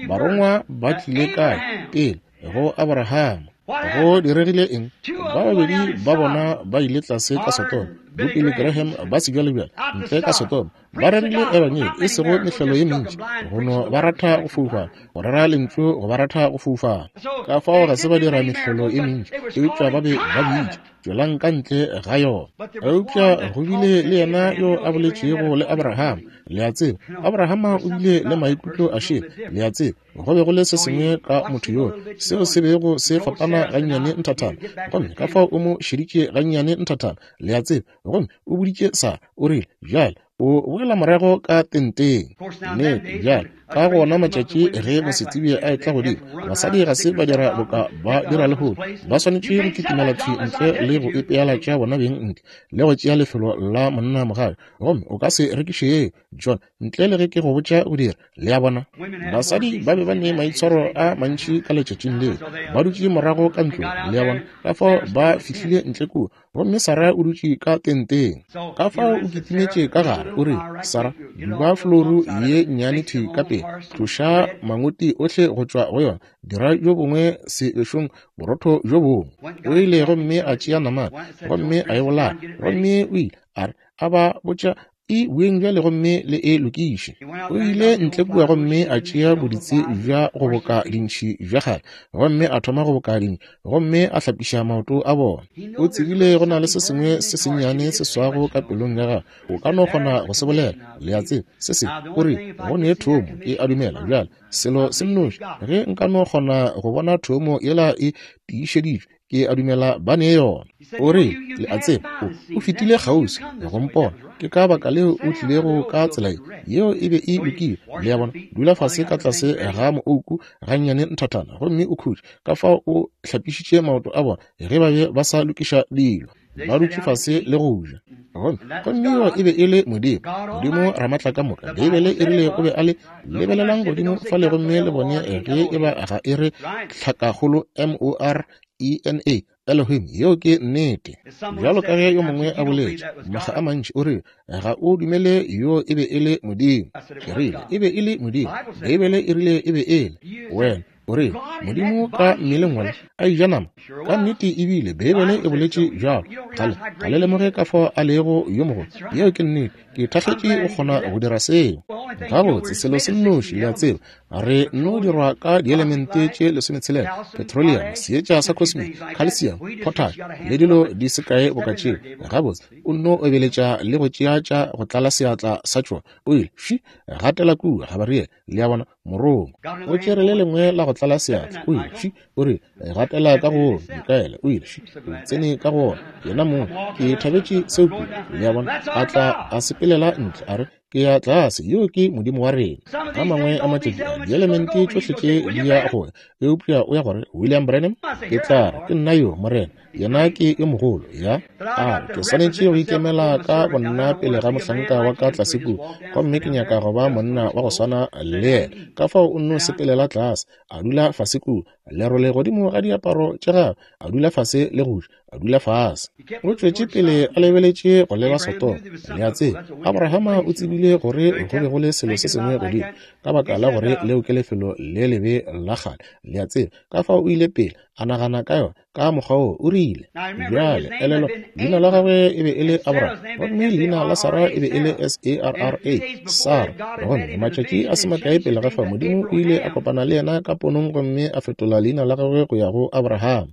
Barongwa ba tlile kae? Pele go Abrahama. Go diregile eng? Ba babedi ba bona ba ile tlase ka Sodoma. Bo Billy Graham ba sebjalebjale, ntle ka Sodoma, ba rerile Ebangedi, e sego mehlolo ye mentši, go no ba ratha go foufala, go rera Lentšu go ba ratha go foufala. Ka fao ga se ba dira mehlolo ye mentši, eupša ba be ba bitša, Tšwelang ka ntle ga yona. Eupša go bile le yena yo a boletšego le Abraham. Le a tseba, Abrahama o bile le maikutlo a šele, le a tseba. Go be go le se sengwe ka motho yoo seo se bego se fapana gannyane nthathana, gomme ka fao o mo šeditše gannyane nthathana, le a tseba, gomme o boditše Sara, o rile, Bjale, o boela morago ka tenteng. Nnete, bjale, ka gona matšatši ge mosetsebje a etla godimo, basadi ga se ba dira boka ba dira lehono, ba swanetše go kitimela thwi ntle le go ipeela tša bona beng ntle, le go tšea lefelo la monna mogae, gomme o ka se rekiše yeo, John, ntle le ge ke go botša go dira. Le a bona? Basadi ba be ba ne maitshwaro a mantši ka letšatšing leo, ba dutše morago ka ntlong. Le a bona? Ka fao ba fihlile ntle kua, gomme Sara o dutše ka tenteng. Ka fao o kitimetše ka gare, o rile, Sara, duba flouru ye nnyane thwi ka pele, tloša mangoti ohle go tšwa go yona, dira bjo bongwe sebešong, borotho bjo bongwe. O ile gomme a tšea namane, gomme a e bolaya, gomme o ile a re, a ba botša, E boeng bjale gomme le e lokiše. O ile ntle kua gomme a tšea boditsi bja go boka dintšhi bja kgale, gomme a thoma go boka dintšhi, gomme a hlapiša maoto a bona. O tsebile go na le se sengwe se sennyane se swago ka pelong ya gagwe. O ka no kgona go se bolela, le a tseba, se sengwe. O rile, Go ne thomo, ke a dumela bjale. Selo se nnoši, ge nka no kgona go bona thomo yela e tiišeditšwe, Ke a dumela ba ne yona. O re, Le a tseba, o, o fetile kgauswi go mpona. Ke ka baka leo o tlilego ka tsela ye. Yeo e be e lokile. Le a bona? Dula fase ka tlase ga moouku gannyane nthathana gomme o khutše. Ka fao o hlapišitše maoto a bona ge ba be ba sa lokiša dilo. Ba dutše fase le go ja. Gomme, gomme yoo e be e le Modimo, Modimo Ramatlakamoka. Beibele e rile o be a le. Lebelelang godimo fale gomme le bone ge e ba ga e re tlhakakgolo M-O-R-E-N-A, Elohim. Yeo ke nnete. Bjalo ka ge yo mongwe a boletše makga a mantši, o rile, Ga o dumele yoo e be e le Modimo. Ke rile, E be e le Modimo. Beibele e rile e be e le. Wena o rile, Modimo ka mmeleng wola a eja nama? Ka nnete e bile, Beibele e boletše bjalo. Ga le, ga le lemoge ka fao a lego yo mogolo. Yeo ke nnete. Ke thakgetše go kgona go dira seo. Gabotse, selo se nnoši, le a tseba, re nno dirwa ka dielemente tše lesometshela, petroleum, seetša sa cosmic, calcium, potash, le dilo di se kae boka tšeo. Gabotse, o nno obeletša le go tšea tša go tlala seatla sa tšona. O ile, fši, gatela kua, Gabariele, le a bona, morongwa. O tšere le lengwe la go tlala seatla, o ile, fši, o rile, gatela ka go Mikaele, o ile, o tsene ka go wona, yena mong. Ke thabetše seo kudu, le a bona. A tla a sepelela ntle, a re, Ke ya tlase, yo ke Modimo wa rena. A mangwe a matšatši a, dielemente tšohle tše di ya go ya, eupša o ya gore, William Branham, ke tla re, ke nna yo, Morena. Yena ke yo mogolo, ya. A re, ke swanetše go ikemela ka bonna pele ga mohlanka wa ka tlase kua, gomme ke nyaka go ba monna wa go swana le yena. Ka fao o nno sepelela tlase, a dula fase kua, lerole godimo ga diaparo tša gagwe, a dula fase le go ja, a dula fase. O tšwetše pele a lebeletše go leba Sodoma. Le a tseba, Abrahama o tsebile gore go be go le selo se sengwe godimo, ka baka la gore leo ke lefelo le lebe la kgale. Le a tseba, ka fao o ile pele a nagana ka yona ka mokgwa wo, o rile, Bjale, elelwa, leina la gagwe e be e le Abraham, gomme leina la Sara e be e le S-A-R-R-A, Sara. Gomme matšatši a se makae pele ga fa, Modimo o ile a kopana le yena ka ponong gomme a fetola leina la gagwe go ya go Abraham.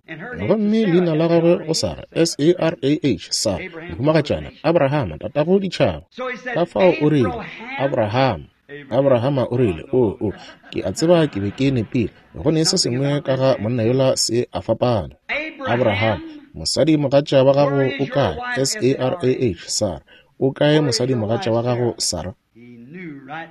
Gomme leina la gagwe go Sara, S-A-R-A-H, Sara, mohumagatšana, Abraham, tatago ditšhaba. Ka fao o rile, Abraham. Abrahama o rile, O, o, ke a tseba ke be ke nepile. Go ne se sengwe ka ga monna yola se a fapana. Abraham, mosadi mogatša wa gago o kae? S-A-R-A-H, Sara. O kae mosadi mogatša wa gago, Sara?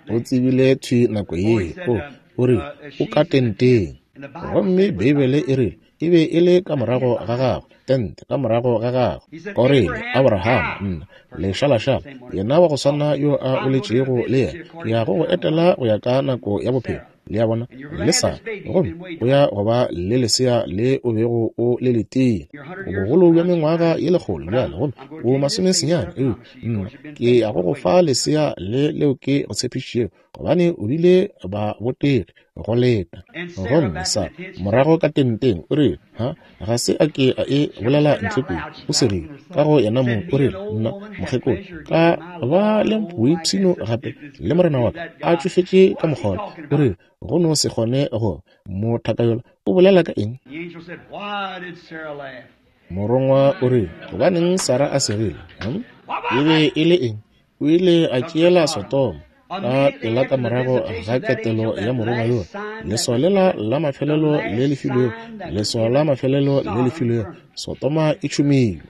O tsebile thwi nako ye. O, o rile, o ka tenteng. Gomme Beibele e rile, E be e le ka morago ga gagwe, tente ka morago ga gagwe. O rile, Abraham, nna, lešalašala, yena wa go swana yo a boletšego le yena, ke ya go go etela go ya ka nako ya bophelo, le a bona, le Sara, gomme o ya go ba le lesea le o bego o le letile. O bogolo bja mengwaga ye lekgolo bjale, gomme o masomesenyane, eupša nna ke ya go go fa lesea le leo ke go tshepišitšego, gobane o bile ba botege. go leta. Gomme Sarah, morago ka tenteng, o rile, Ha, ga se a ke a e bolela ntle kua. O segile, ka go yena mong, o rile, Nna, mokgekolo, ka ba le boipshino gape le morena wa ka, a tšofetše ka mokgwa wola. O rile, Go no se kgone go mo thaka yola. O bolela ka eng? Morongwa o rile, Gobaneng Sarah a segile? Hm? E be e le eng? O ile a tšeela Sodoma ka pela ka morago ga ketelo ya morongwa yola. Leswao lela la mafelelo le le filwego, leswao la mafelelo le le filwego, Sodoma e tšhumilwe.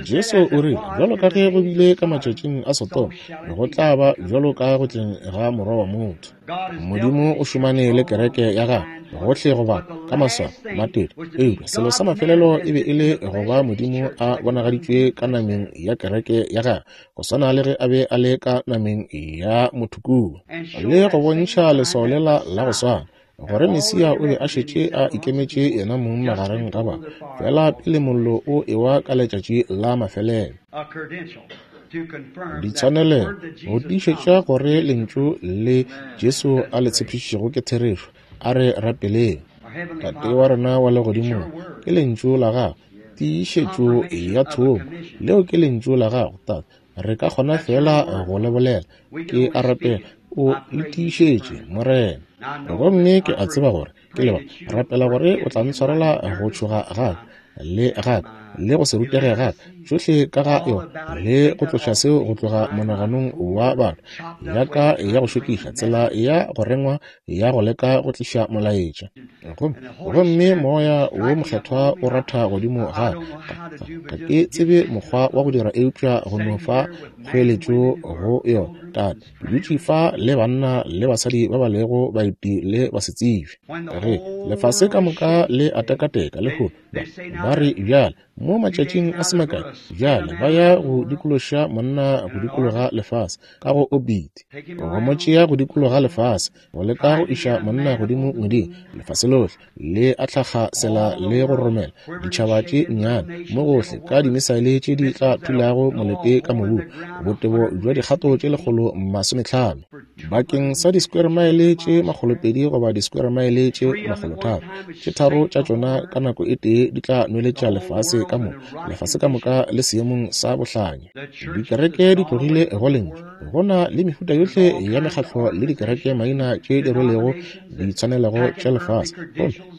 Jesu o rile, Bjalo ka ge go bile ka matšatšing a Sodoma, go tla ba bjalo ka go tleng ga Morwa wa motho. Modimo o šomane le kereke ya gagwe gohle go bapa ka maswao, matete. Eupša selo sa mafelelo e be e le go ba Modimo a bonagaditšwe ka nameng ya kereke ya gagwe, go swana le ge a be a le ka nameng ya motho kua, le go bontšha leswao lela la go swana, gore Mesia o be a šetše a ikemetše yena mong magareng ga ba, feela pele mollo o ewa ka letšatši la mafelelo. Ditshwanelego go tiišetša gore lentšu le Jesu a le tshepišitšego ke therešo. A re rapeleng. Tate wa rena wa legodimong, ke lentšu la gago, tiišetšo ya thomo. Leo ke lentšu la gago, Tate. Re ka kgona feela go le bolela. Ke a rapela o le tiišetše, Morena. Gomme ke a tseba gore ke leba rapela gore o tla ntshwarela go tšhoga gaka le gaka le go se rutege gaka, tšohle ka ga yona, le go tloša seo go tloga monaganong wa batho, ya ka ya go šokiša, tsela ya go rengwa ya go leka go tliša molaetša. Gomme Moya wo Mokgethwa o ratha godimo ga ka. Ga ke tsebe mokgwa wa go dira eupša go no fa kgoeletšo go yona. Tate, ke dutše fa le banna le basadi ba ba lego baeti le basetsebje. Ge lefase ka moka le a tekateka lehono, ba re bjale mo matšatšing a se makae bjale ba ya go dikološa monna go dikologa lefase ka go obiti, go mo tšea go dikologa lefase, go leka go iša monna godimo ngweding. Lefase lohle le a tlhakgasela le go romela ditšhaba tše nnyane mo gohle ka dimisaele tše di tla thulago molete ka mobung, botebo bja dikgato tše 150 bakeng sa di-square mile tše 200 goba di-square mile tše 300. Tše tharo tša tšona ka nako e tee di tla nweletša lefase ka moka, lefase ka moka le seemong sa bohlanya. Dikereke di tlogile go Lentšu. Go na le mehuta yohle ya mekgatlo le dikereke maina tše di rwelego ditshwanelego tša lefase,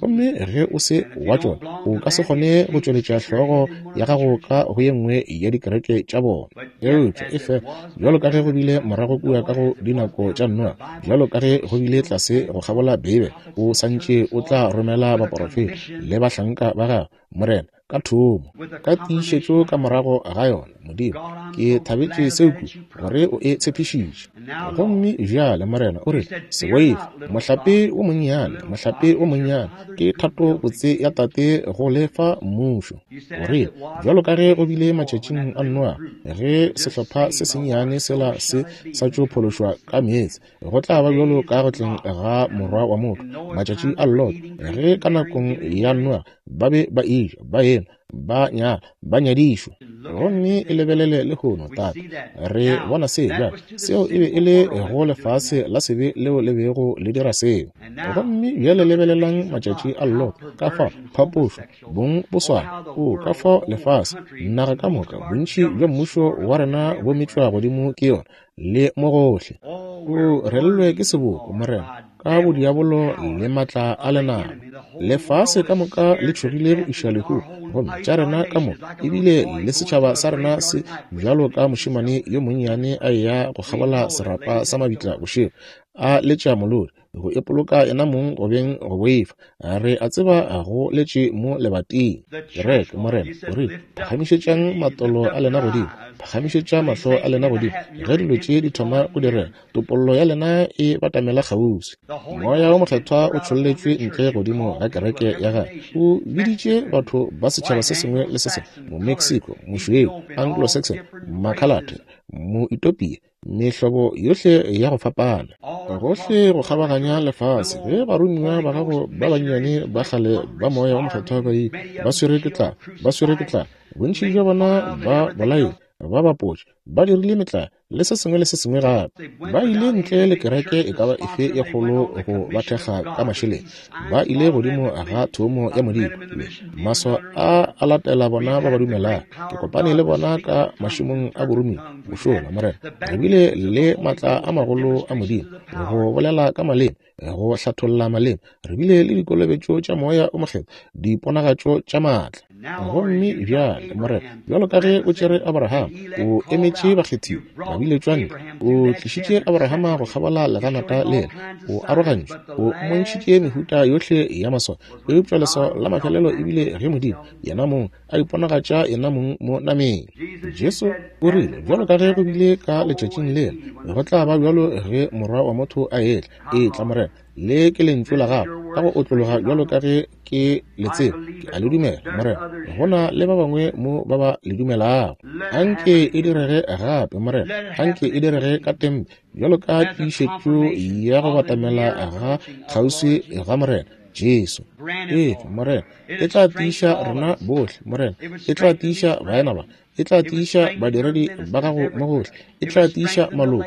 gomme ge o se wa tšona, o ka se kgone go tšweletša hlogo ya gago ka go ye nngwe ya dikereke tša bona. Eupša e fela bjalo ka ge go bile morago kua ka go dinako tša Noa, bjalo ka ge go bile tlase go kgabola Beibele, o sa ntše o tla romela baporofeta le bahlanka ba gagwe, Morena, ka thomo, ka tiišetšo ka morago ga yona. Modimo, ke thabetše seo kudu, gore o e tshepišitše. Gomme bjale, Morena, o re, Se boife, mohlape wo monnyane, mohlape wo monnyane, ke thato botse ya Tate go le fa mmušo. O re, bjalo ka ge go bile matšatšing a Noa, ge sehlopha se sennyane sela se sa tšo phološwa ka meetse, go tla ba bjalo ka go tleng ga Morwa wa motho, matšatši a Lot, ge ka nakong ya Noa ba be ba eja, ba enwa, ba nyala, ba nyadišwa. Gomme e lebelele lehono, Tate. Re bona se bjale. Seo e be e le go lefase la sebe leo le bego le dira seo. Gomme bjale lebelelang matšatši a Lot, ka fao phapošo, bong bo swana. O, ka fao lefase, naga ka moka, bontši bja mmušo wa rena bo metšwa godimo ke yona, le mo gohle. O relelwe ke seboko, Morena, ka bodiabolo le matla a lenaba. Lefase ka moka le tšhogile go iša lehu, gomme tša rena ka moka, ebile le setšhaba sa rena se bjalo ka mošemane yo monnyane a eya go kgabola serapa sa mabitla bošego, a letša molodi, go ipoloka yena mong go beng go boifa. Re a tseba go letše mo lebating. Kereke, Morena o rile, phagamišetšang matolo a lena godimo, phagamišetša mahlo a lena godimo, ge dilo tše di thoma go direga, topollo ya lena e batamela kgauswi. Moya wo Mokgethwa o tšholletšwe ntle godimo ga kereke ya gagwe, o biditše batho ba setšhaba se sengwe le se sengwe, Momexico, Mošweu, Anglo-Saxon, Makhalate, Moetopia, mehlobo yohle ya go fapana, gohle go kgabaganya lefase. Ge baromiwa ba gago ba bannyane ba kgale ba Moya wo Mokgethwa ba ile, ba swerwe ke tlala, ba swerwe ke tlala, bontši bja bona ba bolailwe. Ba bapotše, ba dirile metlae, le se sengwe le se sengwe gape. Ba ile ntle le kereke e ka ba efe ye kgolo go ba thekga ka mašeleng. Ba ile godimo ga thomo ya Modimo, le maswa a a latela bona ba ba dumelago. Ke kopane le bona ka mašemong a boromiwa mošola, Morena. Re bile le maatla a magolo a Modimo go bolela ka maleme, go hlatholla maleme. Re bile le dikolobetšo tša Moya o Mokgethwa, diponagatšo tša maatla. Gomme bjale, Morena, bjalo ka ge o tšere Abraham, o emetše bakgethiwa, ba biletšwa ntle. O tlišitše Abrahama go kgabola leganata lela, o arogantšwe, o mmontšhitše mehuta yohle ya maswao. Eupša leswao la mafelelo e bile ge Modimo, Yena mong, a iponagatša Yena mong mo nameng. Jesu o rile, Bjalo ka ge go bile ka letšatšing lela, go tla ba bjalo ge Morwa wa motho a etla. Etla, Morena. Le ke lentšu la gago ka go otlologa bjalo ka ge ke le tseba. Ke a le dumela, Morena. Go na le ba bangwe mo ba ba le dumelago. Anke e direge gape, Morena. Anke e direge ka tempe, bjalo ka tiišetšo ya go batamela ga kgauswi ga Morena Jesu. Efa, Morena. E tla tiiša rena bohle, Morena. E tla tiiša baena ba. E tla tiiša badiredi ba gago mo gohle. E tla tiiša maloko.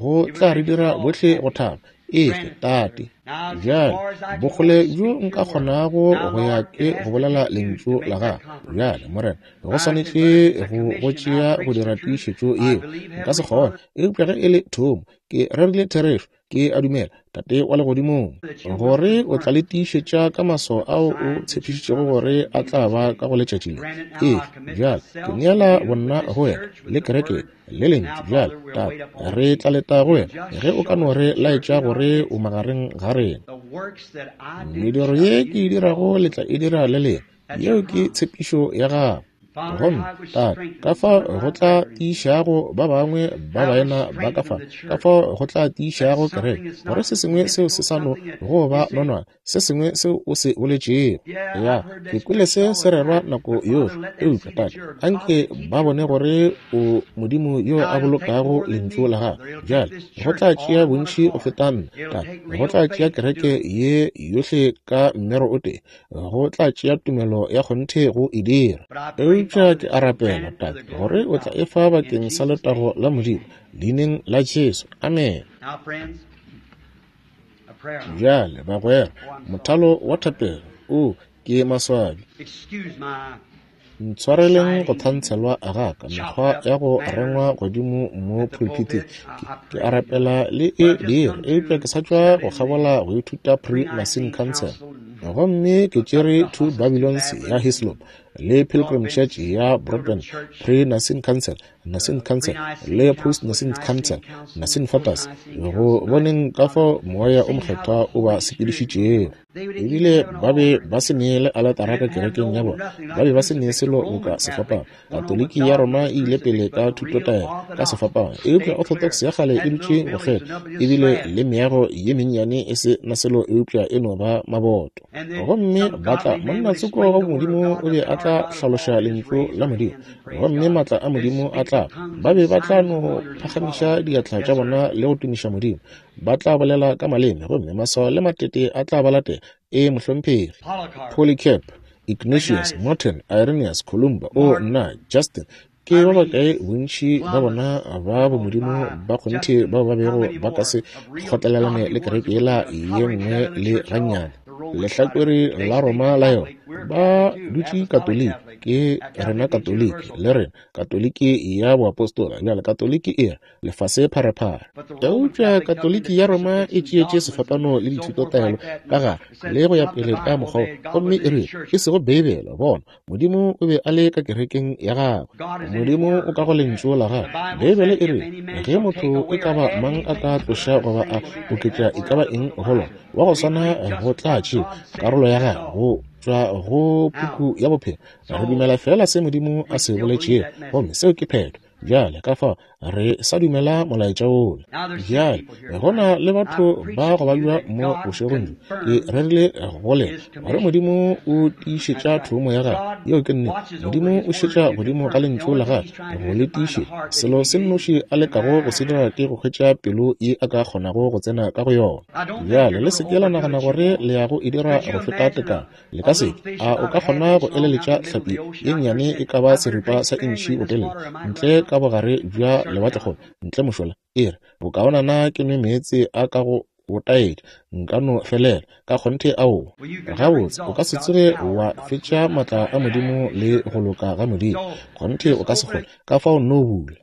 Go tla re dira bohle go thaba. Efe, Tate. Bjale, bokgole bjo nka kgonago go ya ke go bolela Lentšu la Gago. Bjale, Morena, go swanetše go go tšea go dira tiišetšo yeo. Nka se kgone. Eupša ge e le thomo, ke rerile therešo. Ke a dumela, Tate wa Legodimong, gore o tla le tiišetša ka maswao ao o tshepišitšego gore a tla ba ka go letšatši le. Efe, bjale, ke neela bonna go wena le kereke le lentšu. Bjale, Tate, re tla leta go wena ge o ka no re laetša gore o magareng ga rena. Mediro ye ke e dirago le tla e dira le lena. Yeo ke tshepišo ya gago. Gomme, Tate, ka fao go tla tiišago ba bangwe ba baena ba ka fa, ka fao go tla tiišago kereke, gore se sengwe seo se sa no go ba nonwane, se sengwe seo o se boletšego. Ya, ke kwele se se rerwa nako yohle. Eupša, Tate, anke ba bone gore o Modimo yo a bolokago Lentšu la Gagwe. Bjale, go tla tšea bontši go feta nna, Tate. Go tla tšea kereke ye yohle ka mmero o tee. Go tla tšea tumelo ya kgonthe go e dira. Eupša ke a rapela, Tate, gore o tla e fa bakeng sa letago la Modimo, Leineng la Jesu. Amene. Bjale, bagwera, mothalo wa thapelo. O, ke maswabi. Ntshwareleng go thantshelwa ga ka, mekgwa ya go rengwa godimo mo pulpiteng. Ke, ke a rapela le e dire, eupša ke sa tšwa go kgabola go ithuta Pre-Nicene Council. Gomme ke tšere Two Babylons ya Hislop le Pilgrim Church ya Broadbent, Pre-Nicene Council, Nicene Council le Post-Nicene Council, Nicene Fathers, go boneng ka fao Moya o Mokgethwa o ba sepedišitšego. Ebile ba be ba se ne le aletara ka kerekeng ya bona, ba be ba se ne selo boka sefapano. Katoliki ya Roma e ile pele ka thutotaelo ka sefapano, eupša Orthodox ya kgale e dutše go kgetha, ebile le meago ye mennyane e se na selo eupša e no ba maboto. Gomme ba tla, monna tsoko wa Modimo o be a tla hlaloša Lentšu la Modimo, gomme maatla a Modimo a tla, ba be ba tla no phagamiša diatla tša bona le go tumiša Modimo, ba tla bolela ka maleme, gomme maswao le matete a tla ba latela. Ee, mohlomphegi. Polycarp, Ignatius, Martin, Irenaeus, Columba, o nna, Justin, ke ba bakae bontši ba bona ba bomodimo ba kgonthe bao ba bego ba ka se kgotlelelane le kereke yela ye nngwe le gannyane, lehlakore la Roma la yona. Ba dutše Katoliki, ke rena Katoliki, le rena Katoliki ya boapostola. Bjale Katoliki e re, lefase pharephare. Eupša Katoliki ya Roma e tšeetše sefapano le dithutotaelo ka gare le go ya pele ka mokgwa wo, gomme e rile, e sego Beibele. Bona, Modimo o be a le ka kerekeng ya Gagwe. Modimo o ka go Lentšu la Gagwe. Beibele e rile, Ge motho e ka ba mang a ka tloša goba a oketša e ka ba eng go Lona, wa go swana go tla tšewa karolo ya gagwe go tšwa go Puku ya Bophelo. Re dumela feela se Modimo a se boletšego, gomme seo ke phetho. Bjale, ka fao Re sa dumela molaetša wola. Bjale, go na le batho ba go babja mo bošegong bjo. Ke rerile go lena gore Modimo o tiišetša thomo ya gagwe. Yeo ke nnete. Modimo o šetša godimo ga Lentšu la gagwe go le tiišetša. Selo se nnoši a lekago go se dira ke go hwetša pelo ye a ka kgonago go tsena ka go yona. Bjale, le se ke la nagana gore le ya go e dira go feta tekano. Le ka se ke. A o ka kgona go eleletša hlapi ye nnyane e ka ba seripa sa intšhi botelele, ntle ka bogare bja lewatlekgolo, ntle mošola? E re, Bokaonana ke nwe meetse a ka go botaetša, nka no felela. Ka kgonthe aowa. Gabotse, o ka se tsoge wa fetša maatla a Modimo le go loka ga Modimo. Kgonthe o ka se kgone. Ka fao nno bula.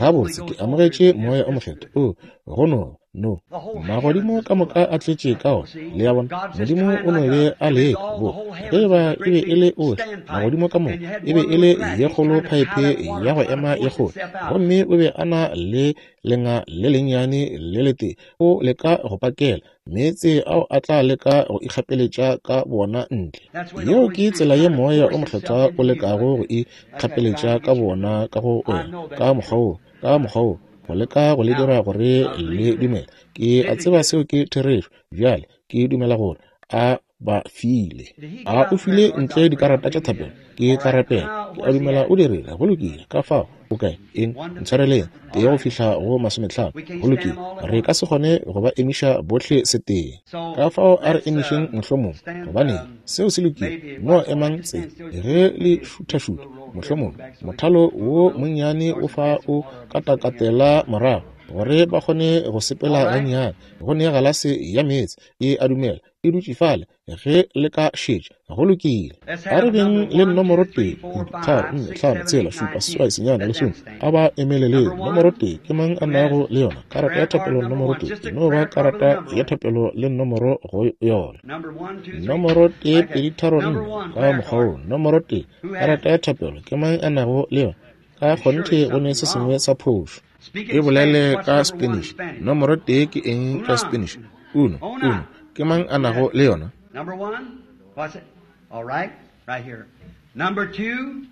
Gabotse, ke amogetše Moya o Mokgethwa. Oo, go no No. Magodimo ka moka a tletše ka ona. Le a bona? Modimo o no be a leka bo. Ge e ba e be e le ohle, magodimo ka moka, e be e le ye kgolo phaephe ya go ema ye kgolo. Gomme o be a na le lenga le lennyane le letee, o leka go pakela meetse ao a tla leka go ikgapeletša ka bona ntle. Yeo ke tsela ye Moya o Mokgethwa o lekago go ikgapeletša ka bona ka go wena, ka mokgwa wo. Ka mokgwa wo, go leka go le dira gore le dumele. Ke a tseba seo ke therešo. Bjale, ke dumela gore A ba file. A o file ntle dikarata tša thapelo? Ke tla rapela. Ke a dumela o dirile. Go lokile. Ka fao, o kae? Eng? Ntshwareleng. Tee go fihla go masometlhano. Go lokile. Re ka se kgone go ba emiša bohle setee. Ka fao a re emišeng mohlomong. Gobaneng, seo se lokile. No emang tse. Ge le šuthašutha, mohlomong mothalo wo monnyane o fa o katakatela morago, gore ba kgone go sepela gannyane. Go ne galase ya meetse, e a dumela, e dutše fale, ge le ka šetša. Go lokile. A re beng le nomoro 1, 2, 3, 4, 5, 6, 7, 8, 9, lesome. A ba emeleleng. Nomoro 1, ke mang a nago le yona? Karata ya thapelo nomoro 1. E no ba karata ya thapelo le nomoro go yona. Nomoro 1, 2, 3, 4, ka mokgwa wo. Nomoro 1, karata ya thapelo, ke mang a nago le yona? Ka kgonthe go ne se sengwe sa phošo. E bolele ka Spanish. Nomoro tee ke eng ka Spanish? Uno, uno. Ke mang a nago le yona? Number one, what's it? All right, right here. Number two,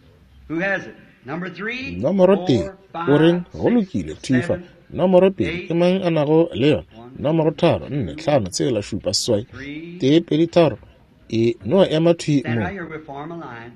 who has it? Number three, Nomoro tee, four, o reng? five, Go six, lokile, thifa. seven, Nomoro pedi, ke eight, mang a nago le yona? one, Nomoro tharo, nne, two, hlano, tshela, šupa, seswai, three. tee, pedi, tharo. E no ema thwi Stand mo. right here, we'll form a line.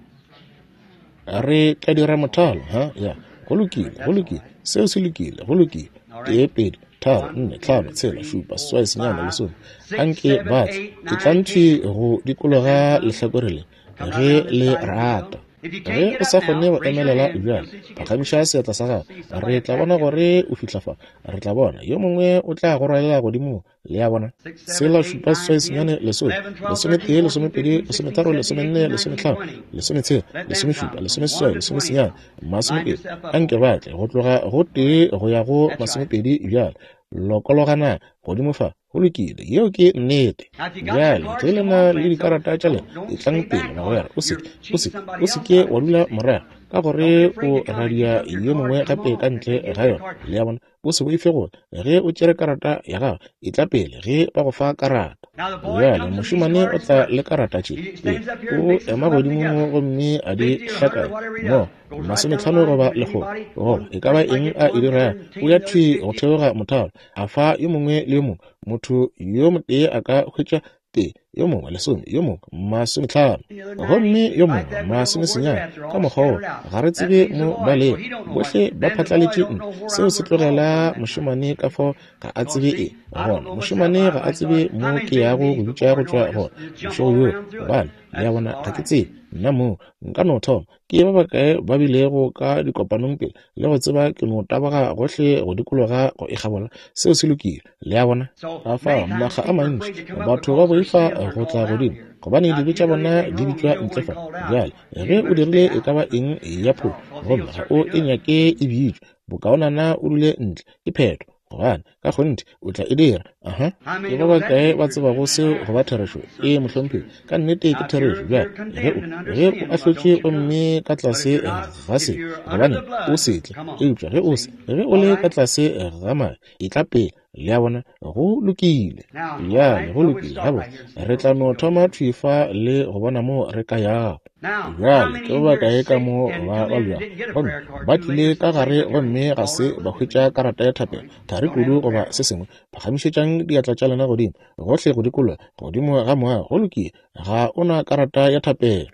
Re tla dira mothalo, ha? Ya, go lokile, go That's all lokile. right. Seo se lokile, go lokile. All Tee, right. pedi, tharo, One, nne, two, hlano, tshela, three, šupa, four, seswai, senyane, five, lesome. six, Anke seven, ba tle. eight, Ke tla nine, nthwi ten. go Let them dikologa come. lehlakore le, Come right ge down this le side if you will. rata. If you Ge can't get o up sa kgone now, go raise your emelela hand. bjale, We'll see if you get phagamiša seatla sa gago. see Re somebody tla back bona you up. gore o fihla fa. Re tla bona. Yo mongwe o tla go rwalela godimo. Le a bona? 6, 7, Tshela, 8, šupa, 9, seswai, 10, senyane, lesome, 11, 12, 13, lesometee, 14, lesomepedi, 15, 16, lesometharo, 17, lesomenne, 18, 19, lesometlhano, 20. lesometshela, Let them lesomešupa, come from 1 lesomeseswai, to 20 lesomesenyane, now. Line masomepedi. yourself up Anke over ba there. tle go tloga go tee go ya go That's right. masomepedi bjale. Lokologana godimo fa. Go lokile. Yeo ke nnete. Now, if you got your Bjale, cards, ge le come na on, le friends. Don't dikarata tša lena, don't don't etlang stay pele, back. Or bagwera. O se you're ke, o cheating se ke, somebody o se else ke out of wa it. dula See? morago, ka Don't gore be afraid o to come. If you radia took your yo card, mongwe come gape on. ka If ntle they give ga you a yona. card, Le a bona? O se boife gore ge o tšere karata ya gago, etla pele ge ba go fa karata. now the boy Bjale, comes with these mošemane o cards tla first. le karata tše He pele. stands up here and O mixes ema them up godimo together. mo gomme a di 50 or 100 or hlakanya whatever he mo, does. Goes right down the masometlhano line goba to lekgolo, anybody. goba One e ka ba person might eng get a e one, dirago. 10, O ya the other thwi go 50. theoga mothalo, a fa yo mongwe le yo mongwe. Motho yo motee a ka hwetša tee, yo mongwe lesome, yo mongwe masometlhano, The other 90. gomme yo Like mongwe that, we don't know where they're masomesenyane. at. They're Ka all mokgwa woo, scattered out. ga re That tsebe leaves the mo boy, ba so lego. he don't know what. Bohle ba Then the boy phatlaletše don't ntle. know where Seo I'm se going to call tlogela from that night. mošemane ka fao ga a Because tsebe see, eng. I don't Gona know myself. mošemane I, ga a I tsebe started. How mo many's ke been to yago meetings go bitša before? go No, tšwa I gona just jump bošego all bjoo. around through it. Gobane, le a That's bona, all ga ke right. tsebe nna moo nka no thoma. Ke ba bakae ba bilego ka dikopanong pele le go tseba ke no taboga gohle go dikologa go e kgabola. Seo se lokile. Le a bona? So Ka many fao, times makga a people are mantši afraid to come up batho ba because their boifa sins are go tla called out godimo here. gobane Now, if dibe you tša done bona anything di wrong, you bitšwa don't ntle want it fa. called out. Bjale, You ge o better dirile stay e out. ka ba eng ya That's phošo, all, because gomme he'll ga o certainly e do it. nyake e bitšwe, bokaonana o dule ntle. Ke phetho, gobane ka kgonthe o tla e dira. Aha. How Ke many ba knows that to bakae be ba true? tsebago seo go ba therešo? Ee, mohlomphegi, ka nnete ke Now, if therešo. you're Bjale, you're ge o condemned and under ge o sin, well, ahlotšwe don't you come. gomme ka But if tlase you're not, ga if se, you're under gobane the o blood, se tle. come on. Eupša ge o se, See? ge o All le ka right? tlase ga madi, etla pele. Le a bona? Go lokile. Now, all Bjale, right, go so we'll lokile. start Gabotse, right here and see re where tla we no can go thoma here. thwi fa le go bona moo re ka yago. Bjale ke ba bakae ka mo ba babjago gomme ba tlile ka gare gomme ga se ba hwetša karata ya thapelo, thari kudu goba se sengwe? Phagamišetšang diatla tša lena godimo, gohle go dikologa godimo ga moago. Go lokile, ga o na karata ya thapelo.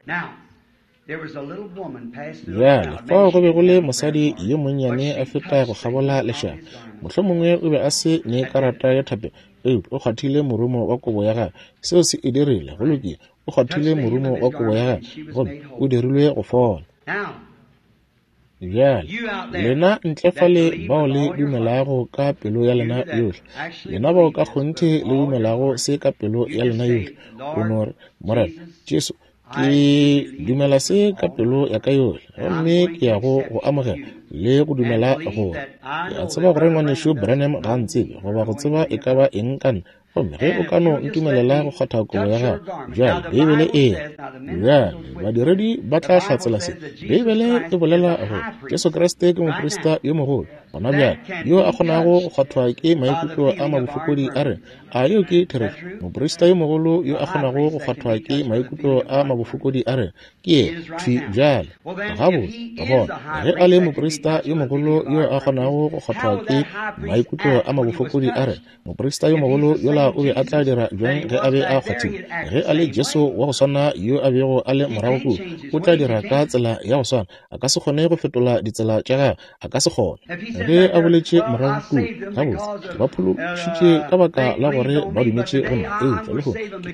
Bjale fao go be go le mosadi yo monnyane a feta go kgabola lešaba. Mohlomongwe o be a se ne karata ya thapelo, eupša o kgwathile morumo wa kobo ya gagwe. Seo se e dirile. Go lokile, o kgwathile morumo wa kobo ya gagwe, gomme o dirilwe go fola. Bjale, lena ntle fale bao le dumelago ka pelo ya lena yohle, lena bao ka kgonthe le dumelago se ka pelo ya lena yohle, o no re, Morena Jesu, ke dumela se ka pelo ya ka yohle, gomme ke ya go go amogela le go dumela gore ke a tseba gore Ngwanešu Branham ga a ntsebe goba go tseba e ka ba eng ka nna. Gomme ge o ka no ntumelela go kgwatha kobo ya gago, bjale Beibele e re, bjale badiredi ba tla hlatsela se. Beibele e bolela gore Jesu Kriste ke moprista yo mogolo gona bjale yo a kgonago go kgwathwa ke maikutlo a mabofokodi a rena. A yeo ke therešo? Moprista yo mogolo yo a kgonago go kgwathwa ke maikutlo a mabofokodi a rena ke yena thwi bjale. Gabotse, gona, ge a le moprista yo mogolo yo a kgonago go kgwathwa ke maikutlo a mabofokodi a rena, Moprista yo mogolo yola o be a tla dira bjang ge a be a kgwathile? Ge a le Jesu wa go swana yo a bego a le morago kua, o tla dira ka tsela ya go swana. A ka se kgone go fetola ditsela tša gagwe. A ka se kgone. Ge a boletše morago kua, gabotse, ke ba phološitše ka baka la gore ba dumetše go nna, eupša lehono ke,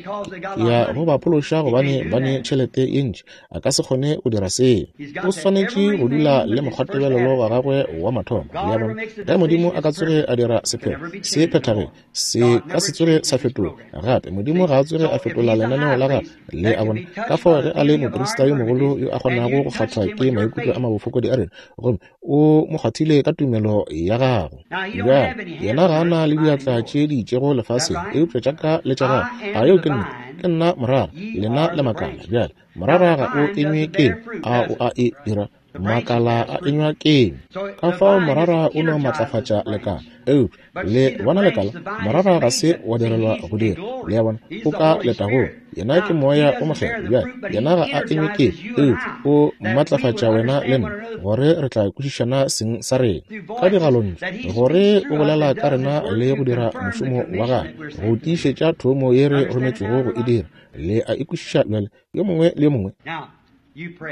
ke ya go ba phološa gobane ba ne tšhelete ye ntši. A ka se kgone go dira seo. O swanetše go dula le mokgwatebelelo wa gagwe wa mathomo. Le a bona? Ge Modimo a ka tsoge a dira sephetho, se phethageng, se ka se tsoge sa fetoga gape. Modimo ga a tsoge a fetola lenaneo la gagwe. Le a bona? Ka fao ge a le moprista yo mogolo yo a kgonago go kgathwa ke maikutlo a mabofokodi a rena, gomme o mo kgwathile ka tumelo ya gago. Bjale, yena ga a na le diatla tše di itšego lefaseng, eupša tša ka le tša gago. A yeo ke nnete? Ke nna morara, lena le makala. Bjale, morara ga o enywe keng? A o a e dira? Makala a enywa keng? Ka fao morara o no matlafatša lekala. Eupša le bona lekala, morara ga se wa direlwa go dira. Le a bona, o ka letagong. Yena ke Moya o Mokgethwa. Bjale, yena ga a enywe keng, eupša o matlafatša wena le nna, gore re tla kwešišana seng sa rena ka digalontšu, gore o bolela ka rena le go dira mošomo wa gagwe, go tiišetša thomo ye re rometšwego go e dira. Le a e kwešiša bjale, yo mongwe le yo mongwe?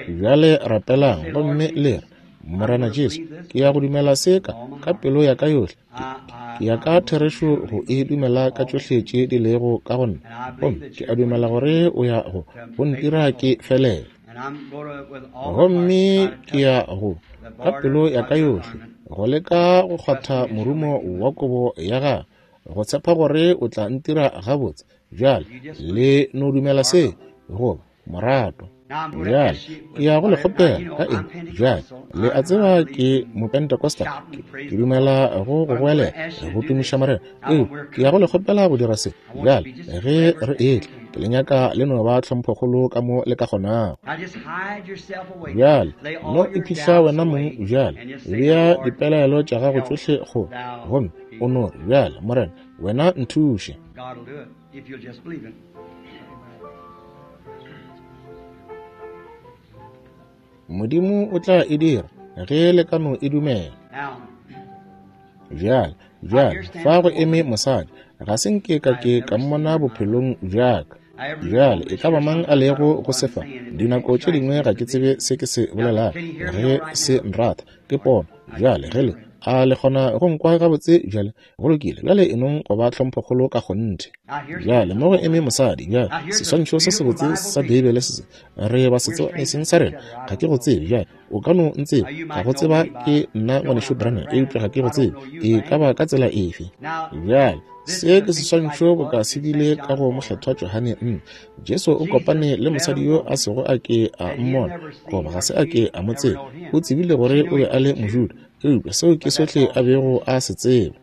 Bjale rapelang gomme le re, Morena Jesu, ke ya go dumela se ka, ka pelo ya ka yohle. Ke, ke ya ka therešo go e dumela ka tšohle tše di lego ka go nna. Gomme ke a dumela gore o ya go, go ntira ke felele. Gomme ke ya go, ka pelo ya ka yohle, go leka go kgwatha morumo wa kobo ya gagwe, go tshepa gore o tla ntira gabotse. Bjale le no dumela se, goba morato. Bjale ke ya go le kgopela ka eng? Bjale le a tseba ke Mopentecostal, ke dumela go go goelela, go tumiša Morena. Eo ke ya go le kgopela go dira se. Bjale ge re etla, ke le nyaka le no ba tlhomphokgolo ka mo le ka kgonago. Bjale no iphihla wena mong bjale, bea dipelaelo tša gago tšohle kgole, gomme o no re, Bjale Morena, wena nthuše. God will do it if you'll just believe it. Modimo o tla e dira ge le ka no e dumela. Bjale, bjale, fa go eme mosadi, ga se nke ka ke ka mmona bophelong bja ka. Bjale, e ka ba mang a lego go sefa, dinako tše dingwe ga ke tsebe se ke se bolelago, ge se nratha, ke pono. Bjale, ge le, a le kgona go nkwa gabotse bjale? Go lokile, bjale e nong go ba tlhomphokgolo ka kgonthe. Bjale mo go eme mosadi, bjale seswantšho se sebotse sa Beibele se se re ba se tseba e seng sa rena. Ga ke go tsebe, bjale o ka no ntseba, ga go tseba ke nna ngwanešu Branham, eupša ga ke go tsebe e ka ba ka tsela efe. Bjale se ke seswantšho boka se bile ka go mokgethwa Johane. Jesu o kopane le mosadi yo a sego a ke a mmona, goba ga se a ke a mo tseba. O tsebile gore o be a le Mojuda, eupša seo ke sohle a bego a se tseba.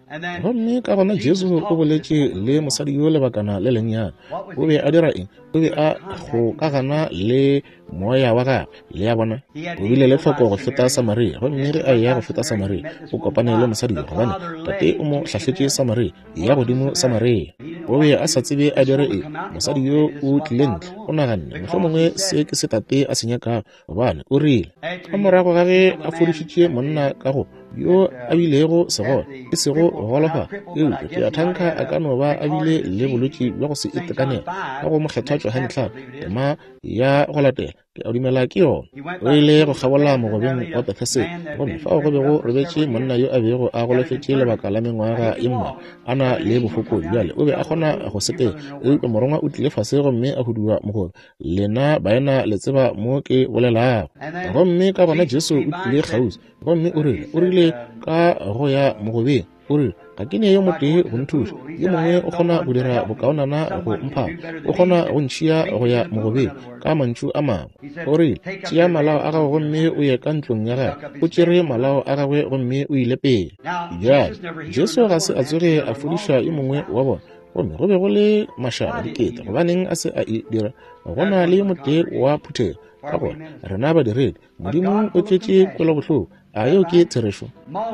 Gomme ka gona Jesu o boletše le mosadi yo lebakana le lennyane. O be a dira eng? O be a kgokagana le moya wa gagwe. Le a bona? O bile le tlhoko go feta Samaria. Gomme ge a eya go feta Samaria, o kopane le mosadi yo, gobane Tate o mo hlahletše Samaria, ya godimo. godimo Samaria. O be a sa tsebe a dire eng. Mosadi yo o tlile ntle, o naganne, mohlomongwe se ke se tate a se nyakago, gobane o rile, ka morago ga ge a fodišitše monna ka go yo a bilego segole, e sego go golofala, eupša ke a thanka a ka no ba a bile le bolwetši bja go se itekanele, ka go Mokgethwa Johane 5, tema ya go latela, ke a dumela ke yona. O ile go kgabola mogobeng wa Betheseda, gomme fao go be go robetše monna yo a bego a golofetše lebaka la mengwaga ye mmalwa, a na le bofokodi. Bjale o be a kgona go sepela, eupša morongwa o tlile fase gomme a huduwa mogobe. Lena baena le tseba mo ke bolelago. Gomme ka gona Jesu o tlile kgauswi, gomme o rile, o rile ka go ya mogobeng, o rile, ga ke ne yo motee go nthuša, yo mongwe o kgona go dira bokaonana go mpha, o kgona go ntšhia go ya mogobeng. Ka mantšu a mangwe, o rile, tšea malao a gago gomme o ye ka ntlong ya gagwe. O tšere malao a gagwe gomme o ile pele. Bjale Jesu ga se a tsoge a fodiša yo mongwe wa bona, gomme go be go le mašaba dikete. Gobaneng a se a e dira? Go na le yo motee wa phuthego, ka gore rena badiredi, Modimo o tletše kwelobohloko. A yeo ke therešo?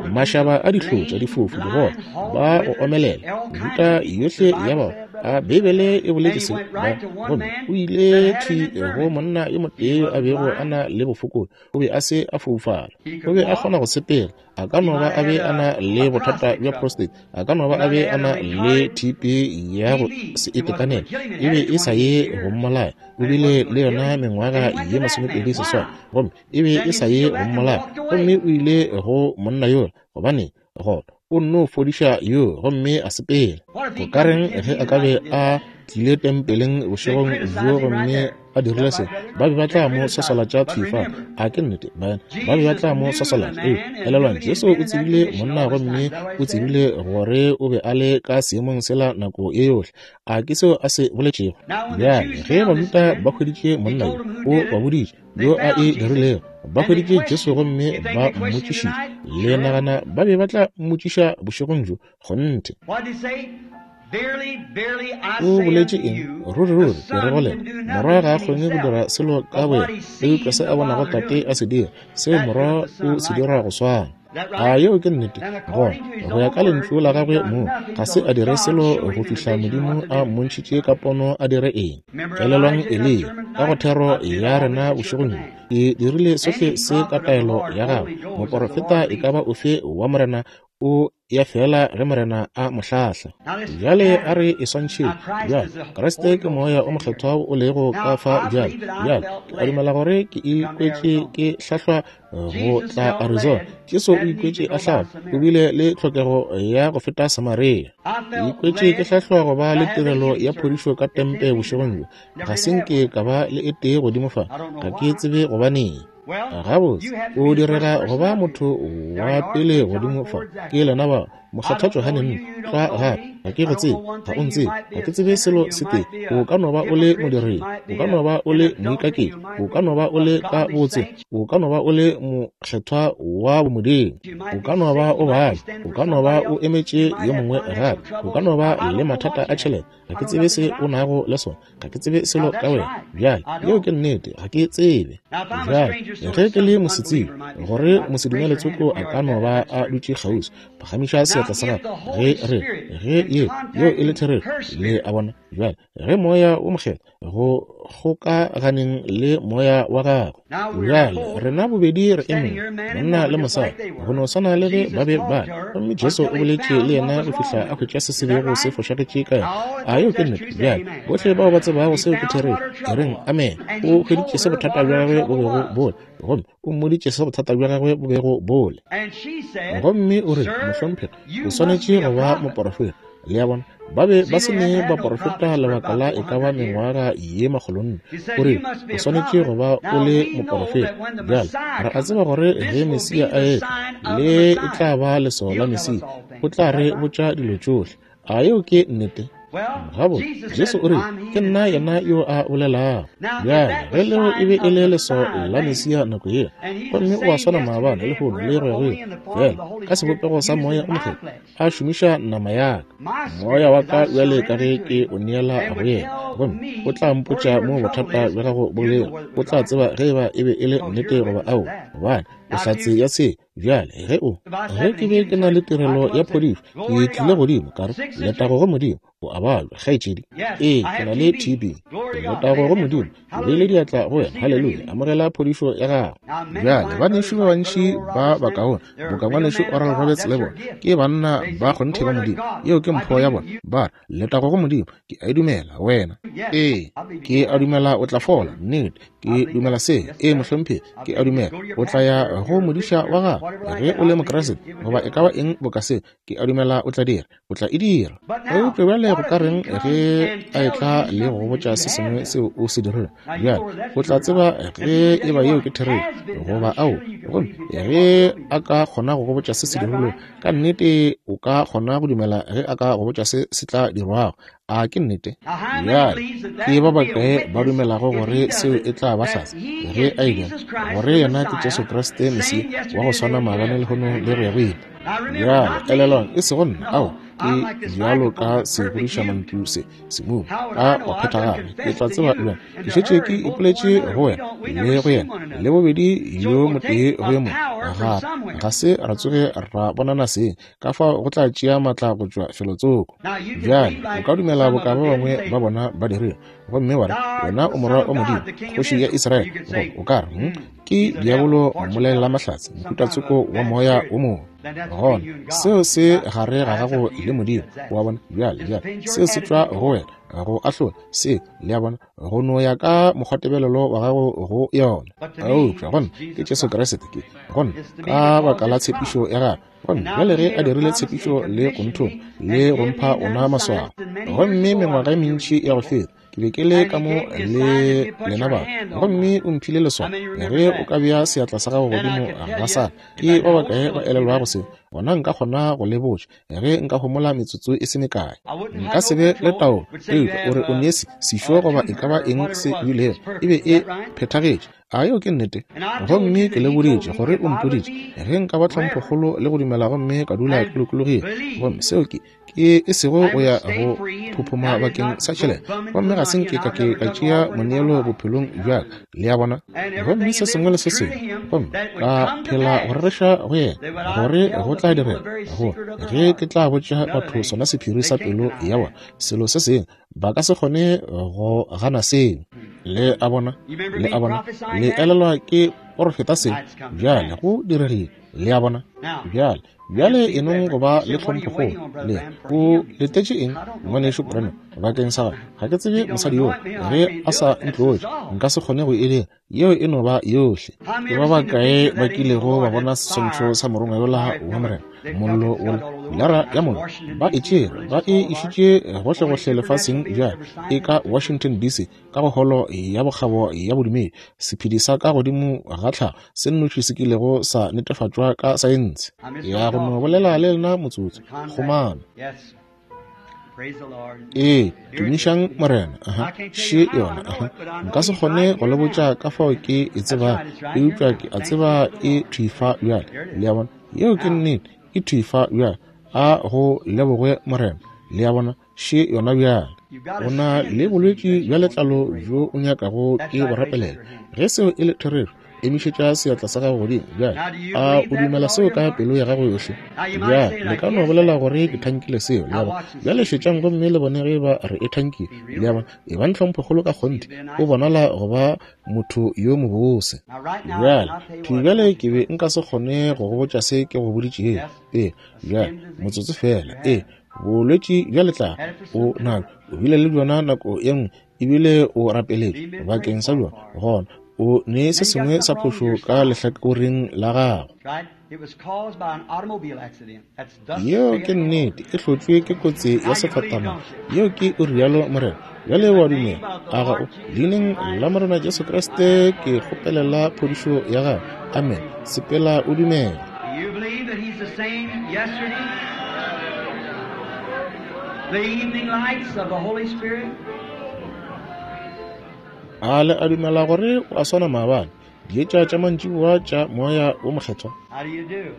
Mašaba a dihlotša, difofu, digole, ba go omelela, mehuta yohle ya bao. A Beibele e boletše se? Ba, gomme o ile thwi go monna yo motee yo a bego a na le bofokodi. O be a se a foufala, o be a kgona go sepela. A ka no ba a be a na le bothata bja prostate, a ka no ba a be a na le TB ya go se itekanele, e be e sa ye go mmolaya. O bile le yona mengwaga ye 28, gomme e be e sa ye go mmolaya. Gomme o ile go monna yola, gobane gona o nno fodiša yo gomme a sepela. Go ka reng ge a ka be a tlile tempeleng bošegong bjo gomme a dirile se? Ba be ba tla mo swaswalatša thwi fa. A ke nnete, baena? Ba be ba tla mo swaswalatša. Ee, elelwang, Jesu o tsebile monna gomme o tsebile gore o be a le ka seemong sela nako ye yohle. A ke seo a se boletšego? Bjale, ge Bajuda ba hweditše monna yo, o ba boditše yo a e dirilego. Ba hweditše Jesu gomme ba mmotšišitše. Le nagana ba be ba tla mmotšiša bošegong bjo? Kgonthe. O boletše eng? Ruri, ruri, ke re go lena, Morwa ga a kgone go dira selo ka boyena, eupša se a bonago Tate a se dira, seo Morwa o se dira go swana. A yeo ke nnete? Gona, go ya ka lentšu la gagwe mong, ga se a dire selo go fihla Modimo a mmontšhitše ka pono a dire eng. Elelwang Eliya, ka go thero ya rena bošegong bjo, ke dirile sohle se ka taelo ya gagwe. Moporofeta e ka ba ofe wa Morena o ya fela ge Morena a mo hlahla. Bjale a re e swantšheng. Bjale, Kriste ke Moya o Mokgethwa o lego ka fa bjale. Bjale, ke a dumela gore ke ikwetše ke hlahlwa go tla Arizona. Jesu o ikwetše a hlahlwa, o bile le tlhokego ya go feta Samaria. Ke ikwetše ke hlahlwa go ba le tirelo ya phodišo ka tempe bošegong bjo. Ga se nke ka ba le e tee godimo fa. Ga ke tsebe gobaneng. Gabotse, o direga go ba motho wa pele godimo fa. Ke lena ba Mokgethwa Johane nna, tlwa gape. Ga ke go tsebe, ga o ntsebe, ga ke tsebe selo se tee. O ka no ba o le modiredi, o ka no ba o le moikaketši, o ka no ba o le ka botse, o ka no ba o le mokgethwa wa bomodimo, o ka no ba o babja, o ka no ba o emetše yo mongwe gape, o ka no ba le mathata a tšhelete. Ga ke tsebe se o nago le sona, ga ke tsebe selo ka wena. Bjale, yeo ke nnete, ga ke tsebe. Bjale, ge ke le mosetsebje, gore mosedumele tsoko a ka no ba a dutše kgauswi, phagamiša seatla sa gago ge re, ge ye, yeo e le therešo. Le a bona? Bjale, ge Moya wo Mokgethwa go kgokaganeng le moya wa gagwe. Bjale rena bobedi re emeng, monna le mosadi, go no swana le ge ba be ba. Gomme Jesu o boletše le yena go fihla a hwetša se se bego se fošagetše ka yena. A yeo ke nnete? Bjale bohle bao ba tsebago seo ke therešo, e reng amen. O hweditše se bothata bja gagwe bo bego bo le, gomme o mmoditše se bothata bja gagwe bo bego bo le. Gomme o re, Mohlomphegi, o swanetše go ba moporofeta. Le a bona? Ba be ba se ne baporofeta lebaka la e ka ba mengwaga ye makgolonne. O re, O swanetše go ba o le moporofeta. Bjale, re a tseba gore ge Mesia a etla, le e tla ba leswao la Mesia. O tla re botša dilo tšohle. A yeo ke nnete? Gabotse, Jesu o rile, Ke nna yena yo a bolelago. Bjale, ge leo e be e le leswao la Mesia nako yela, gomme o a swana maabane, lehono, le go ya go ile, feela ka sebopego sa Moya o Mokgethwa, a šomiša nama ya ka, moya wa ka bjale ka ge ke o neela go yena, gomme o tla mpotša mo bothata bja gago bo lego, o tla tseba ge eba e be e le nnete goba aowa, gobane o hlatse ya se. Bjale, ge o, ge ke be ke na le tirelo ya phodišo, ke tlile godimo, ka re, Letago go Modimo, o a babja, kgaetšedi. Ee, ke na le TB. Letago go Modimo, ke beile diatla go wena. Haleluya, amogela phodišo ya gago. Bjale, banešu ba bantši ba bakaone, boka ngwanešu Oral Roberts le bona, ke banna ba kgonthe ba Modimo. Yeo ke mpho ya bona. Ba re, Letago go Modimo, ke a e dumela, wena. Ee, ke a dumela o tla fola. Nnete, ke dumela se. Ee, mohlomphegi, ke a dumela o tla ya go modiša wa gago ge o le Mokriste, goba e ka ba eng boka seo. Ke a dumela o tla dira, o tla e dira. Eupša bjale go ka reng ge a etla le go botša se sengwe seo o se dirile? Bjale o tla tseba ge e ba yeo ke therešo goba ao. Gomme ge a ka kgona go go botša se se dirilwego, ka nnete o ka kgona go dumela ge a ka go botša se se tla dirwago. A ke nnete? Bjale ke ba bakae ba dumelago gore seo e tla ba hlatse ge a e dira, gore yena ke Jesu Kriste Mesia wa go swana maabane, lehono le go ya go ile? Bjale elelwang, e sego nna, ao, ke bjalo ka segodišamantšu se semumu ka go phethagala. Ke tla tseba bjang? Ke šetše ke ipoletše go wena le go yena, le bobedi yo motee go yo mongwe. Ga se ra tsoge ra bonana seng, ka fao go tla tšea maatla go tšwa felotsoko. Bjale o ka dumela boka ba bangwe ba bona ba dirile, gomme wa re, Wena o Morwa wa Modimo, Kgoši ya Israele. Goba o ka re, Ke diabolo mmolelela-mahlatse, mohutatsoko wa moya wo mongwe. Gona seo se gare ga gago le Modimo, wa bona. Bjale, bjale seo se tšwa go wena go ahlola seo, le a bona, go no ya ka mokgwatebelelo wa gago go yona. Eupša gona ke Jesu Kriste, ke gona ka baka la tshepišo ya gagwe. Gomme bjale ge a dirile tshepišo le go nthoma le go mpha ona maswao, gomme mengwaga e mentši ya go feta ke be ke le ka mo le lena batho, gomme o mphile leswao, ge o ka bea seatla sa gago godimo ga sa ka, ke ba bakae ba elelwago seo? Gona nka kgona go le botša, ge nka homola metsotso e se mekae. Nka se be le taolo, eupša o re o ne sešo goba e ka ba eng se bilego, e be e phethagetše. A yeo ke nnete? Gomme ke le boditše gore o mpoditše ge nka ba tlhomphokgolo le go dumela gomme ka dula ke lokologile. Gomme seo ke, ke e sego go ya go phophoma bakeng sa tšhelete, gomme ga se nke ka ke ka tšea moneelo bophelong bja ka, le a bona. Gomme se sengwe le se sengwe, gomme ka phela go rereša go yena gore go tla direga go ge ke tla botša batho sona sephiri sa pelo ya bona, selo se sengwe ba ka se kgone go gana seo. Le a bona, le a bona, le elelwa ke porofeta seo. Bjale go diregile, le a bona. Bjale, bjale e nong go ba le tlhomphokgolo. Le o letetše eng, ngwanešu Branham, bakeng sa gagwe? Ga ke tsebe mosadi yoo. Ge a sa ntlotše, nka se kgone go e dira. Yeo e no ba yohle. Ke ba bakae ba kilego ba bona seswantšho sa morongwa yola wa Morena, mollo wola, pilara ya mollo? Ba e tšere, ba e išitše gohlegohle lefaseng bjale. E ka Washington, DC, ka go holo ya bokgabo ya bodumedi, sephedi sa ka godimo ga tlhago se nnoši se kilego sa netefatšwa ka saense. Ya go no bolela le lena motsotso, kgomano. Ee, tumišang Morena. Aha, še yona. Aha. Nka se kgone go le botša ka fao ke e tsebago, eupša ke a tseba e thwi fa bjale. Le a bona? Yeo ke nnete, e thwi fa bjale. A go lebogwe Morena. Le a bona? Še yona bjale. O na le bolwetši bja letlalo bjo o nyakago ke go rapelela. Ge seo e le therešo, emišetša seatla sa gago godimo. Bjale, a o dumela seo ka pelo ya gago yohle? Bjale, le ka no bolela gore ke thankile seo, le a bona. Bjale šetšang gomme le bone ge eba re e thankile, le a bona. Ebang tlhomphokgolo ka kgonthe, o bonala go ba motho yo mobose. Bjale, thwi bjale ke be nka se kgone go go botša se ke go boditšego. Ee, bjale, motsotso feela. Ee, bolwetši bja letlalo o nabjo, o bile le bjona nako ye nngwe, ebile o rapeletše bakeng sa bjona, gona o ne se sengwe sa phošo ka lehlakoreng la gago. Yeo ke nnete, e hlotšwe ke kotsi ya sefatanaga. Yeo ke o rialo Morena. Bjale wa dumela, a ga o? Leineng la Morena Jesu Kriste ke kgopelela phodišo ya gago. Amen. Sepela o dumela. You believe that he's the same yesterday? The evening lights of the Holy Spirit? A le a dumela gore o a swana maabane, dietša tša mantšiboa tša Moya wo Mokgethwa? How do you do?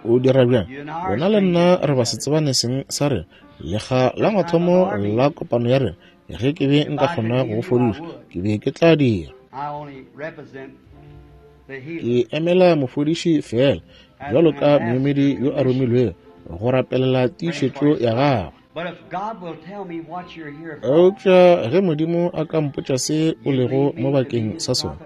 O dira bjang? Wena le nna re ba se tsebane seng sa rena. Lekga la mathomo la kopano ya rena, ge ke be nka kgona go go fodiša, ke be ke tla dira. I only represent Ke emela mofodiši feela bjalo ka moemedi yo a romilwego go rapelela tiišetšo ya gagwe. Eupša ge Modimo a ka mpotša se o lego mo bakeng sa sona,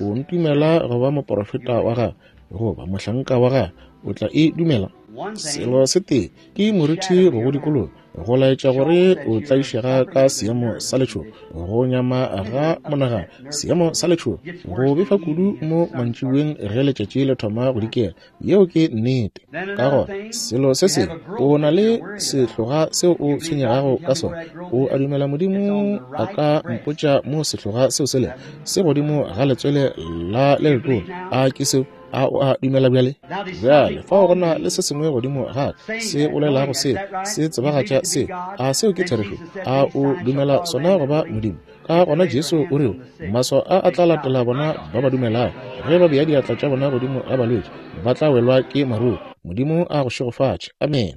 o ntumela go ba moporofeta wa gagwe goba mohlanka wa gagwe, o tla e dumela? Selo se tee ke moriti go go dikologa, go laetša gore o tlaišega ka seemo sa letšhogo, go nyama ga monagano, seemo sa letšhogo, go befa kudu mo mantšiboeng ge letšatši le thoma go dikela. Yeo ke nnete. Ka gona selo se sengwe, o na le sehloga seo o tshwenyegago ka sona. O a dumela Modimo a ka mpotša mo sehloga seo se lego? Se godimo ga letswele la le letona. A ke seo? A o a dumela bjale? Bjale fao go na le se sengwe godimo ga ka se bolelago seo, se tsebagatša seo. A seo ke therešo? A o dumela sona go ba Modimo? Ka gona Jesu o re, maswao a a tla latela bona ba ba dumelago. Ge ba bea diatla tša bona godimo ga balwetši, ba tla welwa ke maruru. Modimo a go šegofatše. Amene.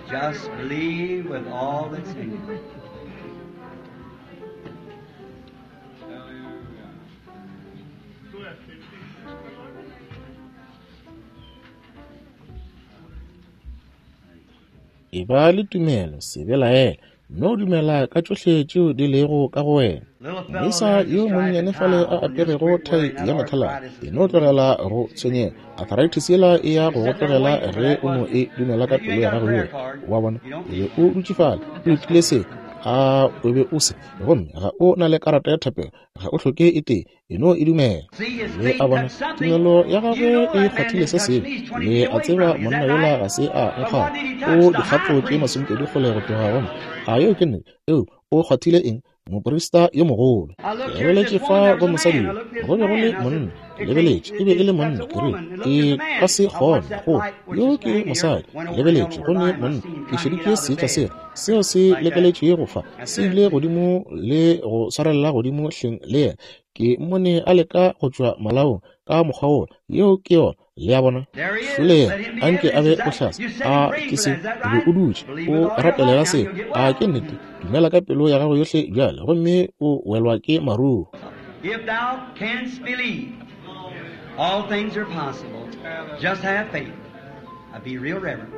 Just believe with all that's in you. E ba le tumelo, se belaele, mme o dumela ka tšohle tšeo di lego ka go wena. Moisa yo monnyane fale a aperego thai ya methaladi, e no tlogela go tshwenyega. Arthritis yela e ya go go tlogela ge o no e dumela ka pelo ya gago yohle. Wa bona, o be o dutše fale, o letile se, a o be o se, gomme ga o na le karata ya thapelo, ga o hloke e tee. E no e dumela. Le a bona, tumelo ya gagwe e kgwathile se sengwe. Le a tseba monna yola ga se a nkgwatha. O dikgato tše 20 kgole go tloga go nna. A yeo ke nnete? Eo, o kgwathile eng? Moprista yo mogolo. Ke lebeletše fa go mosadi yo. Go be go le monna. Ke lebeletše, e be e le monna. Ke rile, ke ka se kgone go. Yo ke mosadi. Ke lebeletše, go ne monna. Ke šeditše seetša sela seo se lekeletšego fa, se ile godimo le go swarelela godimo hleng le yena. Ke mmone a leka go tšwa malaong ka mokgwa wola. Yeo ke yona. Le a bona? Šole yena, a nke a be bohlatse. A ke se? O be o dutše o rapelela seo. A ke nnete? Dumela ka pelo ya gago yohle bjale, gomme o welwa ke maruo. If thou canst believe, all things are possible. Just have faith. Now be real reverent.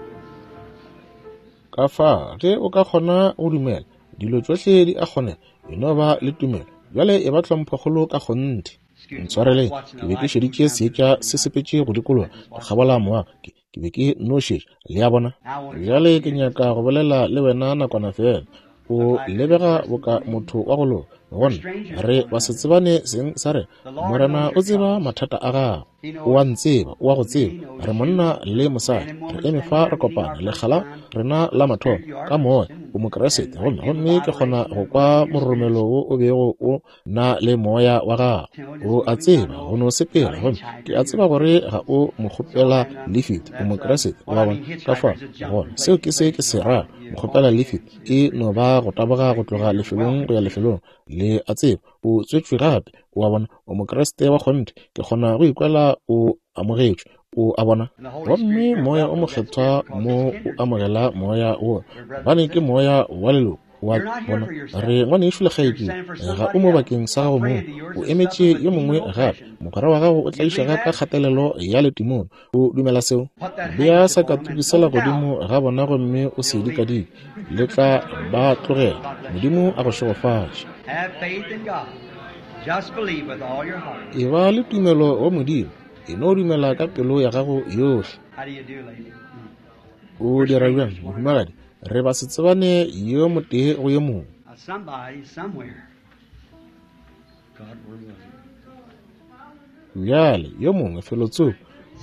Ka fa, ge o ka kgona go dumela, dilo tšohle di a kgonega. E no ba le tumelo. Bjale e ba tlhomphokgolo ka kgonthe. Ntshwareleng, ke be ke šeditše seetša se sepetše go dikologa go kgabola moago. Ke be ke no šetša, le a bona. Bjale ke nyaka go bolela le wena nakwana feela. O lebega boka motho wa go loka. Go nna, re basetsebane seng sa rena. Morena o tseba mathata a gago. O a ntseba, o a go tseba. Re monna le mosadi, re eme fa re kopana lekga la rena la mathomo ka moya. O Mokriste, gomme gomme ke kgona go kwa mororomelo wo o bego o na le moya wa gago. O a tseba go no sepela, gomme ke a tseba gore ga o mokgopela lifiti. O Mokriste, o a bona. Ka fao gona seo ke se ke se rago, mokgopela lifiti e no ba go taboga go tloga lefelong go ya lefelong. Le a tseba o tswetšwe gape. O a bona, o Mokriste wa kgonthe. Ke kgona go ikwela o amogetšwe. O a bona? Gomme Moya o Mokgethwa mo o amogela Moya wo, gobane ke Moya wa leloko. Wa bona, re ngwanešu le kgaetšedi, ga o mo bakeng sa gago mong, o emetše yo mongwe gape. Mogwera wa gago o tlaišega ka kgatelelo ya letimone. O dumela seo? Bea sakatuku sela godimo ga bona gomme o se dikadike, le tla ba tlogela. Modimo a go šegofatše. E ba le tumelo go Modimo. E no dumela ka pelo ya gago yohle. O dira bjang, mohumagadi? Re ba se tsebane yo motee go yo mongwe. Bjale, yo mongwe felotsoko,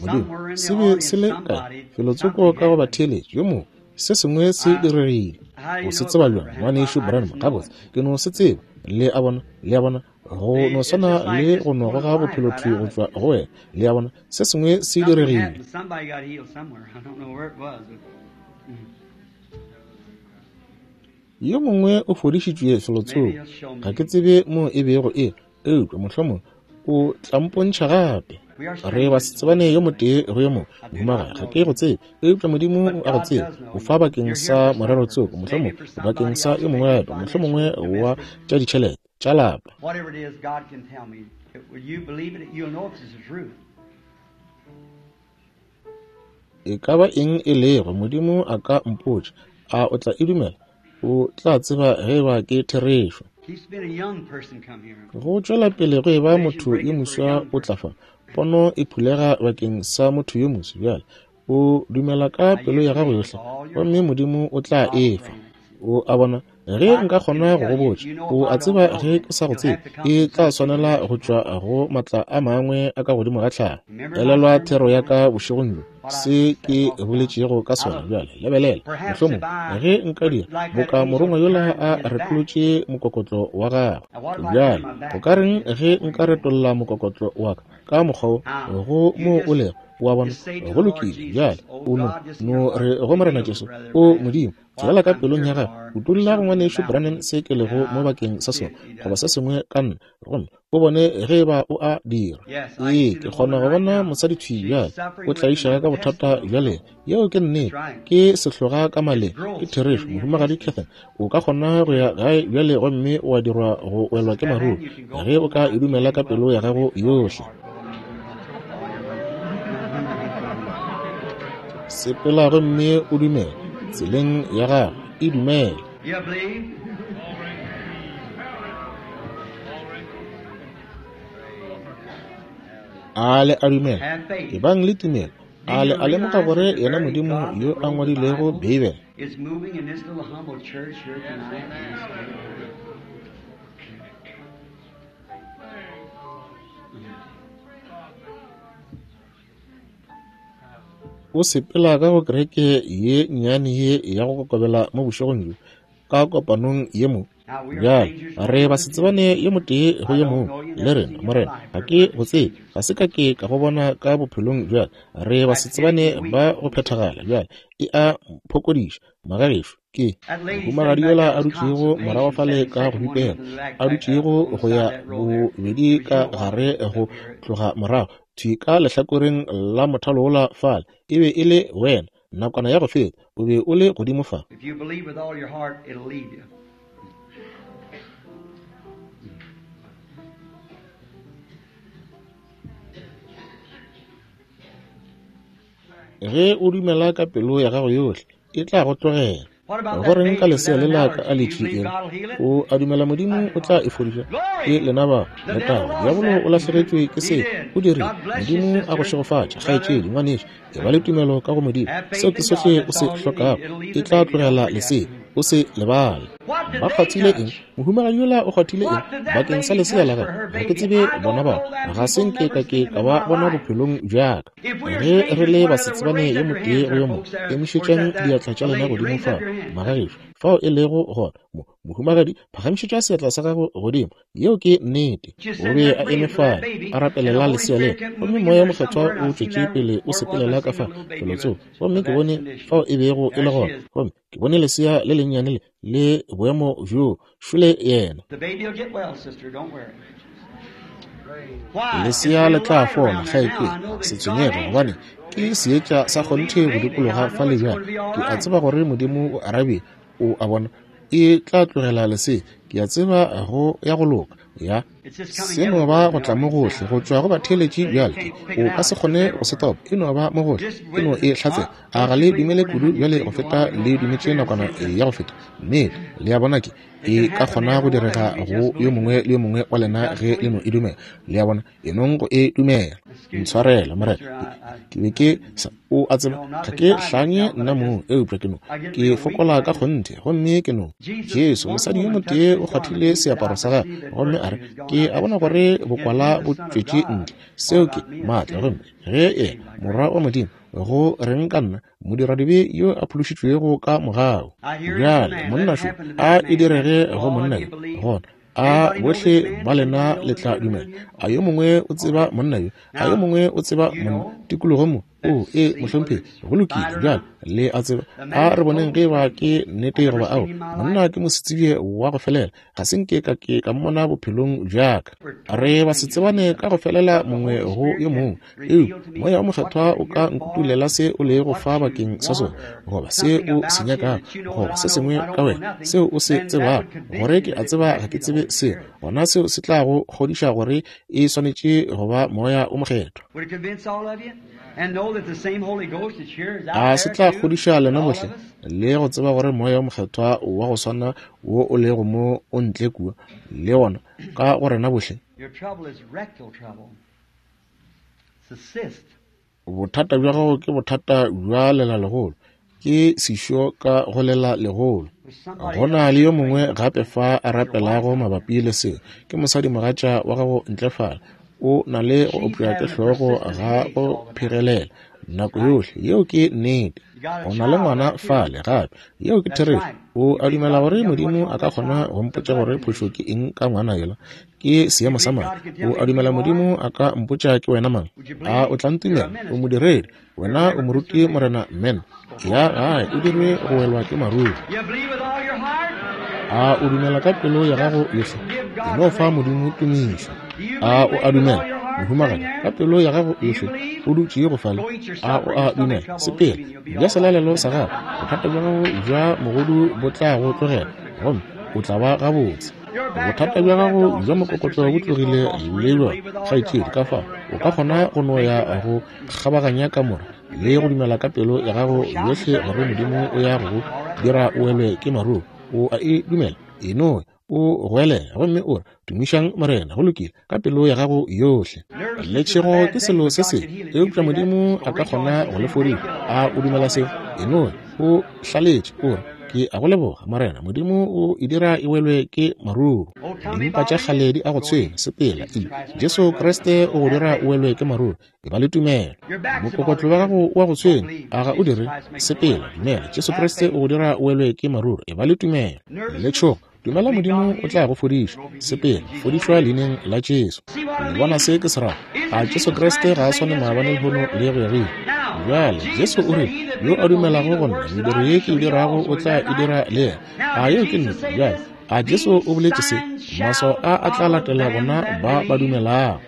Modimo, se be se le kae? Felotsoko ka go batheeletši, yo mongwe, se sengwe se diregile. O se tseba bjang, Ngwanešu Branham? Gabotse, ke no se tseba. Le a bona? Le a bona? Go no swana le go no goga bophelo thwi go tšwa go wena. Le a bona? Se sengwe se diregile. Yo mongwe o fodišitšwe felotsoko. Ga ke tsebe mo e bego e, eupša mohlomongwe o tla mpontšha gape. Re basetsebane yo motee go yo mongwe. Mohumagadi, ga ke go tsebe, eupša Modimo o a go tseba. O fa bakeng sa morero tsoko, mohlomongwe bakeng sa yo mongwe gape, mohlomongwe wa tša ditšhelete, tša lapa. E ka ba eng e lego, Modimo a ka mpotša. A o tla e dumela? O tla tseba ge eba ke therešo. Go tšwela pele go eba motho yo moswa o tla fa. Pono e phulega bakeng sa motho yo moswa bjale. O dumela ka pelo ya gago yohle, gomme Modimo o tla e fa. O a bona? Ge nka kgona go go botša, o a tseba ge ke sa go tsebe, e tla swanela go tšwa go matla a mangwe a ka godimo ga tlhago. Elelwa thero ya ka bošegong bjo, se ke boletšego ka sona bjale. Lebelela, mohlomongwe ge nka dira boka morongwa yola a retolotše mokokotlo wa gagwe. Bjale, go ka reng ge nka retolla mokokotlo wa ka ka mokgwa wo go moo o lego? O a bona? Go lokile. Bjale, o no, no re go Morena Jesu, O Modimo, tswelela ka pelong ya gago, utolla go Ngwanešu Branham se ke lego mo bakeng sa sona, goba se sengwe ka nna, gomme o bone ge eba o a dira. Ee, ke kgona go bona mosadi thwi bjale, o tlaišega ka bothata bja lena. Yeo ke nnete. Ke sehloga ka maleng. Ke therešo, Mohumagadi Catherine. O ka kgona go ya gae bjale gomme wa dirwa go welwa ke maruru, ge o ka e dumela ka pelo ya gago yohle. Sepela gomme o dumele tseleng ya gago, e dumele. A le a dumela? Ebang le tumelo. A le a lemoga gore yena Modimo yo a ngwadilego Beibele o sepela ka go kereke ye nnyane ye ya go kokobela mo bošegong bjo ka kopanong ye mo? Bjale re basetsebane yo motee go yo mongwe le rena, Morena. Ga ke go tsebe, ga se ka ke ka go bona ka bophelong bjale. Re basetsebane ba go phethagala bjale. E a mphokodiša, magagešo. Ke mohumagadi yola a dutšego morago fale ka go bipela, a dutšego go ya bobedi ka gare go tloga morago thwi ka lehlakoreng la mothalo wola fale. E be e le wena, nakwana ya go feta, o be o le godimo fa. Ge o dumela ka pelo ya gago yohle, e tla go tlogela. Go reng ka lesea le la ka aletši ela? O a dumela Modimo o tla e fodiša? Ke lena ba. Letago. Diabolo o lahlegetšwe ke se. O dirile. Modimo a go šegofatše, kgaetšedi, ngwanešu. E ba le tumelo ka go Modimo. Seo ke sohle o se hlokago. E tla tlogela lesea. O se lebale. Ba kgwathile eng? Mohumagadi yola o kgwathile eng bakeng sa lesea la gagwe? Ga ke tsebe bona bao. Ga se nke ka ke ka ba bona bophelong bja ka. Ge re le basetsebane yo motee go yo mongwe, emišetšang diatla tša lena godimo fao, magagešo, fao e lego gona. Mo, mohumagadi, phagamišetša seatla sa gago godimo. Yeo ke nnete. O be a eme fale, a rapelela lesea lela, gomme Moya wo Mokgethwa o tšwetše pele o sepelela ka fa felotsoko, gomme ke bone fao e bego e le gona, gomme ke bone lesea le lennyane le le boemo bjoo. Šole yena. Lesea le tla fola, kgaetšedi. Se tshwenyege, gobane ke seetša sa kgonthe go dikologa fale bjale. Ke a tseba gore Modimo o arabile. O a bona, e tla tlogela lesea. Ke a tseba go ya go loka. Ya. Se no ba go tla mo gohle go tšwa go batheeletši bjale. Ke, o ka se kgone go se topa. E no ba mo gohle. E no e hlatsela. A ga le dumele kudu bjale go feta le dumetše nakwana ya go feta? Nnete. Le a bona, ke, e ka kgona go direga go yo mongwe le yo mongwe wa lena ge le no e dumela. Le a bona, e nong go e dumela. Ntshwarele, Morena. Ke, ke be ke sa, o a tseba, ga ke hlanye nna mong, eupša ke no, ke fokola ka kgonthe, gomme ke no. Jesu, mosadi yo motee o kgwathile seaparo sa gagwe, gomme a re, Ke a bona gore bokwala bo tšwetše ntle. Seo ke maatla. Gomme ge yena, Morwa wa Modimo, go reng ka nna, modiradibe yo a phološitšwego ka mogau? Bjale, monna šo, a e direge go monna yo, gona a bohle ba lena le tla dumela. A yo mongwe o tseba monna yo? A yo mongwe o tseba monna tikologo mo? O, ee, mohlomphegi, go lokile. Bjale, le a tseba, a re boneng ge eba ke nnete goba ao. Monna ke mosetsebje wa go felela. Ga se nke ka ke ka mmona bophelong bja ka. Re ba se tsebane ka go felela mongwe go yo mongwe. Eupša Moya wo Mokgethwa o ka nkutulela se o lego fa bakeng sa sona, goba se o se nyakago, goba se sengwe ka wena, seo o se tsebago, gore ke a tseba ga ke tsebe selo, gona seo se tla go kgodiša gore e swanetše go ba Moya wo Mokgethwa. A se tla kgodiša lena bohle, le go tseba gore Moya wo Mokgethwa wa go swana wo o lego mo o ntle kua, le gona ka go rena bohle? Bothata bja gago ke bothata bja lelalegolo. Ke sešo ka go lelalegolo. Go na le yo mongwe gape fa a rapelago mabapi le seo. Ke mosadimogatša wa gago ntle fale. O na le go opša ke hlogo ga go phegelela nako yohle. Yeo ke nnete. O na le ngwana fale gape. Yeo ke therešo. O a dumela gore Modimo a ka kgona go mpotša gore phošo ke eng ka ngwana yola? Ke seemo sa madi. O a dumela Modimo a ka mpotša ke wena mang? A o tla ntumela? O modiredi. Wena o moruti Morena Men. Ya gae o dirwe go welwa ke maruru. A o dumela ka pelo ya gago yohle? E no fa Modimo tumišo. A o a dumela, mohumagadi, ka pelo ya gago yohle, o dutše go fale? A o a dumela? Sepela, ja selalelo sa gago, bothata bja gago bja mogodu bo tla go tlogela, gomme o tla ba gabotse. Bothata bja gago bja mokokotlo bo tlogile le bjona, kgaetšedi. Ka fao o ka kgona go no ya go kgabaganya kamora le go dumela ka pelo ya gago yohle gore Modimo o ya go go dira o welwe ke maruru. O a e dumela? E no o goelela gomme o re, Tumišang Morena. Go lokile, ka pelo ya gago yohle. Letšhego ke selo se sengwe, eupša Modimo a ka kgona go le fodiša. A o dumela seo? E no o hlaletše, o re, Ke a go leboga, Morena. Modimo o e dira e welwe ke maruru. Dimpa tša kgale di a go tshwenya. Sepela, ile. Jesu Kriste o go dira o welwe ke maruru. E ba le tumelo. Mokokotlo wa gago o a go tshwenya, a ga o dire? Sepela, dumela. Jesu Kriste o go dira o welwe ke maruru. E ba le tumelo. Letšhogo, dumela Modimo o tla go fodiša. Sepela, fodišwa leineng la Jesu. Le bona se ke se rago? A Jesu Kriste ga a swane maabane, lehono le go ya go ile? Bjale, Jesu o rile, Yo a dumelago go nna, mediro ye ke e dirago o tla e dira le yena. A yeo ke nnete? Bjale, a Jesu o boletše se? Maswao a a tla latela bona ba ba dumelago.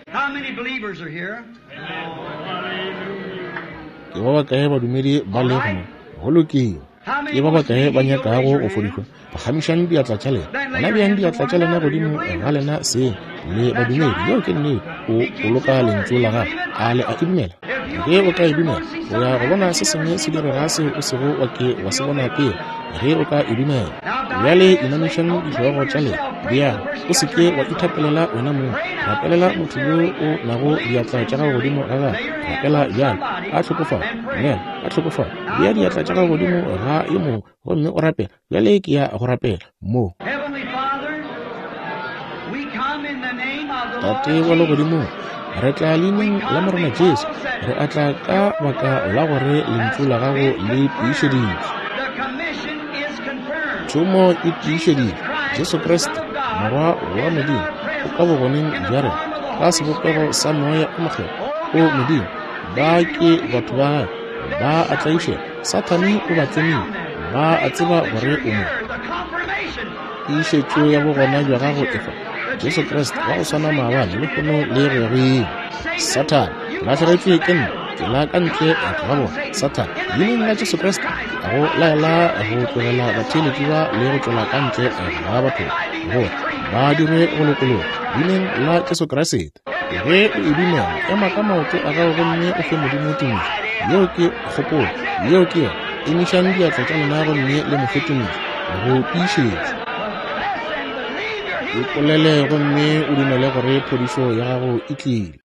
Ke ba bakae badumedi ba lego mo? Go lokile. Ke ba bakae ba nyakago go fodišwa? Phagamišang diatla tša lena. Gona beang diatla tša lena godimo ga lena seng. Le badumedi. Yeo ke nnete. O boloka lentšu la gagwe. A le a e dumela? Ge o ka e dumela, o ya go bona se sengwe se direga seo o sego wa ke wa se bona pele. Ge o ka e dumela. Bjale inamišang dihlogo tša lena. Bjang, o se ke wa ithapelela wena mong. Rapelela motho yo o nago diatla tša gago godimo ga gagwe. Rapela bjalo, ka tlhokofalo. Dumela, ka tlhokofalo. Bea diatla tša gago godimo ga yo mongwe gomme o rapela. Bjale ke ya go rapela mo. Tate wa Legodimong, re tla leineng la Morena Jesu. Re a tla ka baka la gore lentšu la gago le tiišeditšwe. Thomo e tiišeditšwe. Jesu Kriste, Morwa wa Modimo, o ka bogoneng bja rena ka sebopego sa Moya o Mokgethwa. O Modimo, ba ke batho ba gago, ba a tlaišega. Sathane o ba tlemile, ba a tseba gore o mo. Tiišetšo ya bogona bja gago e fa. Jesu Kriste wa go swana maabane, lehono le go ya go ile. Sathane, ke lahlegetšwe ke nna, tšwela ka ntle ga bona. Sathane, leineng la Jesu Kriste, a go laela go tlogela batheeletši ba le go tšwela ka ntle ga batho gore ba dirwe go lokologa. Leineng la Jesu Kriste. Ge o e dumela, ema ka maoto a gago gomme o fe Modimo tumišo. Yeo ke kgopolo. Yeo ke yona. Emišang diatla tša lena gomme le mo fe tumišo. Go tiišetša. Ipolele gomme o dumele gore phodišo ya gago e tlile.